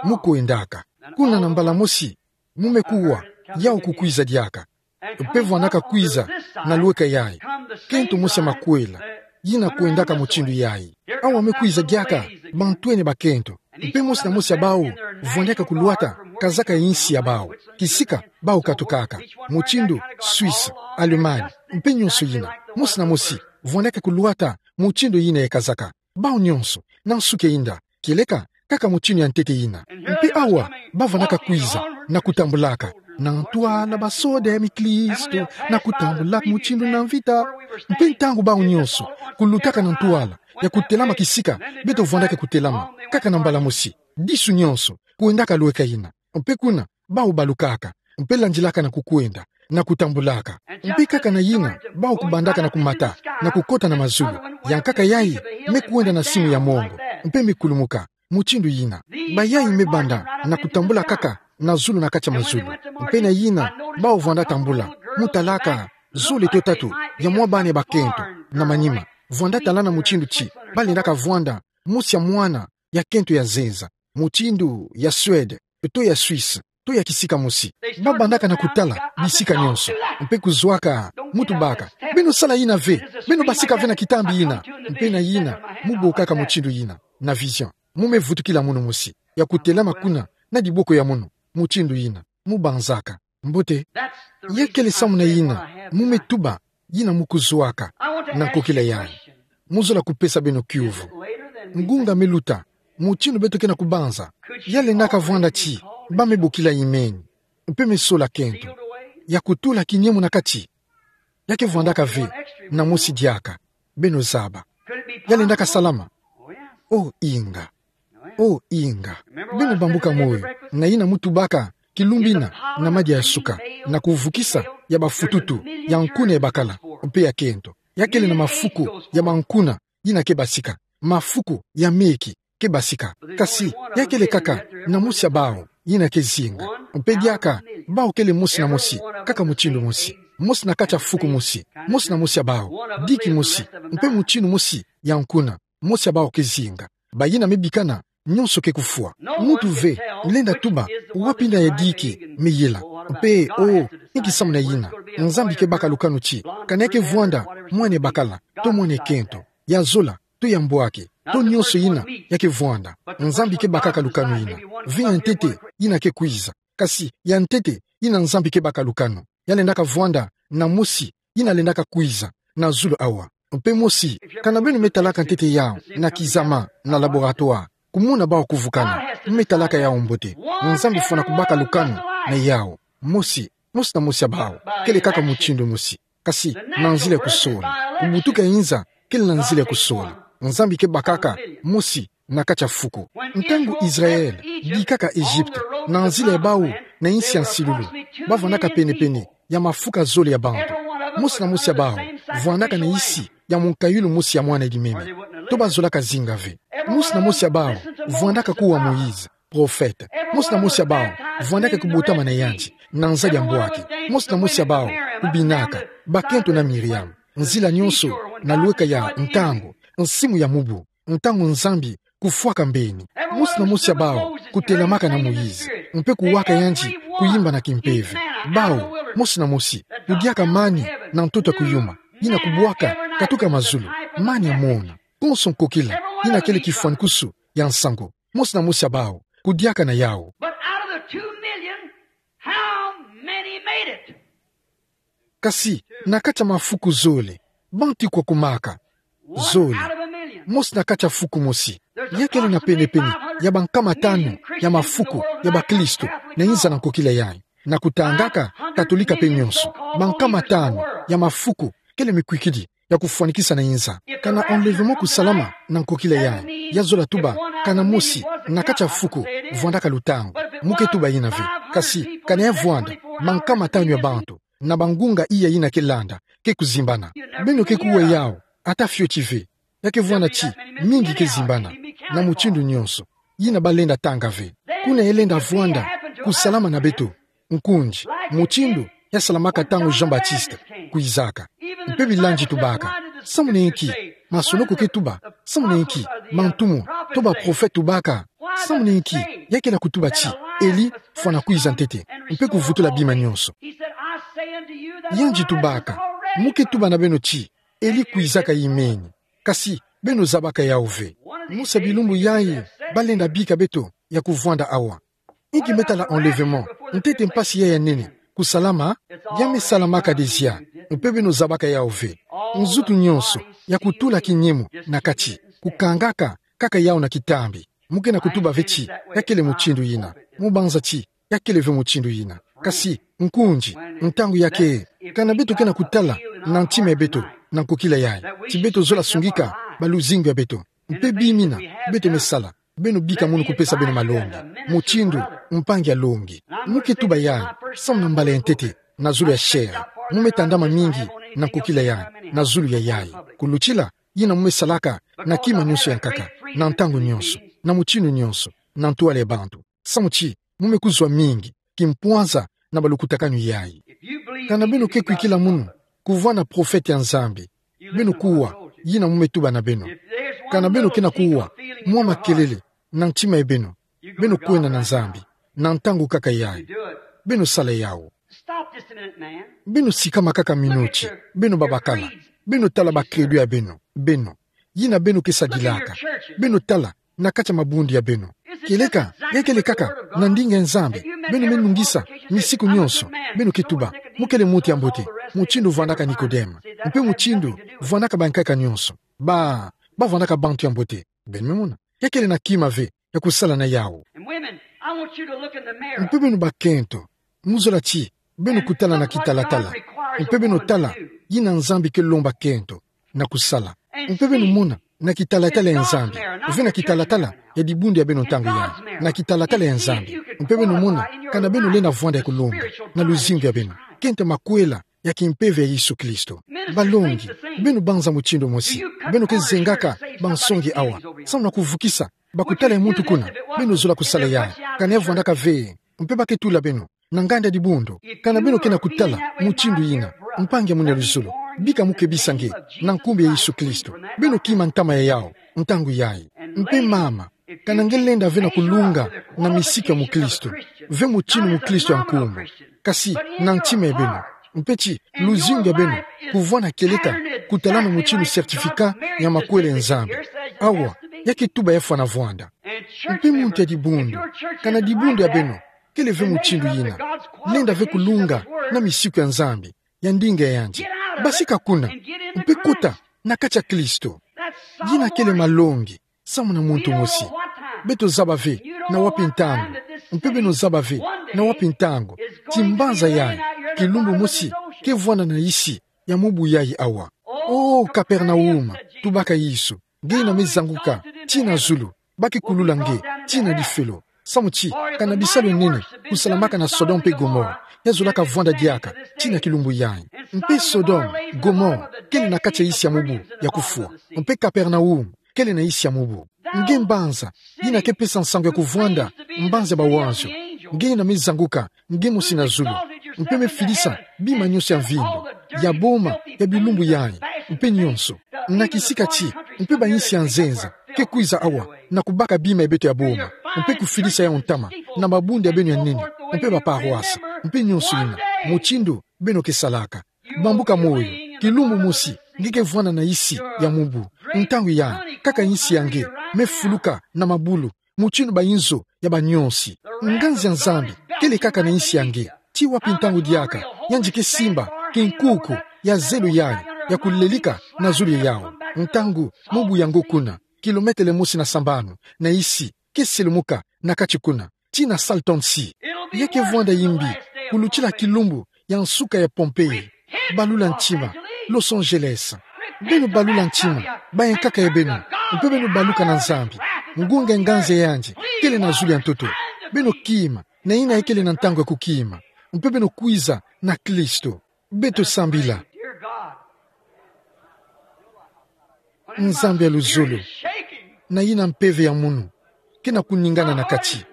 Mu kwendaka. Kuna na mbala mosi, mu me kuwa yau kukwiza diaka. Mpe vwandaka kwiza na lweka yai kento mosi ya makwela, yina kwendaka mutindu yai. Awa me kwiza diaka bantwenia bakento. Mpe mosi na mosi ya bau vwandaka kulwata kazaka ya insi ya bau, kisika bau katukaka, mutindu Suisse, Allemagne, mpe nyonso yina. Mosi na mosi vwandaka kulwata mutindu yina ya kazaka. Bau nyonso, na nsuki ya inda, kieleka kaka mutindu ya ntete yina. Mpe awa, ba vwandaka kwiza na kutambulaka: Na ntwala basoda ya miklisto, na kutambulaka mutindu na mvita. Mpe ntangu bau nyonso kulutaka na ntwala ya kutelama kisika beto vwandaka kutelama, kaka na mbala mosi, disu nyonso kwendaka lweka yina. Mpe kuna, bau balukaka, mpe landilaka na kukwenda, na kutambulaka. Mpe kaka na yina, bau kubandaka na kumata, na kukota na mazulu. Yankaka yai me kwenda na simu ya mongo, mpe me kulumuka mutindu yina. Bayai me banda na kutambula kaka na zulu na kati ya mazulu. Mpe na yina, bau vwanda tambula, mu talaka zole to tatu ya mwa bana ya bakento, na manima, vwanda talana mutindu ti ba lendaka vwanda mosi ya mwana ya kento ya nzenza, mutindu ya Suède, to ya Suisse, to ya kisika mosi. Ba bandaka na kutala bisika nyonso, mpe kuzwaka, mu tubaka: Beno sala yina ve, beno basika ve na kitambi yina. Mpe na yina, mu bokaka mutindu yina na vision. Mu me vutukila munu mosi, ya kutelama kuna na diboko ya munu, mutindu yina, mu banzaka: Mbote, ya kele samu na yina mu me tuba, yina mu kuzwaka na nkokila yai. Mu zola kupesa beno kiuvu. Ngunga me luta, mutindu beto ke na kubanza, ya lendaka vwanda ti ba me bokila imeni, mpe me sola kento, ya kutula kiniemo na kati. Ya ke vwandaka ve na mosi diaka, beno zaba. Ya lendaka salama? Oh, inga. O inga. Beno bambuka moyo, na yina mu tubaka kilumbu yina, na madia ya suka, na kuvukisa ya bafututu, ya nkuna ya bakala, mpe ya kento. Ya kele na mafuku ya mankuna, yina ke basika. Mafuku ya meki, ke basika. Kasi, ya kele kaka na mosi ya bawu, yina ke zinga. Mpe diaka bawu kele mosi na mosi, kaka mutindu mosi. Mosi na kati ya fuku mosi, mosi na mosi ya bawu, diki mosi, mpe mutindu mosi ya nkuna, mosi ya bawu ke zinga. Bayina me bikana, nyonso ke kufwa. Muntu ve lenda tuba wapi yina ya diki me yela. Mpe, o, inki samu na yina? Nzambi ke baka lukanu ti, kana ya ke vwanda mwana ya bakala, to mwana ya kento, ya zola, to ya mbwaki, to nyonso yina ya ke vwanda. Nzambi ke bakaka lukanu yina. Ve ya ntete yina ke kwiza. Kasi ya ntete yina Nzambi ke baka lukanu, ya lendaka vwanda na mosi yina lendaka kwiza na zulu awa. Mpe mosi, kana beno me talaka ntete yawu na kizama, na laboratoire, kumona bawu kuvukana, me talaka yawu mbote. Nzambi fwana kubaka lukanu na yawu. Mosi, mosi na mosi ya bawu, kele kaka mutindu mosi. Kasi, na nzila ya kusola, kubutuka ya inza kele na nzila ya kusola. Nzambi ke bakaka mosi na kati ya fuku. Ntangu Israël dikaka Egypte, na nzila ya bawu na insi ya nsilulu, bavwandaka pene-pene ya mafuka zole ya bantu. Mosi na mosi ya bawu vwandaka na insi ya munkayulu mosi ya mwana limeme. To bazolaka zinga ve. Mosi na mosi ya bawu vwandaka kuwa Moïse, prophète. Mosi na mosi ya bawu vwandaka kubotama na yandi na nza dia mbwaki. Mosi na mosi ya bawu kubinaka, bakento na Miriam. Nzila nyonso, na lweka ya ntangu, nsimu ya mubu, ntangu Nzambi kufwaka mbeni. Mosi na mosi ya bawu kutelamaka na Moïse, mpe kuwaka yandi kuyimba na kimpeve. Bawu, mosi na mosi, kudiaka mani na ntoto ya kuyuma, yina kubwaka katuka mazulu, mani ya mona. Konso nkokila, yina kele kifwanikusu ya nsangu. Mosi na mosi ya bawu kudiaka na yawu. But out of the two million, how many made it? Kasi, na kati ya mafuku zole, banti kwa kumaka? Zole. Mosi na kati ya fuku mosi. Ya kele na pene-pene ya bankama tanu ya mafuku ya bakristo na inza na nkokila yayi. Na kutangaka Katolika pe nyonso, bankama tanu ya mafuku kele mikwikidi ya kufwanikisa na inza. Kana enlèvement kusalama na nkokila yayi, ya zola tuba kana mosi na kati ya fuku vwandaka lutangu. Mu ke tuba yina ve. Kasi, kana ya vwanda, mankama tanu ya bantu, na bangunga iya yina ke landa, ke kuzimbana. Beno ke kuwa yawu, ata fioti ve. Ya ke vwanda ti mingi ke zimbana, na mutindu nyonso, yina balenda tanga ve. Kuna ya lenda vwanda kusalama na beto, nkundi, mutindu ya salamaka ntangu Jean-Baptiste kwizaka. Mpe bilandi tubaka: Samu na inki masonoko ke tuba? Samu na inki bantumwa to baprofete tubaka? Samu na inki ya kele kutuba ti Eli fwana kwiza ntete mpe kuvutula bima nyonso? Yandi tubaka: Mu ke tuba na beno ti Eli kwizaka imeni, kasi beno zabaka yawu ve. Mosi ya bilumbu yayi balenda bika beto ya kuvwanda awa. Inki me tala enlèvement, ntete mpasi yayi ya nene kusalama? Ya me salamaka déjà, mpe beno zabaka yawu ve. Nzutu nyonso ya kutula kinyemu na kati, kukangaka kaka yawu na kitambi. Mu ke na kutuba ve ti ya kele mutindu yina. Mu banza ti ya kele ve mutindu yina. Kasi, nkundi, ntangu ya ke, kana beto ke na kutala na ntima ya beto na nkokila yayi ti beto zola sungika baluzingu ya beto, mpe bima yina beto me sala, beno bika munu kupesa beno malongi, mutindu mpangi alongi. Mu ke tuba yayi samu na mbala ya ntete na zulu ya chair. Mu me tandama mingi na nkokila yayi na zulu ya yayi. Kulutila yina mu me salaka na kima nyonso ya nkaka, na ntangu nyonso, na mutindu nyonso, na ntwala ya bantu. Samu ti mu me kuzwa mingi kimpwanza na balukutakanu yayi. Kana beno ke kwikila munu kuvwanda profete ya Nzambi, beno kuwa yina mu me tuba na beno. Kana beno ke na kuwa mwa makelele na ntima ya beno, beno kwenda na Nzambi na ntangu kaka yayi. Beno sala yawu. Stop just a minute, man. Beno sikama kaka minoti. Beno babakala, beno tala ba credo ya beno, beno, yina beno ke sadilaka. Beno tala na kati ya mabundu ya beno. Kieleka ya kele kaka na ndinga ya Nzambi beno me nungisa misiku nyonso. Beno ke tuba: Mu kele muntu ya mbote, mutindu vwandaka Nikodeme, mpe mutindu vwandaka bankaka nyonso. Ba, bavwandaka bantu ya mbote. Beno me mona, ya kele na kima ve ya kusala na yawu. And women, I want you to look in the mirror. Mpe beno bakento, mu zola ti beno kutala na kitalatala, mpe beno tala yina Nzambi ke lomba kento na kusala. Mpe beno mona na kitalatala ya Nzambi, ve na kitalatala ya dibundu ya beno ntangu yai, na kitalatala ya Nzambi, mpe beno mona kana beno lenda vwanda ya kulonga na luzingu ya beno, kento makwela ya kimpeve ya Yesu Kristo. Balongi, beno banza mutindu mosi, beno ke zengaka bansongi awa, samu na kuvukisa, bakutala ya muntu kuna, beno zola kusala yai, kana ya vwandaka ve, mpe ba ke tula beno na nganda dibundu. Kana beno ke na kutala mutindu yina, mpangi ya munu ya luzolo, bika mu kebisa nge na nkumbu ya Yesu Kristo. Beno kima ntama ya yawu ntangu yai. Mpe mama, kana nge lenda ve na kulunga na misiku ya mukristo, ve mutindu mukristo ya nkumbu, kasi na ntima ya beno, mpe ti luzingu ya beno kuvwanda kieleka kutalana mutindu certificat ya makwela ya Nzambi. Awa, ya ke tuba ya fwana vwanda. Mpe muntu ya dibundu, kana dibundu ya beno kele ve mutindu yina, lenda ve kulunga na misiku ya Nzambi, ya ndinga ya yandi, basika kuna, mpe kota na kati ya Kristo. Yina kele malongi samu na muntu mosi. Beto zaba ve na wapi ntangu, mpe beno zaba ve na wapi ntangu, ti mbanza yai, kilumbu mosi ke vwanda na isi ya mubu yai awa. O Kapernaum, tubaka Yesu, nge yina me zanguka tii na zulu, ba ke kulula nge tii na difelo. Samu ti kana bisalu ya nene kusalamaka na Sodome mpe Gomore, ya zolaka vwanda diaka tii na kilumbu yai. Mpe Sodome, Gomore, kele na kati ya isi ya mubu ya kufwa. Mpe Kapernaum kele na isi ya mubu. Nge mbanza yina ke pesa nsangu ya kuvwanda mbanza ya bawanzio. Nge yina me zanguka nge mosi na zulu, mpe me filisa bima nyonso ya mvindo ya boma ya bilumbu yai, mpe nyonso, na kisika ti, mpe bayinsi ya nzenza ke kwiza awa na kubaka bima ya beto ya boma, mpe kufilisa yawu ntama na mabundu ya beno ya nene, mpe baparoise, mpe nyonso yina, mutindu beno ke salaka. Bambuka moyo, kilumbu mosi nge ke vwanda na isi ya mubu. Ntangu yai, kaka insi ya nge me fuluka na mabulu, mutindu bayinzo ya banyonsi. Nganzi ya Nzambi kele kaka na insi ya nge. Ti wapi ntangu diaka yandi ke simba kinkuku ya zelo yai ya kulelika na zulu ya yawu? Ntangu mubu yango kuna, kilometele mosi na sambanu na isi, ke selumuka na kati kuna, tii na Salton Sea. Ya ke vwanda yimbi kulutila kilumbu ya nsuka ya Pompei. Balula ntima, Los Angeles. Beno balula ntima, bayankaka ya beno, mpe beno baluka na Nzambi. Ngunga ya nganzi ya yandi kele na zulu ya ntoto. Beno kima na yina ya kele na ntangu ya kukima, mpe beno kwiza na Kristo. Beto sambila. Nzambi ya luzolo, na yina mpeve ya munu ke na kuningana na kati,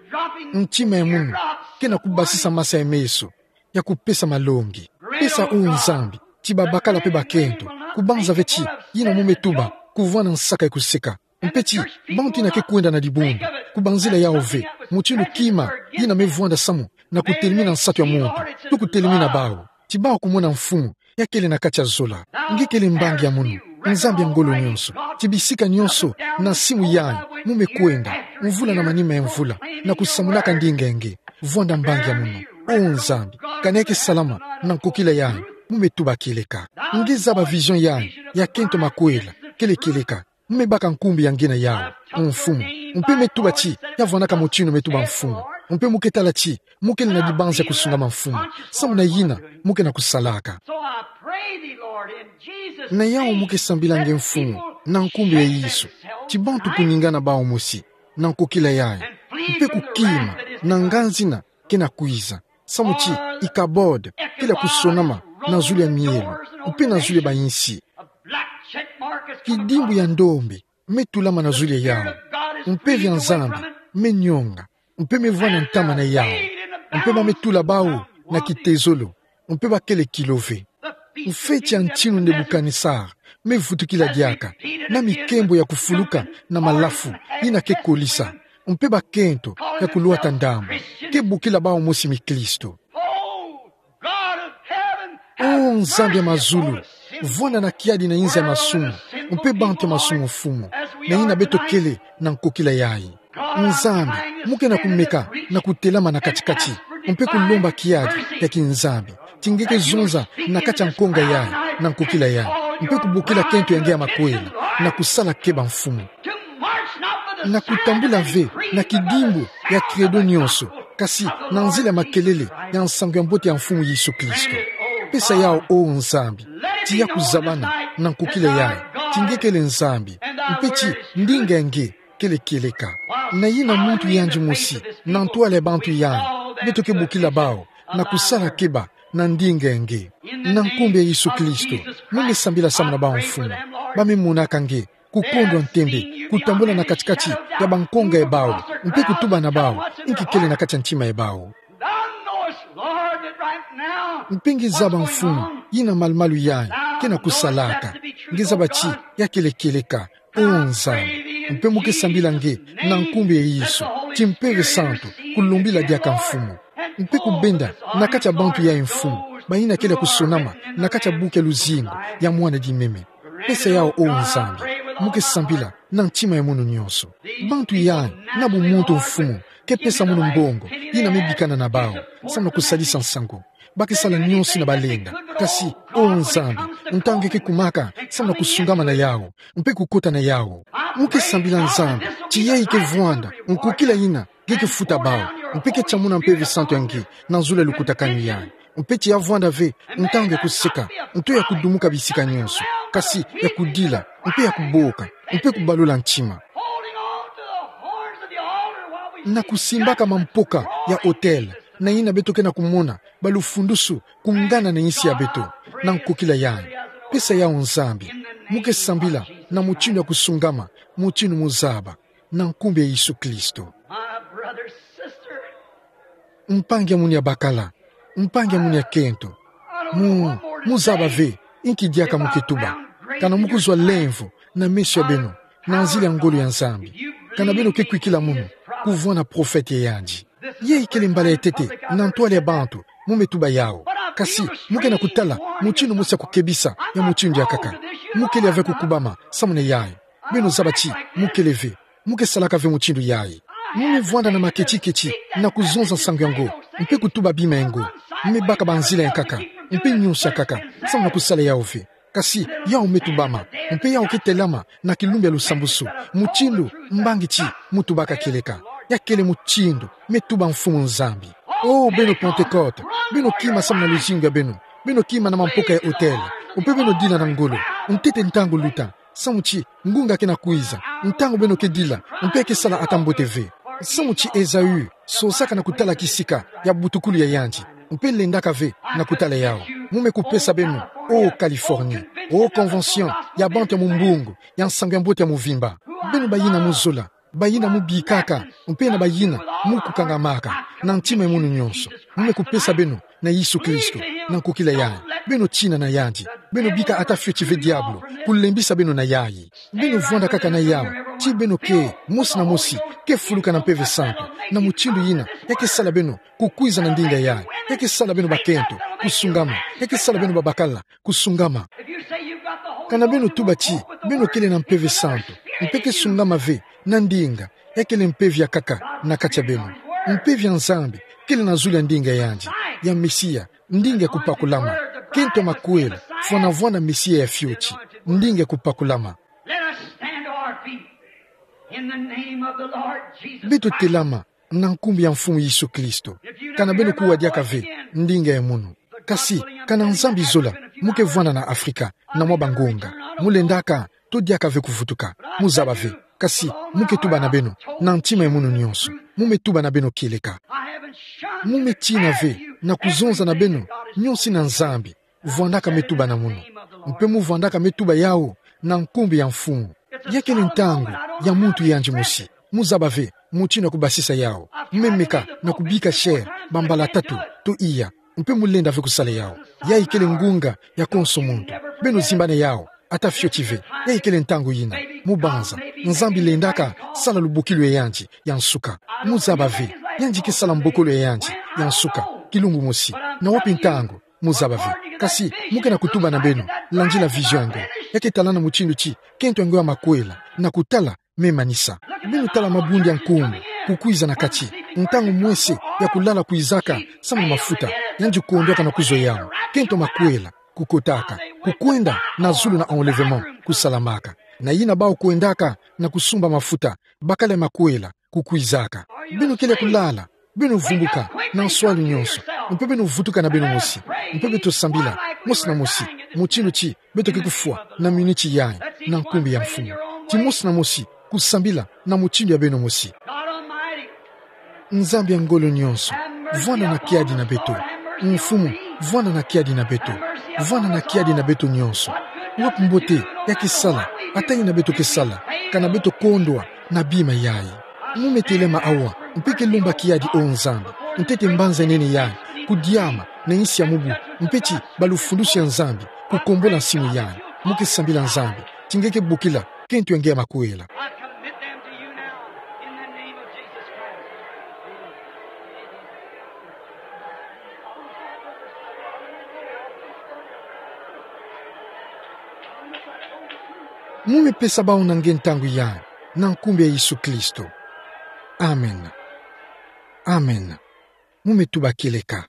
ntima ya munu ke na kubasisa masa ya meso ya kupesa malongi. Pesa, o Nzambi, ti babakala mpe bakento, kubanza ve ti yina mu me tuba kuvwanda nsaka ya kuseka. Mpe ti bantu yina ke kwenda na dibundu, kubanzila yawu ve mutindu kima yina me vwanda samu na kutelemina nsatu ya muntu, to kutelemina bawu. Ti bawu kumona mfumu ya kele na kati ya zola. Nge kele mbangi ya munu, Nzambi ya ngolo nyonso. Ti bisika nyonso na simu yai mu me kwenda, mvula na manima ya mvula, na kusamunaka ndinga ya nge. Vwanda mbangi ya munu, o Nzambi, kana ya ke salama na nkokila yai mu me tuba kieleka. Nge zaba vision yai ya kento makwela kele kieleka. Mu me baka nkumbu ya nge na yawu, o Mfumu. Mpe me tuba ti ya vwandaka mutindu me tuba, Mfumu. Mpe mu ke tala ti mu kele na dibanza ya kusungama, Mfumu, samu na yina mu ke na kusalaka. So I pray thee, Lord, in Jesus' name, na yawu mu ke sambila nge, Mfumu, na nkumbu ya Yesu, ti bantu kuningana bawu mosi na nkokila yai, mpe kukima na nganzi yina ke na kwiza, samu ti Icabod kele ya kusonama na zulu ya mielo mpe na zulu ya bayinsi. Kidimbu ya ndombe me tulama na zulu ya yawu. Mpeve ya Nzambi me nyonga, mpe me vwanda ntama na yawu. Mpe ba me tula bawu na kitezolo, mpe ba kele kilo ve. Mfeti ya ntinu Nebukanesare me vutukila diaka na mikembo ya kufuluka na malafu yina ke kolisa, mpe bakento ya kulwata ndambu ke bokila bawu mosi mikristo. O Nzambi ya mazulu, vwanda na kiadi na inza ya masumu mpe bantu ya masumu, Mfumu, na yina beto kele na nkokila yai. Nzambi, mu ke na kumeka na kutelama na kati-kati, mpe kulomba kiadi ya kinzambi, ti nge ke zonza na kati ya nkonga yai, na nkokila yai, mpe kubokila kento ya nge ya makwela, na kusala keba, Mfumu. Na kutambula ve na kidimbu ya credo nyonso, kasi na nzila ya makelele ya nsangu ya mbote ya Mfumu Yesu Kristo. Pesa yawu, o Nzambi, ti ya kuzabana na nkokila yai, ti nge kele Nzambi. Mpe ti ndinga nge kele kieleka. Na yina muntu yandi mosi na ntwala ya bantu yai, beto ke bokila bawu na kusala keba na ndinga nge. Na nkumbu ya Yesu Kristo, mu me sambila samu na bawu mfumu. Ba me monaka nge, kukondwa ntembe, kutambula na kati-kati ya bankonga ya bawu, mpe kutuba na bawu inki kele na kati ya ntima ya bawu. Thou knowest, Lord, that right now Mpe nge zaba, what's going Mfumu, on. Yina malu-malu yai ke na kusalaka. Nge zaba ti ya kele kieleka, O Nzambi. Mpe mu ke sambila nge na nkumbu ya Yesu, ti Mpeve Santu kulombila diaka, Mfumu. Mpe kubenda na kati ya bantu yai, Mfumu, bayina kele kusonama na kati ya buku ya luzingu ya mwana di meme. Pesa yawu, O Nzambi, mu ke sambila na ntima ya munu nyonso. Bantu yai na bumuntu, Mfumu, ke pesa munu mbongo yina me bikana na bawu samu na kusadisa nsangu. Ba ke sala nyonso yina balenda. Kasi, O Nzambi, ntangu nge ke kumaka samu na kusungama na yawu mpe kukota na yawu, mu ke sambila, Nzambi, ti yai ke vwanda nkukila yina nge ke futa bawu, mpe ke tiamuna Mpeve Santu ya nge na zulu ya lukutakanu yai. Mpe ti ya vwanda ve ntangu ya kuseka, nto ya kudumuka bisika nyonso, kasi ya kudila, mpe ya kuboka, mpe kubalula ntima. Holding on to the horns of the altar while we Na kusimbaka mampoka ya autel, na yina beto ke na kumona balufundusu kungana na insi ya beto, na nkukila yai. Pesa yawu, Nzambi, mu ke sambila na mutindu ya kusungama, mutindu mu zaba, na nkumbu ya Yesu Kristo. My brother, sister, Mpangi ya munu ya bakala, mpangi ya munu ya kento, mu, mu zaba ve inki diaka mu ke tuba. Kana mu kuzwa lemvo na meso ya beno na nzila ya ngolo ya Nzambi, kana beno ke kwikila munu kuvwanda profete ya yandi. Yai kele mbala ya ntete na ntwala ya bantu mu me tuba yawu. Kasi mu ke na kutala mutindu mosi ya kukebisa ya mutindu ya nkaka. Mu kele ave kukubama samu na yai. Beno zaba ti mu kele ve, mu ke salaka ve mutindu yai. Mu me vwanda na maketi-keti na kuzonza nsangu yango, mpe kutuba bima yango. Mu me baka banzila ya nkaka, mpe nyonso ya nkaka, samu na kusala yawu ve. Kasi yawu me tubama, mpe yawu ke telama na kilumbu ya lusambusu, mutindu mbangi ti mu tubaka kieleka. Ya kele mutindu me tuba Mfumu Nzambi. O beno Pentekote, beno kima samu na luzingu ya beno, beno kima na mampoka ya autel, mpe beno dila na ngolo, ntete ntangu luta, samu ti ngunga ke na kwiza, ntangu beno ke dila mpe ke sala ata mbote ve. Samu ti Esaü sosaka na kutala kisika ya butukulu ya yandi, mpe lendaka ve na kutala yawu. Mu me kupesa beno, o Californie, o convention ya bantu ya mumbungu ya nsangu ya mbote ya muvimba. Beno bayina mu zola, bayina mu bikaka, mpe na bayina mu kukangamaka na ntima ya munu nyonso, mu me kupesa beno na Yesu Kristo, na nkukila yai. Beno tina na yandi, beno bika ata fioti ve diabulu kulembisa beno na yai. Beno vwanda kaka na yawu, ti beno ke, mosi na mosi, ke fuluka na Mpeve Santu, na mutindu yina ya ke sala beno kukwiza na ndinga yai, ya ke sala beno bakento kusungama, ya ke sala beno babakala kusungama. Kana beno tuba ti beno kele na Mpeve Santu, mpe ke sungama ve na ndinga, ya kele mpeve ya nkaka na kati ya beno. Mpeve ya Nzambi kele na zulu ya ndinga yandi, ya Mesia, ndinga ya kupakulama. Kento makwela, fwana vwanda Mesia ya fioti, ndinga ya kupakulama. Let us stand to our feet in the name of the Lord Jesus Christ. Beto telama na nkumbu ya Mfumu Yesu Kristo. Kana beno kuwa diaka ve ndinga ya munu. Kasi, kana Nzambi zola mu ke vwanda na Afrika na mwa bangonga, mu lendaka to diaka ve kuvutuka, mu zaba ve. Kasi mu ke tuba na beno na ntima ya munu nyonso. Mu me tuba na beno kieleka. Mu me tina ve na kuzonza na beno nyonso yina Nzambi vwandaka me tuba na munu. Mpe mu vwandaka me tuba yawu na nkumbu ya Mfumu. Ya kele ntangu ya muntu yandi mosi. Mu zaba ve mutindu ya kubasisa yawu. Mu me meka na kubika chair bambala tatu to iya. Mpe mu lenda ve kusala yawu. Yayi kele ngunga ya konso muntu. Beno zimbana yawu ata fioti ve. Yayi kele ntangu yina. Mu banza, Nzambi lendaka sala lubokilu ya yandi ya nsuka. Mu zaba ve, yandi ke sala mbokolo ya yandi ya nsuka kilumbu mosi. Na wapi ntangu? Mu zaba ve. Kasi mu ke na kutuba na beno, landila vision yango. Ya ke talana mutindu ti kento yango ya makwela, na kutala me manisa. Beno tala mabundu ya nkumbu kukwiza na kati. Ntangu mwese ya kulala kwizaka samu na mafuta, yandi kondwaka na kuzwa yawu. Kento makwela kukotaka, kukwenda na zulu na enlèvement kusalamaka. Na yina bawu kwendaka na kusumba mafuta, bakala ya makwela kukwizaka. Beno kele kulala, beno vumbuka na nswalu nyonso, mpe beno vutuka na beno mosi, mpe beto sambila mosi na mosi, mutindu ti beto ke kufwa na miniti yayi, na nkumbu ya Mfumu. ti mosi na mosi, kusambila na mutindu ya beno mosi. Nzambi ya ngolo nyonso, vwanda na kiadi na beto. Mfumu, vwanda na kiadi na beto. Vwanda na kiadi na beto nyonso. Wapi mbote ya ke sala, atani na beto ke sala, ka na beto kondwa na bima yayi. Mu me telema awa, mpe ke lomba kiadi, O Nzambi, ntete mbanza nene yayi kudiama na nsi ya mubu, mpe ti balufundusi ya Nzambi kukombola nsimu yayi. Mu ke sambila Nzambi ti nge ke bokila kento ya nge ya makuela. I commit them to you now, in the name of Jesus Christ. Mu me pesa bawu na nge ntangu yayi, na nkumbu ya Yesu Kristo. Amen. Amen. Mu me tuba kieleka.